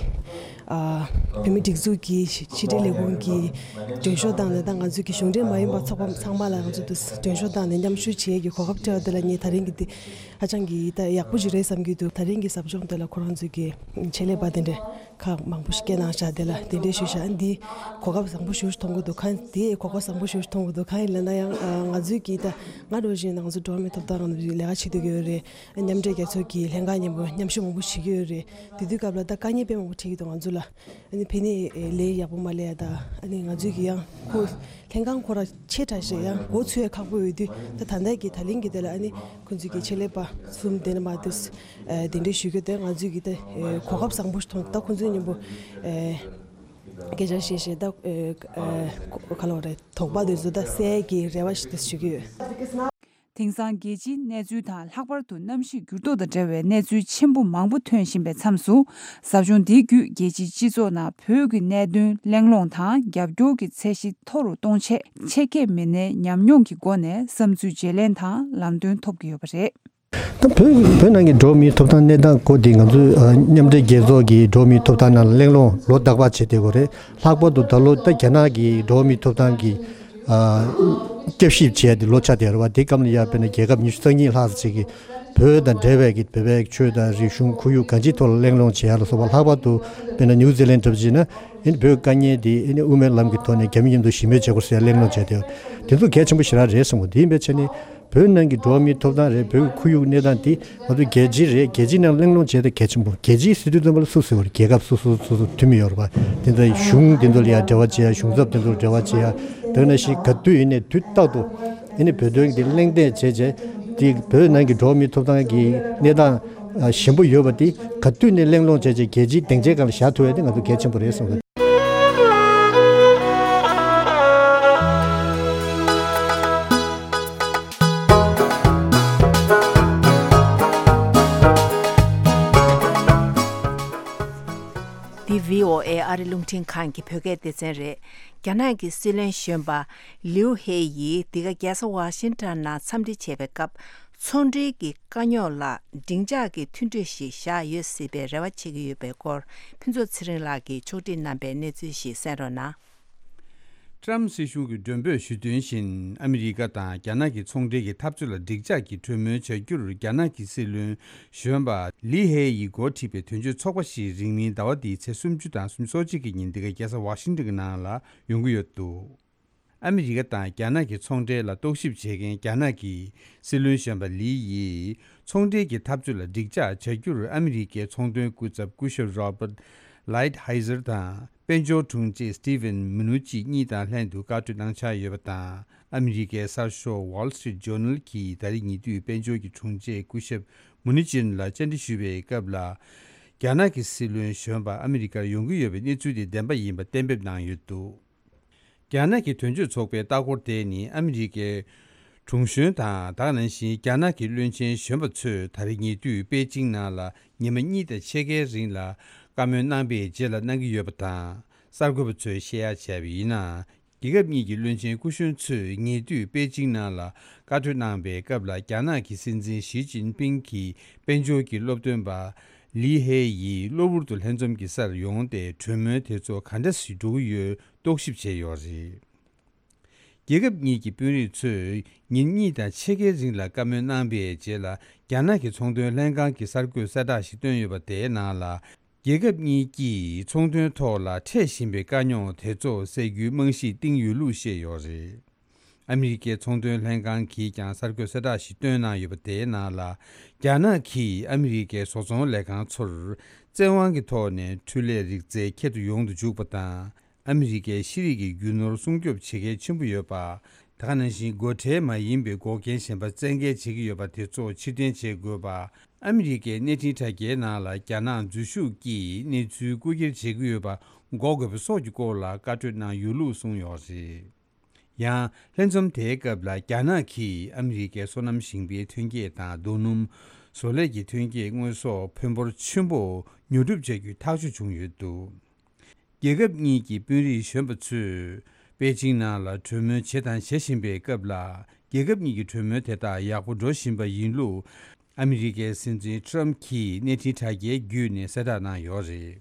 ཨ། བོད་མིའི་སྒྲིག་འཛུགས་ཀྱི་ཕྱི་དྲིལ་ལས་ཁུངས་ཀྱི་མགྲོན་ཤོག་བཏང་ནས། ད་ང་ཚོའི་གི་གཞུང་འབྲེལ་མ་ཡིན་པ་ཚོགས་པ་ཚང་མ་ལ་ང་ཚོ་འདི་མགྲོན་ཤོག་བཏང་ནས་མཉམ་ཞུགས་བྱེད་ཀྱི་གོ་སྐབས་སྤྲད་པ་དེ་ལ་ངས་ད་རིང་གི་འདི་ཧ་ཅང་གི་ད་ཡག་པོ་ཞིག་རེད་བསམ་གྱི་འདུག་ད་རིང་གི་ཟབ་སྦྱོང་དེ་ལ་ཁོ་རང་ཚོས་ཀྱི་ཆེད་ལས་པ་དེ་འདྲ་ཁག་མང་པོ་ཞིག་སྐད་གནང་བཞག་དེ་ལ་དེ་འདྲའི་ཞུ་བཞག་འདི་གོ་སྐབས་བཟང་པོ་ཞིག་མཐོང་གི་འདུག་གང་དེ་གོ་སྐབས་བཟང་པོ་ཞིག་མཐོང་གི་འདུག་གང་ཡིན་ལབ་ན་ཡང་ང་ཚོའི་གི་ད་ང་འདྲ་བཞིན་ང་ཚོ་འགྲོ་བ་མིའི་ཐོབ་ཐང་ལ་ལས་ཀ་བྱེད་སྡོད་ཀྱི་ཡོད་རེད། མཉམ་འབྲེལ་རྒྱལ་ཚོགས་ཀྱི་ལྷན་ཁང་མཉམ་པོ་མཉམ་ཞུགས་མང་པོ་བྱེད་ཀྱི་ཡོད་རེད། དེ་དུས་སྐབས་ལ་ད་དཀའ་ངལ་དཔེ་མང་པོ་འཕྲད་ཀྱི་འདུག་ང་ཚོ་ལ། ཨ་ནི་ཕ་ནས་ལས་ཡག་པོ་མ་ལས་ཡ་ད། ཨ་ནི་ང་ཚོས་ཀྱི་ཡང་ཁོ་ལྷན་ཁང་ཁོ་ར་ཆེ་དྲགས་ཤིག་ཡང་འགོ་ཚུགས་ཡ་ཁག་པོ་ཡོད་དུས། ད་ད་ལྟ་གི་ད་ལན་གྱི་དེ་ལ་ཨ་ནི་ཁོ་ཚོས་ཀྱི་ཆེད་ལས་པ་གསུམ་དེ་ནས་མ་དུས་དེ་འདྲའི་ཞུ་རྒྱུ་དེ་ང་ཚོས་ཀྱི་ད་གོ་སྐབས་བཟང་པོ་ཞིག་མཐོང་། ད་ཁོ་ཚོའི་མཉམ་པོ་སྐད་ཆ་བཤད་བཤད་ད་ག་ལ་བ་རེད། དོགས་པ་དེ་ཚོ་ད་སེལ་གྱི་རེ་བ་ཞིག་ད་ཞུ་གི་ཡོད། དེང་སང་རྒྱལ་སྤྱིའི་གནས་ཚུལ་དང་ལྷག་པར་དུ་གནམ་གཤིས་འགྱུར་ལྡོག་དང་འབྲེལ་བའི་གནས་ཚུལ་ཆེན་པོ་མང་པོ་ཐོན་བཞིན་པའི་མཚམས་སུ། ཟབ་སྦྱོང་འདི་བརྒྱུད་རྒྱལ་སྤྱིའི་སྤྱི་ཚོགས་ནང་བོད་ཀྱི་གནད་དོན་གླེང་སློང་དང་རྒྱབ་སྐྱོར་གྱི་ཚད་གཞི་མཐོ་རུ་གཏོང་ཆེད་ཆེད་མཁས་མི་སྣའི་ཉམས་མྱོང་གི་སྒོ་ནས་བསམ་ཚུལ་བརྗེ་ལེན་དང་ལམ་སྟོན་ཐོབ་ཀྱི་ཡོད་པ་རེད། ད་བོད་བོད་ནང་གི་འགྲོ་བ་མིའི་ཐོབ་ཐང་གནས་སྟངས་སྐོར་དེ་ང་ཚོས་ཨ་མཉམ་འབྲེལ་རྒྱལ་ཚོགས་ཀྱི་འགྲོ་བ་མིའི་ཐོབ་ཐང་ནང་གླེང་སློང་ལོ་རྟག་པར་བྱེད་བསྡད་ཡོད་རེད། ལྷག་པར་དུ་ད་ལོ་ད་རྒྱ་ནག་གི་འགྲོ་བ་མིའི་ཐོབ་ཐང་གི་ཨ་བསྐྱར་ཞིབ་བྱས་ཏེ་ལོ་ཆགས་བསྡད་ཡོད་རེད་བ། དེ་སྐབས་ལ་ཡར་དཔེར་ན་རྒྱལ་ཁབ་ཉི་ཤུ་རྩ་གཉིས་ལྷག་ཙམ་ཅིག་གིས་བོད་དང་འབྲེལ་བའི་གི་བོད་པའི་ཆོས་དང་རིག་གཞུང་ཁོར་ཡུག་གང་ཅིའི་ཐོག་ལ་གླེང་སློང་བྱེད་ཡ་ལ་སོགས་པ། ལྷག་པར་དུ་དཔེར་ན་ནིའུ་ཛི་ལན་འདྲ་པོ་བྱས་ན་ཨ་ནི་བོད་དཀའ་ངལ་དེ་ཨ་ནི་དབུ་མའི་ལམ་གྱི་ཐོག་ནས་རྒྱ་མི་མཉམ་དུ་ཞི་མོལ་བྱེད་དགོས་ཟེར་གླེང་སློང་བྱས་ཏེ། དེ་ཚོ་གལ་ཆེན་པོ་ཞེ་དྲག་རེད་བསམ་གི། དེ་ཡིན་པའི་ཆ་ནས་བོད་ནང་གི་འགྲོ་བ་མིའི་ཐོབ་ཐང་རེད། བོད་ཀྱི་ཁོར་ཡུག་གནས་སྟངས་དེ་ང་ཚོ་རྒྱལ་སྤྱི་རེད། རྒྱལ་སྤྱིའི་ནང་གླེང་སློང་བྱས་ཏེ་གལ་ཆེན་པོ། རྒྱལ་སྤྱིའི་སྲིད་དོན་བཙོན་པ་ལ་སུ་ཟེར་བ་རེད། རྒྱལ་ཁབ་སོ་སོ་སོ་སོ་འཐུས་མི་ཡོད་རེད་པ། དེ་ཚོ་གཞུང་དེ་ཚོ་ལ་ཡང་འབྲེལ་བ་བྱེད་ཡ། གཞུང་ཚབ་དེ་ཚོ་ལ་འབྲེལ་བ་བྱེད་ཡ། དེ་ནང་བཞིན་ག་དུས་ཡིན་ནའི་དུས་རྟག་ཏུ་ཨ་ནི་བོད་དོན་གྱི་གླེང་སྟེགས་བྱས་བྱས། དེ་བོད་ནང་གི་འགྲོ་བ་མིའི་ཐོབ་ཐང་གི་གནས་སྟངས་ཞན་པོ་ཡོད་པ་དེ་ག་དུས་ནས་གླེང་སློང་བྱས་བྱས་རྒྱལ་སྤྱིའི་སྡིངས་ཆའི་སྒང་ལ་བཞག་ཐུབ་ཡ་དེ་ང་ཚོ་གལ་ཆེན་པོ་རེད་བསམ་གི། འདི་བྷི་ཨོ་ཨེ་ཨ་རི་རླུང་འཕྲིན་ཁང་གི་བོད་སྐད་སྡེ་ཚན་རེད། རྒྱ་ནག་གི་སྲིད་བློན་གཞོན་པ་ལིའུ་ཧེ་ཡིས་འདི་ག་རྒྱལ་ས་ཝ་ཤིང་ཊོན་ནང་འཚམས་འདྲི་བྱས་པའི་སྐབས། ཚོང་འབྲེལ་གྱི་དཀའ་རྙོག་ལ་སྡིངས་ཆ་གི་མཐུན་གྲོས་ཤིག་བཞག་ཡོད་སྲིད་པའི་རེ་བ་བྱེད་ཀྱི་ཡོད་པའི་སྐོར། ཕུན་ཚོགས་ཚེ་རིང་ལགས་ཀྱིས་ཕྱོགས་སྒྲིག་གནང་པའི་གནས་ཚུལ་ཞིག་གསན་རོགས་གནང་། ཀྲམ་སྲིད་གཞུང་གི་མགྲོན་འབོད་ཞུས་དོན་བཞིན། ཨ་མི་རི་ཀ་དང་རྒྱ་ནག་གི་ཚོང་འབྲེལ་གྱི་འཐབ་རྩོད་ལ་འགྲིག་འཇགས་ཀྱི་གྲོས་མོལ་བྱ་རྒྱུར་རྒྱ་ནག་གི་སྲིད་བློན་གཞོན་པ་ལི་ཧེ་ཡིས་འགོ་ཁྲིད་པའི་དོན་གཅོད་ཚོགས་པ་ཞིག་རིང་མིན་ཟླ་བ་འདིའི་ཚེས་སུམ་ཅུ་དང་སུམ་ཅུ་སོ་གཅིག་གི་ཉིན་འདི་ག་རྒྱལ་ས་ཝ་ཤིང་ཊོན་གྱི་ནང་ལ་ཡོང་གི་ཡོད་འདུག་ཨ་མི་རི་ཀ་དང་རྒྱ་ནག་གི་ཚོང་འབྲེལ་ལ་རྟོག་ཞིབ་བྱེད་མཁན་རྒྱ་ནག་གི་སྲིད་བློན་གཞོན་པ་ལི་ཡིས། ཚོང་འབྲེལ་གྱི་འཐབ་རྩོད་ལ་འགྲིག་འཇགས་བྱ་རྒྱུར་ཨ་མི་རི་ཀའི་ཚོང་དོན་སྐུ་ཚབ་སྐུ་ཞབས་Robert Lighthizer་དང་དཔལ་འབྱོར་དྲུང་ཆེ་Steven Mnuchin་གཉིས་དང་ལྷན་དུ་བཀའ་གྲོས་གནང་འཆར་ཡོད་པ་དང་། ཨ་མི་རི་ཀའི་གསར་ཤོག་Wall Street Journal་གྱིས་ད་རེས་ཉེ་དུས་དཔལ་འབྱོར་གྱི་དྲུང་ཆེ་སྐུ་ཞབས་Mnuchin་ལ་བཅར་འདྲི་ཞུས་པའི་སྐབས་ལ། རྒྱ་ནག་གི་སྲིད་བློན་གཞོན་པ་ཨ་མི་རི་ཀར་ཡོང་གི་ཡོད་པའི་གནས་ཚུལ་དེ་བདེན་པ་ཡིན་པ་གཏན་འབེབས་གནང་ཡོད་འདུག་རྒྱ་ནག་གི་དོན་གཅོད་ཚོགས་པའི་ལྟ་སྐོར་དེ་ནི་ཨ་མི་རི་ཀའི་དྲུང་གཞོན་དང་། ད་ག་ནང་བཞིན་རྒྱ་ནག་གི་བློན་ཆེན་གཞོན་པ་ཚོས་ད་རེས་ཉེ་དུས་པེ་ཅིང་ནང་ལ་ཉི་མ་གཉིས་དང་ཕྱེད་ཀའི་རིང་ལ་བཀའ་མོལ་གནང་པའི་རྗེས་ལ་གནང་གི་ཡོད་པ་དང་། གསར་འགོད་པ་ཚོས་བཤད་ཡ་བྱས་པ་ཡིན་ན། རྒྱལ་ཁབ་གཉིས་ཀྱི་བློན་ཆེན་སྐུ་གཞོན་ཚོས་ཉེ་དུས་པེ་ཅིང་ནང་ལ་བཀའ་གྲོས་གནང་པའི་སྐབས་ལ། རྒྱ་ནག་གི་སྲིད་འཛིན་ཞི་ཅིན་ཕིང་གིས་དཔལ་འབྱོར་གྱི་སློབ་སྟོན་པ་ལི་ཧེ་ཡིས་གློ་བུར་དུ་ལྷན་འཛོམས་ཀྱི་སར་ཡོང་སྟེ། གྲོས་མོལ་དེ་ཚོ་ག་འདྲ་ཞིག་འགྲོ་གི་ཡོད། རྟོག་ཞིབ་བྱས་ཡོད་རེད། རྒྱལ་ཁབ་གཉིས་ཀྱི་དཔོན་རིགས་ཚོས་ཉིན་གཉིས་དང་ཕྱེད་ཀའི་རིང་ལ་བཀའ་མོལ་གནང་པའི་རྗེས་ལ། རྒྱ་ནག་གི་ཚོང་དོན་ལྷན་ཁང་གིས་གསར་འགོད་གསལ་བསྒྲགས་ཤིག་བཏོན་ཡོད་པ། དེའི་ནང་ལ། རྒྱལ་ཁབ་གཉིས་ཀྱིས་ཚོང་དོན་ཐོག་ལ་འཕྲད་བཞིན་པའི་དཀའ་རྙོག་དེ་ཚོ་སེལ་རྒྱུའི་རྨང་གཞི་བཏིང་ཡོད་ལུགས་བཤད་ཡོད་རེད། ཨ་མི་རི་ཀའི་ཚོང་དོན་ལྷན་ཁང་གིས་ཀྱང་གསར་འགོད་གསལ་བསྒྲགས་ཤིག་བཏོན་གནང་ཡོད་པ། དེའི་ནང་ལ། རྒྱ་ནག་གིས་ཨ་མི་རི་ཀའི་བཟོ་ཚོང་ལས་ཁང་ཚོར་བཙན་དབང་གི་ཐོག་ནས་འཕྲུལ་ལས་རིག་རྩལ་ཁྱད་དུ་ཡོང་དུ་འཇུག་པ་དང་། ཨ་མི་རི་ཀའི་ཤེས་རིག་གི་རྒྱུ་ནོར་སྲུང་སྐྱོབ་བྱེད་གལ་ཆེན་པོ་ཡོད་པ། ད་ག་ནང་བཞིན་སྒོ་ཁྲལ་མ་ཡིན་པའི་འགོག་རྐྱེན་གཞན་པ་བཙན་འགེལ་བྱེད་ཀྱི་ཡོད་པ་དེ་ཚོ་ཕྱིར་འཐེན་བྱེད་དགོས་པ། ཨ་མི་རི་ཀའི་གནས་འཕྲིན་དྲ་རྒྱའི་ནང་ལ་རྒྱ་ནག་འཛུལ་ཞུགས་ཀྱིས་གནས་ཚུལ་རྐུ་འཁྱེར་བྱེད་ཀྱི་ཡོད་པ་འགོག་དགོས་པ་སོགས་ཀྱི་སྐོར་ལ་བཀའ་གྲོས་གནང་ཡོད་ལུགས་གསུངས་ཡོད་རེད། ཡང་། ལྷན་འཛོམས་དེའི་སྐབས་ལ། རྒྱ་ནག་གིས་ཨ་མི་རི་ཀའི་སོ་ནམ་ཞིང་པའི་ཐོན་སྐྱེད་དང་རྡོ་སྣུམ། བཟོ་ལས་ཀྱི་ཐོན་སྐྱེད་དངོས་ཟོག་ཕོན་འབོར་ཆེན་པོ་ཉོ་སྒྲུབ་བྱ་རྒྱུའི་ཐག་གཅོད་བྱུང་ཡོད་འདུག་རྒྱལ་ཁབ་གཉིས་ཀྱི་དཔོན་རིགས་གཞོན་པ་ཚོས་པེ་ཅིང་ནང་ལ་གྲོས་མོལ་བྱས་དང་བྱེད་བཞིན་པའི་སྐབས་ལ། རྒྱལ་ཁབ་གཉིས་ཀྱི་གྲོས་མོལ་དེ་དག་ཡག་པོ་འགྲོ་བཞིན་པ་ཡིན་ལུགས། ཨ་མི་རི་ཀའི་སྲིད་འཛིན་ཊྲམ་གྱིས་གནས་འཕྲིན་དྲ་རྒྱའི་བརྒྱུད་ནས་གསལ་བསྒྲགས་གནང་ཡོད་རེད།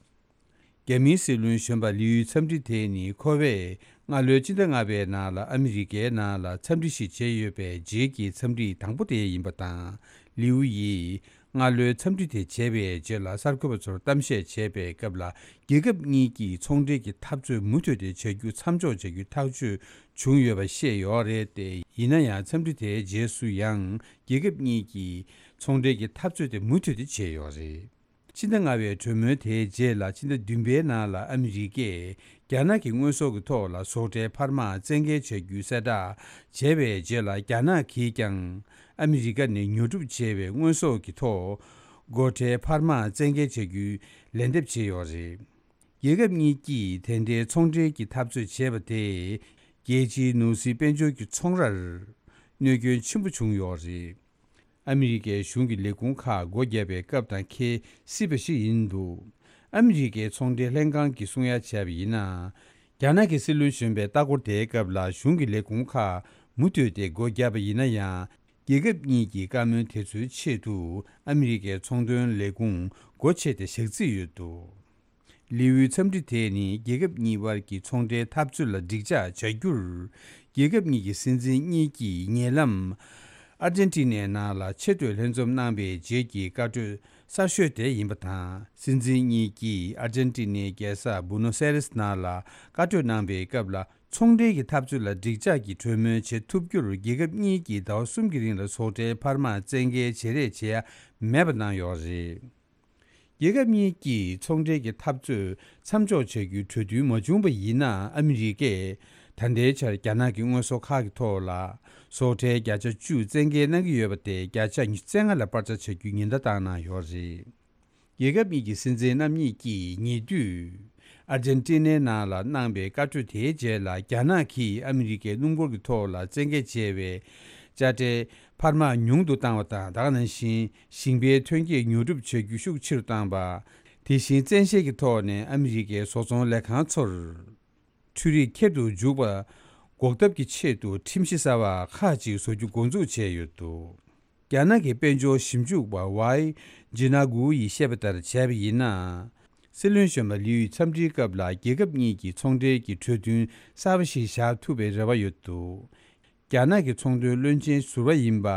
རྒྱ་མིའི་སྲིད་བློན་གཞོན་པ་ལིའུ་ཡི་འཚམས་འདྲི་དེ་ནི་ཁོ་པས་སྔ་ལོའི་ཕྱི་ཟླ་ལྔ་པའི་ནང་ལ་ཨ་མི་རི་ཀའི་ནང་ལ་འཚམས་འདྲི་ཞིག་བྱས་ཡོད་པའི་རྗེས་ཀྱི་འཚམས་འདྲི་དང་པོ་དེ་ཡིན་པ་དང་། ལིའུ་ཡིས་སྔ་ལོའི་འཚམས་འདྲི་དེ་བྱས་པའི་རྗེས་ལ་གསར་འགོད་པ་ཚོར་གཏམ་བཤད་བྱས་པའི་སྐབས་ལ། རྒྱལ་ཁབ་གཉིས་ཀྱིས་ཚོང་འབྲེལ་གྱི་འཐབ་རྩོད་མུ་མཐུད་དེ་བྱ་རྒྱུ་མཚམས་འཇོག་བྱ་རྒྱུའི་ཐག་གཅོད་བྱུང་ཡོད་པ་བཤད་ཡོད་རེད་དེ། ཡིན་ན་ཡང་། འཚམས་འདྲི་དེའི་རྗེས་སུ་ཡང་རྒྱལ་ཁབ་གཉིས་ཀྱིས་ཚོང་འབྲེལ་གྱི་འཐབ་རྩོད་དེ་མུ་མཐུད་དེ་བྱས་ཡོད་རེད། ཕྱི་ཟླ་ལྔ་པའི་གྲོས་མོལ་དེའི་རྗེས་ལ། ཕྱི་ཟླ་བདུན་པའི་ནང་ལ་ཨ་མི་རི་ཀས་རྒྱ་ནག་གི་དངོས་ཟོག་གི་ཐོག་ལ་བཟོ་གྲྭའི་འཕར་མ་བཙན་འགེལ་བྱ་རྒྱུའི་གསལ་བསྒྲགས་བྱས་པའི་རྗེས་ལ། རྒྱ་ནག་གིས་ཀྱང་ཨ་མི་རི་ཀ་ནས་ཉོ་སྒྲུབ་བྱས་པའི་དངོས་ཟོག་གི་ཐོག་སྒོ་ཁྲལ་འཕར་མ་བཙན་འགེལ་བྱ་རྒྱུའི་ལན་འདེབས་བྱས་ཡོད་རེད། རྒྱལ་ཁབ་གཉིས་ཀྱིས་དེ་འདྲའི་ཚོང་འབྲེལ་གྱི་འཐབ་རྩོད་བྱས་པ་དེས། རྒྱལ་སྤྱིའི་ནོར་སྲིད་དཔལ་འབྱོར་གྱི་ཚོང་རར་གནོད་སྐྱོན་ཆེན་པོ་བྱུང་ཡོད་རེད། ཨ་མི་རི་ཀའི་གཞུང་གི་ལས་ཁུངས་ཁག་སྒོ་བརྒྱབ་པའི་སྐབས་དང་འཁེལ་སྲིད་པ་ཞིག་ཡིན་འདུག་ཨ་མི་རི་ཀའི་ཚོང་འབྲེལ་ལྷན་ཁང་གིས་གསུང་ཡ་བྱས་པ་ཡིན་ན། རྒྱ་ནག་གི་སྲིད་བློན་གཞོན་པའི་ལྟ་སྐོར་དེའི་སྐབས་ལ། གཞུང་གི་ལས་ཁུངས་ཁག་མུ་མཐུད་དེ་སྒོ་བརྒྱབ་པ་ཡིན་ན་ཡང་། རྒྱལ་ཁབ་གཉིས་ཀྱི་བཀའ་མོལ་དེ་ཚོའི་ཆེད་དུ་ཨ་མི་རི་ཀའི་ཚོང་དོན་ལས་ཁུངས་སྒོ་ཕྱེ་སྟེ་བཞག་རྩིས་ཡོད་འདུག་ལིའུའི་འཚམས་འདྲི་དེ་ནི་རྒྱལ་ཁབ་གཉིས་དབར་གྱི་ཚོང་འབྲེལ་འཐབ་རྩོད་ལ་འགྲིག་འཇགས་བྱ་རྒྱུར། རྒྱལ་ཁབ་གཉིས་ཀྱི་སྲིད་འཛིན་གཉིས་ཀྱིས་ཉེ་ལམ་ཨར་ཇན་ཏི་ནའི་ནང་ལ་ཆེས་མཐོའི་ལྷན་འཛོམས་གནང་པའི་རྗེས་ཀྱི་བཀའ་གྲོས་གསར་ཤོས་དེ་ཡིན་པ་དང་། སྲིད་འཛིན་གཉིས་ཀྱིས་ཨར་ཇན་ཏི་ནའི་རྒྱལ་ས་བུ་ནོ་སེ་རེས་ནང་ལ་བཀའ་གྲོས་གནང་པའི་སྐབས་ལ། ཚོང་འབྲེལ་གྱི་འཐབ་རྩོད་ལ་འགྲིག་འཇགས་ཀྱི་གྲོས་མོལ་བྱེད་ཐུབ་རྒྱུར། རྒྱལ་ཁབ་གཉིས་ཀྱིས་ཟླ་བ་གསུམ་གྱི་རིང་ལ་བཟོ་གྲྭའི་འཕར་མ་བཙན་འགེལ་བྱེད་རེས་བྱེད་ཡ་མེད་པ་གནང་ཡོད་རེད། རྒྱལ་ཁབ་གཉིས་ཀྱིས་ཚོང་འབྲེལ་གྱི་འཐབ་རྩོད་མཚམས་འཇོག་བྱ་རྒྱུའི་གྲོས་མཐུན་མ་བྱུང་བ་ཡིན་ན། ཨ་མི་རི་ཀས་ད་ལྟའི་ཆར་རྒྱ་ནག་གི་དངོས་ཟོག་ཁག་གི་ཐོག་ལ་ སོག་ཁྲལ་བརྒྱ་ཆ་བཅུ་བཙན་འགེལ་གནང་གི་ཡོད་པ་དེ་བརྒྱ་ཆ་ཉི་ཤུ་རྩ་ལྔ་ལ་སྤར་ཆ་བྱ་རྒྱུའི་ཉེན་བརྡ་བཏང་གནང་ཡོད་རེད། རྒྱལ་ཁབ་གཉིས་ཀྱི་སྲིད་འཛིན་རྣམ་གཉིས་ཀྱིས་ཉེ་དུས་ཨར་ཇན་ཏི་ནའི་ནང་ལ་གནང་པའི་བཀའ་གྲོས་དེའི་རྗེས་ལ། རྒྱ་ནག་གིས་ཨ་མི་རི་ཀའི་སྣུམ་འཁོར་གྱི་ཐོག་ལ་བཙན་འགེལ་བྱས་པའི་དཔྱ་ཁྲལ་འཕར་མ་ཉུང་དུ་བཏང་བ་དང་། ད་ག་ནང་བཞིན་ཞིང་པའི་ཐོན་སྐྱེད་ཉོ་སྒྲུབ་བྱ་རྒྱུ་ཤུགས་ཆེ་རུ་བཏང་པ། དེ་བཞིན་བཙན་ཤེད་ཀྱི་ཐོག་ནས་ཨ་མི་རི་ཀའི་བཟོ་ཚོང་ལས་ཁང་ཚོར་འཕྲུལ་རིག་ཁྱེར་དུ་འཇུག་པ་འགོག་ཐབས་ཀྱི་ཆེད་དུ་ཁྲིམས་གཞི་གསར་པ་ཁག་ཅིག་བཟོ་རྒྱུ་འགོ་འཛུགས་བྱས་ཡོད་འདུག། རྒྱ་ནག་གི་དཔལ་འབྱོར་ཞིབ་འཇུག་པ་ཝའི་ཇི་ན་གུ་ཡིས་བཤད་པ་ལྟར་བྱས་པ་ཡིན་ན། སྲིད་བློན་གཞོན་པ་ལིའུ་ཡི་འཚམས་འདྲིའི་སྐབས་ལ་རྒྱལ་ཁབ་གཉིས་ཀྱི་ཚོང་འབྲེལ་གྱི་གྲོས་མཐུན་གསར་པ་ཞིག་བཞག་ཐུབ་པའི་རེ་བ་ཡོད་འདུག། རྒྱ་ནག་གི་ཚོང་དོན་བློན་ཆེན་ཟུར་པ་ཡིན་པ་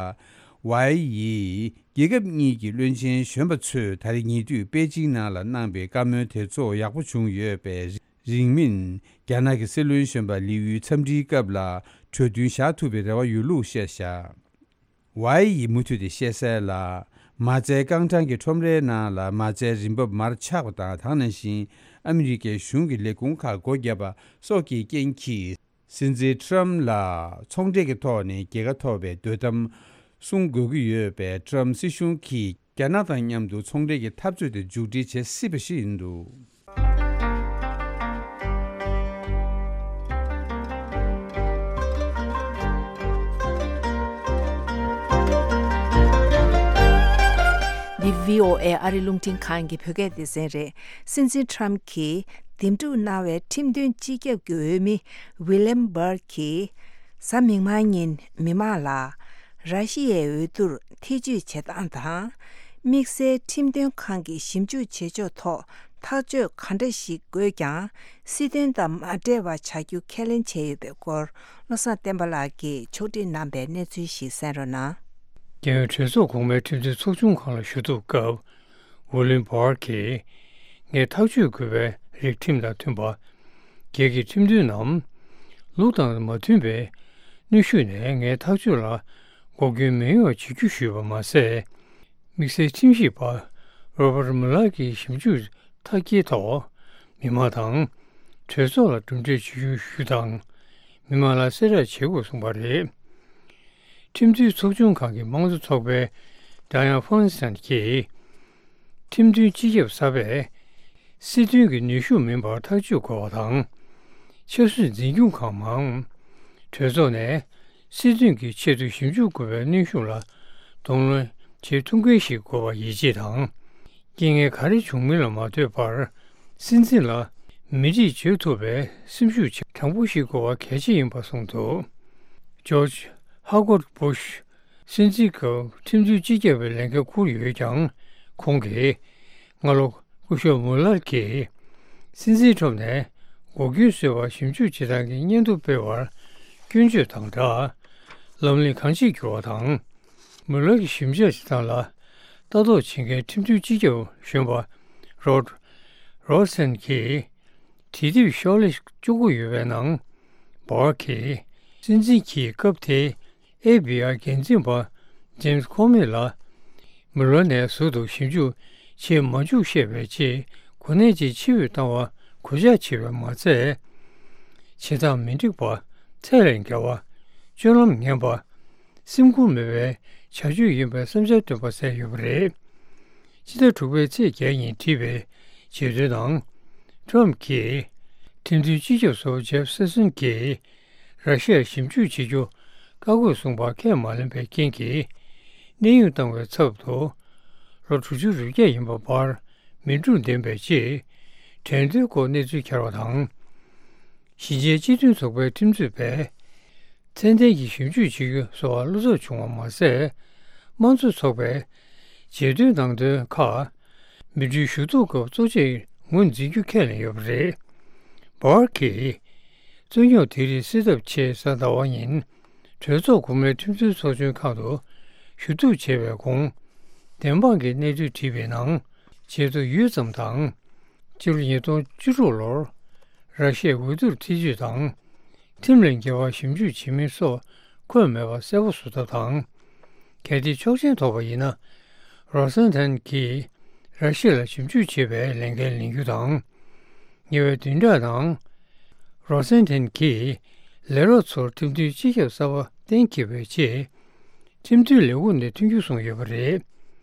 ཝའེ་ཡིས་རྒྱལ་ཁབ་གཉིས་ཀྱི་བློན་ཆེན་གཞོན་པ་ཚོས་ད་རེས་ཉེ་དུས་པེ་ཅིང་ནང་ལ་གནང་པའི་བཀའ་མོལ་དེ་ཚོ་ཡག་པོ་བྱུང་ཡོད་པས། རིང་མིན་རྒྱ་ནག་གི་སྲིད་བློན་གཞོན་པ་ལིའུ་ཡི་འཚམས་འདྲིའི་སྐབས་ལ་གྲོས་མཐུན་བཞག་ཐུབ་པའི་རེ་བ་ཡོད་ལུགས་བཤད་བཞག། ཝའེ་ཡིས་མུ་མཐུད་དེ་བཤད་གསལ་ལ། མ་རྩའི་རྐང་གྲངས་ཀྱི་ཁྲོམ་རའི་ནང་ལ་མ་རྩའི་རིན་འབབ་མར་ཆག་པ་དང་། ད་ག་ནང་བཞིན་ཨ་མི་རི་ཀའི་གཞུང་གི་ལས་ཁུངས་ཁག་སྒོ་བརྒྱབ་པ་སོགས་ཀྱི་རྐྱེན་གྱིས། སྲིད་འཛིན་ཊམ་ལ་ཚོང་འབྲེལ་གྱི་ཐོག་ནས་རྒྱལ་ཁ་ཐོབ་པའི་འདོད་གཏམ་གསུང་དགོས་ཀྱི་ཡོད་པས། ཊམ་སྲིད་གཞུང་གིས་རྒྱ་ནག་དང་མཉམ་དུ་ཚོང་འབྲེལ་གྱི་འཐབ་རྩོད་དེ་མཇུག་སྒྲིལ་བྱེད་སྲིད་པ་ཞིག་ཡིན་འདུག། འདི་བྷི་ཨོ་ཨེ་ཨ་རི་རླུང་འཕྲིན་ཁང་གི་བོད་སྐད་སྡེ་ཚན་རེད། སྲིད་འཛིན་ཊམ་གྱིས་འདེམས་སྒྲུག་གནང་བའི་ཁྲིམས་མཐུན་སྤྱི་ཁྱབ་ཀྱི་འོས་མི་ཝི་ལེམ་བྷར་གྱིས་གཟའ་མིག་དམར་ཉིན་མི་མང་ལ་ར་ཤི་ཡའི་འོས་བསྡུར་ཐེ་བྱུས་བྱེད་སྟངས་དང་། དམིགས་བསལ་ཁྲིམས་དོན་ཁང་གིས་ཞིབ་འཇུག་བྱེད་ཕྱོགས་ཐོག་ཐག་གཅོད་ག་འདྲ་ཞིག་དགོས་ཀྱང་། སྲིད་དོན་དང་མ་འབྲེལ་བ་བྱ་རྒྱུ་ཁས་ལེན་བྱས་ཡོད་པའི་སྐོར། བློ་བཟང་བསྟན་པ་ལགས་ཀྱིས་ཕྱོགས་སྒྲིག་གནང་པའི་གནས་ཚུལ་ཞིག་གསན་རོགས་གནང་། རྒྱལ་ཡོངས་གྲོས་ཚོགས་གོང་མའི་ཁྲིམས་རྩོད་ཚོགས་ཆུང་ཁང་ལ་ཞུ་གཏུག་སྐབས། ཝུ་ལིན་བྷར་གྱིས། ངས་ཐག་གཅོད་དགོས་པའི་རིགས་ཁྲིམས་དང་མཐུན་པ། སྒེར་གྱི་ཁྲིམས་མཐུན་ནམ། ལུགས་དང་མ་མཐུན་པའི་གནོན་ཤུགས་ནས་ངའི་ཐག་གཅོད་ལ་འགོག་རྐྱེན་མི་ཡོང་བ་བྱེད་རྒྱུ་ཞུས་པ་མ་ཟད། དམིགས་བསལ་ཁྲིམས་ཞིབ་པ་རོ་བར་མུ་ལར་གྱི་ཞིབ་འཇུག་མཐའ་སྐྱེལ་ཐོག་མི་མང་དང་གྲོས་ཚོགས་ལ་གྲུབ་འབྲས་ཇི་བྱུང་ཞུ་དང་། མི་མང་ལ་གསལ་བསྒྲགས་བྱེད་དགོས་གསུངས་པ་རེད། ཁྲིམས་མཐུན་ཚོགས་ཆུང་ཁང་གི་དམངས་གཙོ་ཚོགས་པའི་ཌ་ཡ་ན་ཧྥོན་སན་གྱིས། ཁྲིམས་མཐུན་སྤྱི་ཁྱབ་གསར་པས་སྲིད་དོན་གྱི་ནུས་ཤུགས་མིན་པར་ཐག་གཅོད་དགོས་པ་དང་། ཆབ་སྲིད་འཛིན་སྐྱོང་ཁང་མང་གྲོས་ཚོགས་ནས་སྲིད་དོན་གྱི་ཆེད་དུ་ཞིབ་འཇུག་དགོས་པའི་གནོན་ཤུགས་ལ་གདོང་ལེན་བྱེད་ཐུབ་མཁན་ཞིག་དགོས་པ་ཡིད་ཆེས་དང་། རྐྱེན་ངན་ག་རེ་བྱུང་མིན་ལ་མ་ལྟོས་པར་སྲིད་འཛིན་ལ་མི་དྲིས་བྱེད་ཐུབ་པའི་སེམས་ཤུགས་དྲང་པོ་ཞིག་དགོས་པ་གལ་ཆེ་ཡིན་པ་གསུངས་འདུག། ཇོར་ཇི་ཧ་གོར་སྦུ་ཤ་སྲིད་འཛིན་སྐབས་ཁྲིམས་མཐུན་སྤྱི་ཁྱབ་པའི་ལས་འགན་འཁུར་ཡོད་ཀྱང་། ཁོང་གིས་སྔ་ལོ་སྐུ་ཞབས་མུ་ལར་གྱིས་སྲིད་འཛིན་ཁྲོམ་ནས་འགོག་རྐྱེན་བཟོས་པར་ཞིབ་འཇུག་བྱེད་སྟངས་ཀྱི་སྙན་ཐོ་སྤེལ་བར་སྐྱོན་བརྗོད་དང་སྦྲགས། ལམ་ལུགས་གང་ཅིར་འགྱུར་བ་དང་། མུ་ལར་གྱི་ཞིབ་དཔྱད་བྱེད་སྟངས་ལ་ལྟ་རྟོག་བྱེད་མཁན་ཁྲིམས་མཐུན་སྤྱི་ཁྱབ་གཞོན་པ་རོད་རོ་སན་གྱིས། དེ་དུས་ཤོག་ལྷེ་བཅུ་དགུ་ཡོད་པའི་ནང་། བྷར་གྱིས་སྲིད་འཛིན་གྱིས་སྐབས་དེའི་ཨེཕ་བྷི་ཨའི་འགན་འཛིན་པ་ཇེམ་སི་ཁོ་མི་ལ་མུ་ལར་ནས་ཟུར་དུ་ཞིབ་འཇུག་བྱེད་མ་བཅུག་བཤད་པའི་ཆེད་གོ་གནས་ཀྱི་ཕྱིར་འབུད་བཏང་བ་གུས་ཕྱག་བྱས་པས་མ་ཚད། བྱེད་སྟངས་མི་འགྲིག་པ། ཚད་ལས་བརྒལ་བ། སྤྱོད་ལམ་ངན་པ། སེམས་ཁུར་མེད་པའི་བྱ་སྤྱོད་ཡིན་པའི་བསམ་འཆར་བཏོན་པ་གསལ་ཡོད་པ་རེད། ཕྱི་ཟླ་དྲུག་པའི་ཚེས་བརྒྱད་ཉིན་བྲིས་པའི་བརྗོད་དོན་ནང་། ཊམ་གྱིས་ཁྲིམས་མཐུན་སྤྱི་ཁྱབ་ཟུར་པ་ཇེབ་སེ་སོན་གྱིས་ར་ཤི་ཡར་ཞིབ་འཇུག་བྱེད་རྒྱུ་བཀག་དགོས་གསུངས་པ་ཁས་མ་ལེན་པའི་རྐྱེན་གྱིས། གནས་དབྱུང་བཏང་བའི་ཚབ་ཏུ་ལོ་དྲུག་ཅུ་རེ་བརྒྱད་ཡིན་པ་བར་མི་འཁྲུག་ལྡན་པའི་ཆེད་དྲན་རྟེན་སྐོར་གནས་ཚུལ་འཁྱེར་བ་དང་། ཞི་ཆེན་སྤྱི་མཐུན་ཚོགས་པའི་ཁྲིམས་རྩོད་པས། ཚད་ལྡན་གྱི་ཞིབ་འཇུག་བྱེད་རྒྱུ་སོགས་བློ་འཚབ་བྱུང་བ་མ་ཟད། དམངས་གཙོ་ཚོགས་པའི་རྗེས་ཟློས་ནང་དོན་ཁག་མི་གྲོས་ཞུ་གཏུག་སྐབས་གཙོ་ཆེར་ངོས་འཛིན་རྒྱུ་ཁས་ལེན་ཡོད་པ་རེད། བྷར་གྱིས། རྩོད་རྙོག་དེ་རིགས་སེལ་ཐབས་ཆེད་གཟའ་ཟླ་བ་ཉིན་གྲོས་ཚོགས་གོང་མའི་ཁྲིམས་རྩོད་ཚོགས་ཆུང་ཁང་དུ་ཞུ་གཏུག་བྱས་པའི་གོང་། བདེན་དཔང་གི་གནས་ཚུལ་བྲིས་པའི་ནང་། བྱེད་དུ་ཡུད་ཙམ་དང་། སྤྱི་ལོ་ཉིས་སྟོང་བཅུ་དྲུག་ལོར་ར་ཤི་ཡའི་འོས་བསྡུར་ཐེ་བྱུས་དང་། ཁྲིམས་ལས་འགལ་བ་ཞིབ་འཇུག་བྱེད་མིན་སོགས་འཁོད་མེད་པ་གསལ་པོ་བཟོ་ཐབས་དང་། གལ་ཏེ་ཆོག་མཆན་ཐོབ་པ་ཡིན་ན། རོ་སན་ཐན་གྱིས་ར་ཤི་ཡ་ལ་ཞིབ་འཇུག་བྱེད་པའི་ལས་འགན་ལེན་རྒྱུ་དང་། ཉེ་བའི་བདུན་ཕྲག་ནང་། རོ་སན་ཐན་གྱིས་ལས་རོགས་ཚོར་ཁྲིམས་མཐུན་སྤྱི་ཁྱབ་གསར་པ་ གཏན་འཁེལ་བའི་རྗེས། ཁྲིམས་མཐུན་ལས་ཁུངས་ནས་མཐུན་འགྱུར་བཟུང་ཡོད་པ་རེད།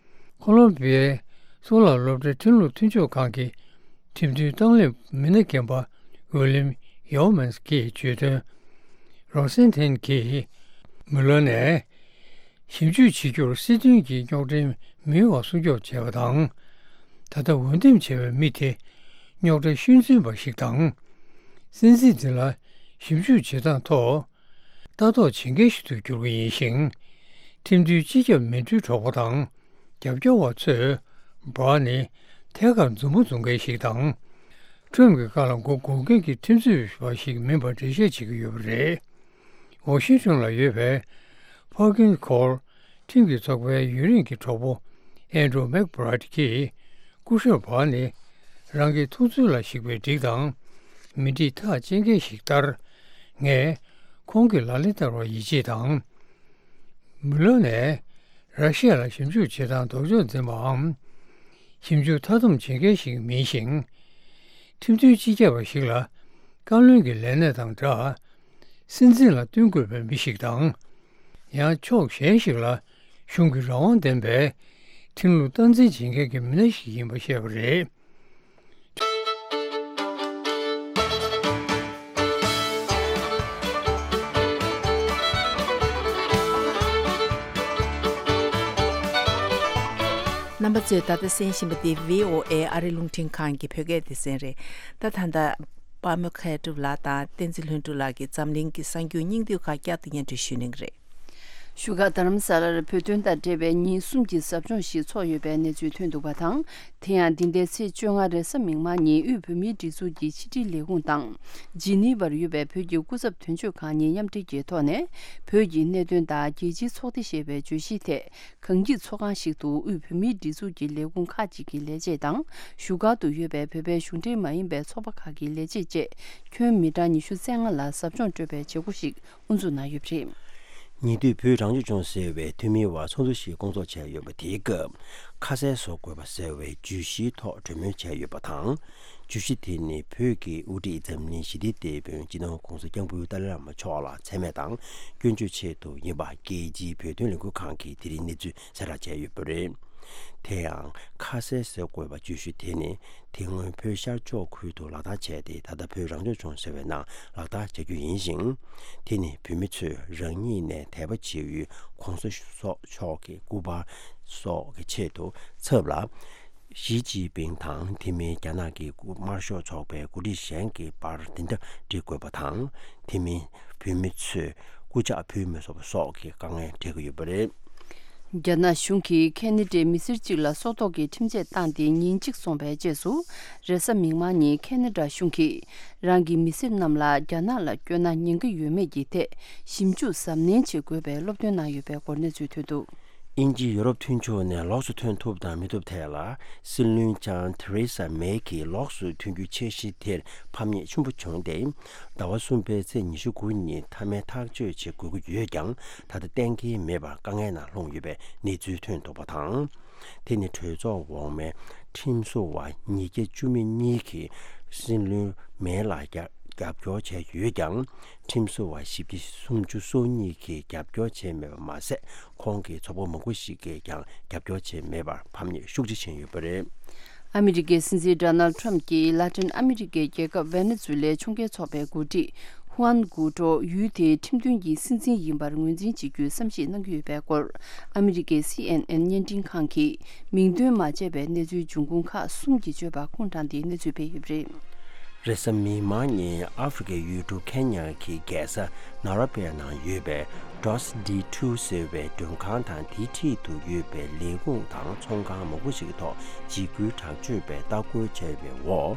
ཁོ་ལོམ་བི་ཡའི་གཙུག་ལག་སློབ་གྲྭའི་ཁྲིམས་ལུགས་མཐུན་ཕྱོགས་ཁང་གི་ཁྲིམས་མཐུན་གཏོང་ལེན་མི་སྣ་རྒན་པ་ཝི་ལིམ་ཡའོ་མན་གྱིས་བརྗོད་དོན། རོག་སན་ཐན་གྱིས་མུ་ལོན་ནས། ཞིབ་འཇུག་བྱེད་རྒྱུར་སྲིད་དོན་གྱི་རྙོག་འདྲེན་མི་ཡོང་བ་སྲུང་སྐྱོབ་བྱས་པ་དང་། ད་ལྟ་འོས་འདེམས་བྱས་པའི་མི་དེ་རྙོག་དྲ་ཤུགས་འཛིན་པ་ཞིག་དང་། སྲིད་འཛིན་དེ་ལ་ཞིབ་འཇུག་བྱེད་སྟངས་ཐོག་ལྟ་རྟོག་བྱེད་མཁན་ཞིག་ཏུ་གྱུར་གྱི་ཡིན་ཞིང་། ཁྲིམས་མཐུན་སྤྱི་ཁྱབ་མི་འགྲུལ་གྲོགས་པོ་དང་རྒྱབ་སྐྱོར་བ་ཚོས་བར་ནི་ཐད་ཀར་མཛུབ་མོ་འཛུགས་མཁན་ཞིག་དང་། ཁྲོམ་གྱི་བཀའ་ལ་མགོ་སྒུར་མཁན་གྱི་ཁྲིམས་རྩོད་པ་ཞིག་མིན་པར་འགྲེལ་བཤད་བྱེད་ཀྱི་ཡོད་པ་རེད། ཝ་ཤིང་ཊོན་ལ་ཡོད་པའི་Perkins Coie ཁྲིམས་ཀྱི་ཚོགས་པའི་ཡུན་རིང་གི་གྲོགས་པོ་ཨན་ཌྲུ་མེག་བྷི་རའེ་ཊི་གིས་སྐུ་ཞབས་བྷ་ནི་རང་གི་ཐུགས་ཚུལ་ལ་གཞིགས་པའི་སྒྲིག་དང་མི་སྒྲིག་ཐག་བཅད་མཁན་ཞིག་ལྟར། ངས་ཁོང་གི་ལག་ལེན་བསྟར་བར་ཡིད་ཆེས་དང་། མུ་ལོན་ནས་ར་ཤི་ཡ་ལ་ཞིབ་འཇུག་བྱེད་སྟངས་ལྡོག་ཕྱོགས་འཛིན་པའམ། ཞིབ་འཇུག་མཐའ་སྡོམ་བྱེད་མཁན་ཞིག་མིན་ཞིང་། ཁྲིམས་མཐུན་སྤྱི་ཁྱབ་པ་ཞིག་ལ་བཀའ་བློན་གྱི་ལས་གནས་དང་འདྲ། སྲིད་འཛིན་ལ་བསྟུན་དགོས་པའི་མི་ཞིག་དང་། ཡང་ཕྱོགས་གཞན་ཞིག་ལ་གཞུང་གི་རང་དབང་ལྡན་པའི་ཁྲིམས་ལུགས་སྟངས་འཛིན་བྱེད་མཁན་གྱི་མི་སྣ་ཞིག་ཡིན་པ་བཤད་པ་རེད། རྣམ་པ་ཚོས་ད་ལྟ་གསན་བཞིན་པ་འདི་བྷི་ཨོ་ཨེ་ཨ་རི་རླུང་འཕྲིན་ཁང་གི་བོད་སྐད་སྡེ་ཚན་རེད། ད་ད་ལྟ་པདྨ་མཁས་གྲུབ་ལགས་དང་བསྟན་འཛིན་ལྷུན་གྲུབ་ལགས་ཀྱིས་འཛམ་གླིང་གི་གསར་འགྱུར་སྙིང་བསྡུས་ཁག་བསྐྱར་དུ་སྙན་སྒྲོན་ཞུ་གནང་གི་རེད། བཞུགས་སྒར་རྡ་རམ་ས་ལར་བོད་དོན་དང་འབྲེལ་བའི་ཉིན་གསུམ་གྱི་ཟབ་སྦྱོང་ཞིག་ཚོགས་ཡོད་པའི་གནས་ཚུལ་ཐོན་འདུག་པ་དང་། དེ་ཡང་འདི་ཟླའི་ཚེས་བཅོ་ལྔ་རེས་གཟའ་མིག་དམར་ཉིན་དབུས་བོད་མིའི་སྒྲིག་འཛུགས་ཀྱི་ཕྱི་དྲིལ་ལས་ཁུངས་དང་། ཇི་ནི་ཝར་ཡོད་པའི་བོད་ཀྱི་སྐུ་ཚབ་དོན་གཅོད་ཁང་གཉིས་མཉམ་འབྲེལ་གྱི་ཐོག་ནས། བོད་ཀྱི་གནད་དོན་དང་རྒྱལ་སྤྱིའི་ཚོགས་སྡེ་ཞེས་པའི་བརྗོད་གཞིའི་ཐད། གངས་སྐྱིད་ཚོགས་ཁང་ཞིག་ཏུ་དབུས་བོད་མིའི་སྒྲིག་འཛུགས་ཀྱི་ལས་ཁུངས་ཁག་ཅིག་གི་ལས་བྱེད་དང་། བཞུགས་སྒར་དུ་ཡོད་པའི་བོད་པའི་གཞུང་འབྲེལ་མ་ཡིན་པའི་ཚོགས་པ་ཁག་གི་ལས་བྱེད་བཅས་ཁྱོན་མི་གྲངས་ཉི་ཤུ་རྩ་ལྔ་ལ་ཟབ་སྦྱོང་སྤྲོད་པའི་བྱེད་སྒོ་ཞིག་དབུ་འཛུགས་གནང་ཡོད་པ་རེད། ཉེ་དུས་བོད་རང་སྐྱོང་ལྗོངས་ཟེར་བའི་འཐུས་མིའི་དབར་ཚོགས་འདུ་ཞིག་སྐོང་ཚོགས་བྱས་ཡོད་པ་དེའི་སྐབས། ཁ་གསལ་བཟོ་དགོས་པ་ཟེར་བའི་བརྗོད་གཞིའི་ཐོག་གྲོས་མོལ་བྱས་ཡོད་པ་དང་། བརྗོད་གཞི་དེ་ནི་བོད་ཀྱི་དབུ་ཁྲིད་འཛམ་གླིང་ཞི་བདེའི་དེད་དཔོན་སྤྱི་ནོར་༧གོང་ས་༧སྐྱབས་མགོན་ཏཱ་ལའི་བླ་མ་མཆོག་ལ་མཚན་སྨད་དང་སྐྱོན་བརྗོད་ཆེད་དུ་ཡིན་པ་རྒྱལ་སྤྱིའི་བོད་དོན་ལས་འགུལ་ཁང་གིས་དེ་རིང་གནས་ཚུལ་གསལ་བསྒྲགས་བྱས་ཡོད་པ་རེད། དེ་ཡང་ཁ་གསལ་བཟོ་དགོས་པ་བརྗོད་གཞི་དེ་ནི། དེ་སྔོན་བོད་ཤར་ཕྱོགས་ཁུལ་དུ་ལག་བསྟར་བྱས་ཏེ། ད་ལྟ་བོད་རང་སྐྱོང་ལྗོངས་ཟེར་བའི་ནང་ལག་བསྟར་བྱ་རྒྱུ་ཡིན་ཞིང་། དེ་ནི་བོད་མི་ཚོས་རང་ཉིད་ནས་དད་པ་བྱེད་ཡུལ་༧གོང་ས་མཆོག་གི་སྐུ་པར་སོགས་ཀྱི་ཆེད་དུ་ཚབ་ལ། ཞི་ཅིན་ཕིང་དང་དེ་མིན་རྒྱ་ནག་གི་དམར་ཤོག་ཚོགས་པའི་འགོ་ཁྲིད་གཞན་གྱི་པར་འདི་འདྲ་བྲི་དགོས་པ་དང་། དེ་མིན་བོད་མི་ཚོས་སྐུ་ཕྱག་ཕུལ་མི་ཚུགས་པ་སོགས་ཀྱི་དཀའ་ངལ་འཕྲད་ཀྱི་ཡོད་པ་རེད། རྒྱ་ནག་གཞུང་གིས་ཁེ་ན་ཌའི་མི་སེར་གཅིག་ལ་སྲོག་ཐོག་གི་ཁྲིམས་ཆད་བཏང་སྟེ་ཉིན་གཅིག་སོང་བའི་རྗེས་སུ། རེས་གཟའ་མིག་དམར་ཉིན་ཁེ་ན་ཌ་གཞུང་གིས་རང་གི་མི་སེར་རྣམས་ལ་རྒྱ་ནག་ལ་བསྐྱོད་ན་ཉེན་ཁ་ཡོད་མེད་ཀྱི་ཐད་ཞིབ་འཇུག་གཟབ་ནན་བྱེད་དགོས་པའི་སློབ་སྟོན་གནང་ཡོད་པའི་སྐོར་གནས་ཚུལ་ཐོན་འདུག། དབྱིན་ཇི་ཡོ་རོབ་མཐུན་ཕྱོགས་ནས་ལོགས་སུ་ཐོན་ཐུབ་དང་མི་ཐུབ་ཐད་ལ། སྲིད་བློན་ལྕམ་ཐེ་རེ་ས་མེ་གིས་ལོགས་སུ་ཐོན་རྒྱུའི་འཆར་གཞི་དེར་ཕམ་ཉེས་ཆེན་པོ་བྱུང་སྟེ། ཟླ་བ་གསུམ་པའི་ཚེས་ཉི་ཤུ་དགུ་ཉིན་མཐའ་མའི་ཐག་གཅོད་བྱེད་དགོས་ཀྱི་ཡོད་ཀྱང་། ད་ལྟ་གཏན་འཁེལ་མེད་པར་དཀའ་ངལ་ནང་ལྷུང་ཡོད་པའི་གནས་ཚུལ་ཐོན་འདུག་པ་དང་། དེ་ནི་གྲོས་ཚོགས་འོག་མའི་ཁྲིམས་བཟོ་བ་ཉིས་བརྒྱ་བཅུ་མེད་གཉིས་ཀྱིས་སྲིད་བློན་མེ་ལ་རྒྱབ་རྒྱབ་སྐྱོར་བྱས་ཡོད་ཀྱང་། ཁྲིམས་བཟོ་བ་བཞི་བརྒྱ་སུམ་ཅུ་སོ་གཉིས་ཀྱིས་རྒྱབ་སྐྱོར་བྱས་མེད་པ་མ་ཟད། ཁོང་གི་ཚོགས་པ་མང་པོ་ཞིག་གིས་ཀྱང་རྒྱབ་སྐྱོར་བྱས་མེད་པར་ཕམ་ཉེས་ཤུགས་ཆེ་ཕྱིན་ཡོད་པ་རེད། ཨ་མི་རི་ཀའི་སྲིད་འཛིན་ཌོ་ནལ་ཌི་ཊརམ་ཕི་གྱིས་ལ་ཏིན་ཨ་མི་རི་ཀའི་རྒྱལ་ཁབ་ཝེ་ནེ་ཛུ་ལའི་ཕྱོགས་འགལ་ཚོགས་པའི་འགོ་ཁྲིད་ཧུའན་གུའུ་ཏྲོ་ཡུལ་དེའི་ཁྲིམས་མཐུན་གྱི་སྲིད་འཛིན་ཡིན་པར་ངོས་འཛིན་བྱེད་རྒྱུའི་བསམ་ཤེས་གནང་གི་ཡོད་པའི་སྐོར། ཨ་མི་རི་ཀའི་སི་ཨེན་ཨེན་བརྙན་འཕྲིན་ཁང་གིས་མིང་འདོན་མ་བྱས་པའི་གནས་ཚུལ་འབྱུང་ཁུངས་ཁག་གསུམ་གྱིས་བརྗོད་པ་ཁུངས་དྲངས་ཏེ་གནས་ཚུལ་སྤེལ་ཡོད་པ་རེད། རེས་གཟའ་མིག་དམར་ཉིན་ཨ་ཧྥེ་རི་ཁའི་ཡུལ་གྲུ་ཁེ་ཉ་གི་རྒྱལ་ས་ནཱ་རོ་པའི་ནང་ཡོད་པའི་ཌོས་ཌི་ཊུ་ཟེར་བའི་མགྲོན་ཁང་དང་དེའི་འཁྲིས་དུ་ཡོད་པའི་ལས་ཁུངས་དང་ཚོང་ཁང་མང་པོ་ཞིག་གི་ཐོག་འཇིགས་སྐུལ་དྲག་སྤྱོད་པས་ལྟ་སྐོར་བྱས་པའི་འོག་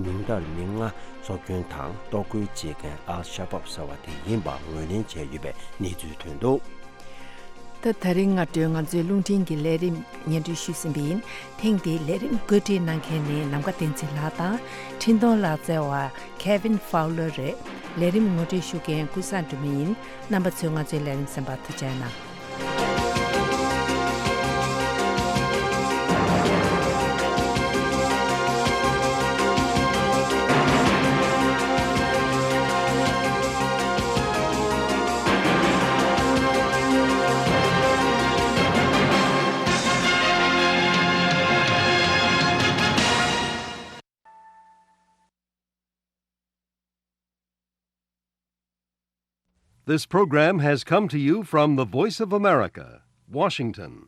ཉུང་མཐར་མི་ལྔ་སྲོག་སྐྱོན་དང་གཏོར་རྒོལ་བྱེད་མཁན་ཨལ་ཤ་བབ་ཟེར་བ་དེ་ཡིན་པ་ངོས་ལེན་བྱས་ཡོད་པའི་གནས་ཚུལ་ཐོན་འདུག། ད་ད་རིང་སྔ་དྲོའི་ང་ཚོའི་རླུང་འཕྲིན་གྱི་ལས་རིམ་སྙན་སྒྲོན་ཞུས་ཟིན་པ་ཡིན། ཐེངས་འདིའི་ལས་རིམ་བཀོད་སྒྲིག་གནང་མཁན་ནི་ནམ་མཁའ་བསྟན་འཛིན་ལགས་དང་། འཕྲིན་གཏོང་ལག་རྩལ་བ་Kevin Fowler་རེད། ལས་རིམ་ངོ་སྤྲོད་ཞུ་མཁན་ཀུན་བཟང་སྒྲོལ་མ་ཡིན། རྣམ་པ་ཚོས་ང་ཚོའི་ལས་རིམ་གསན་པར་ཐུགས་རྗེ་གནང་། This program has come to you from the Voice of America, Washington.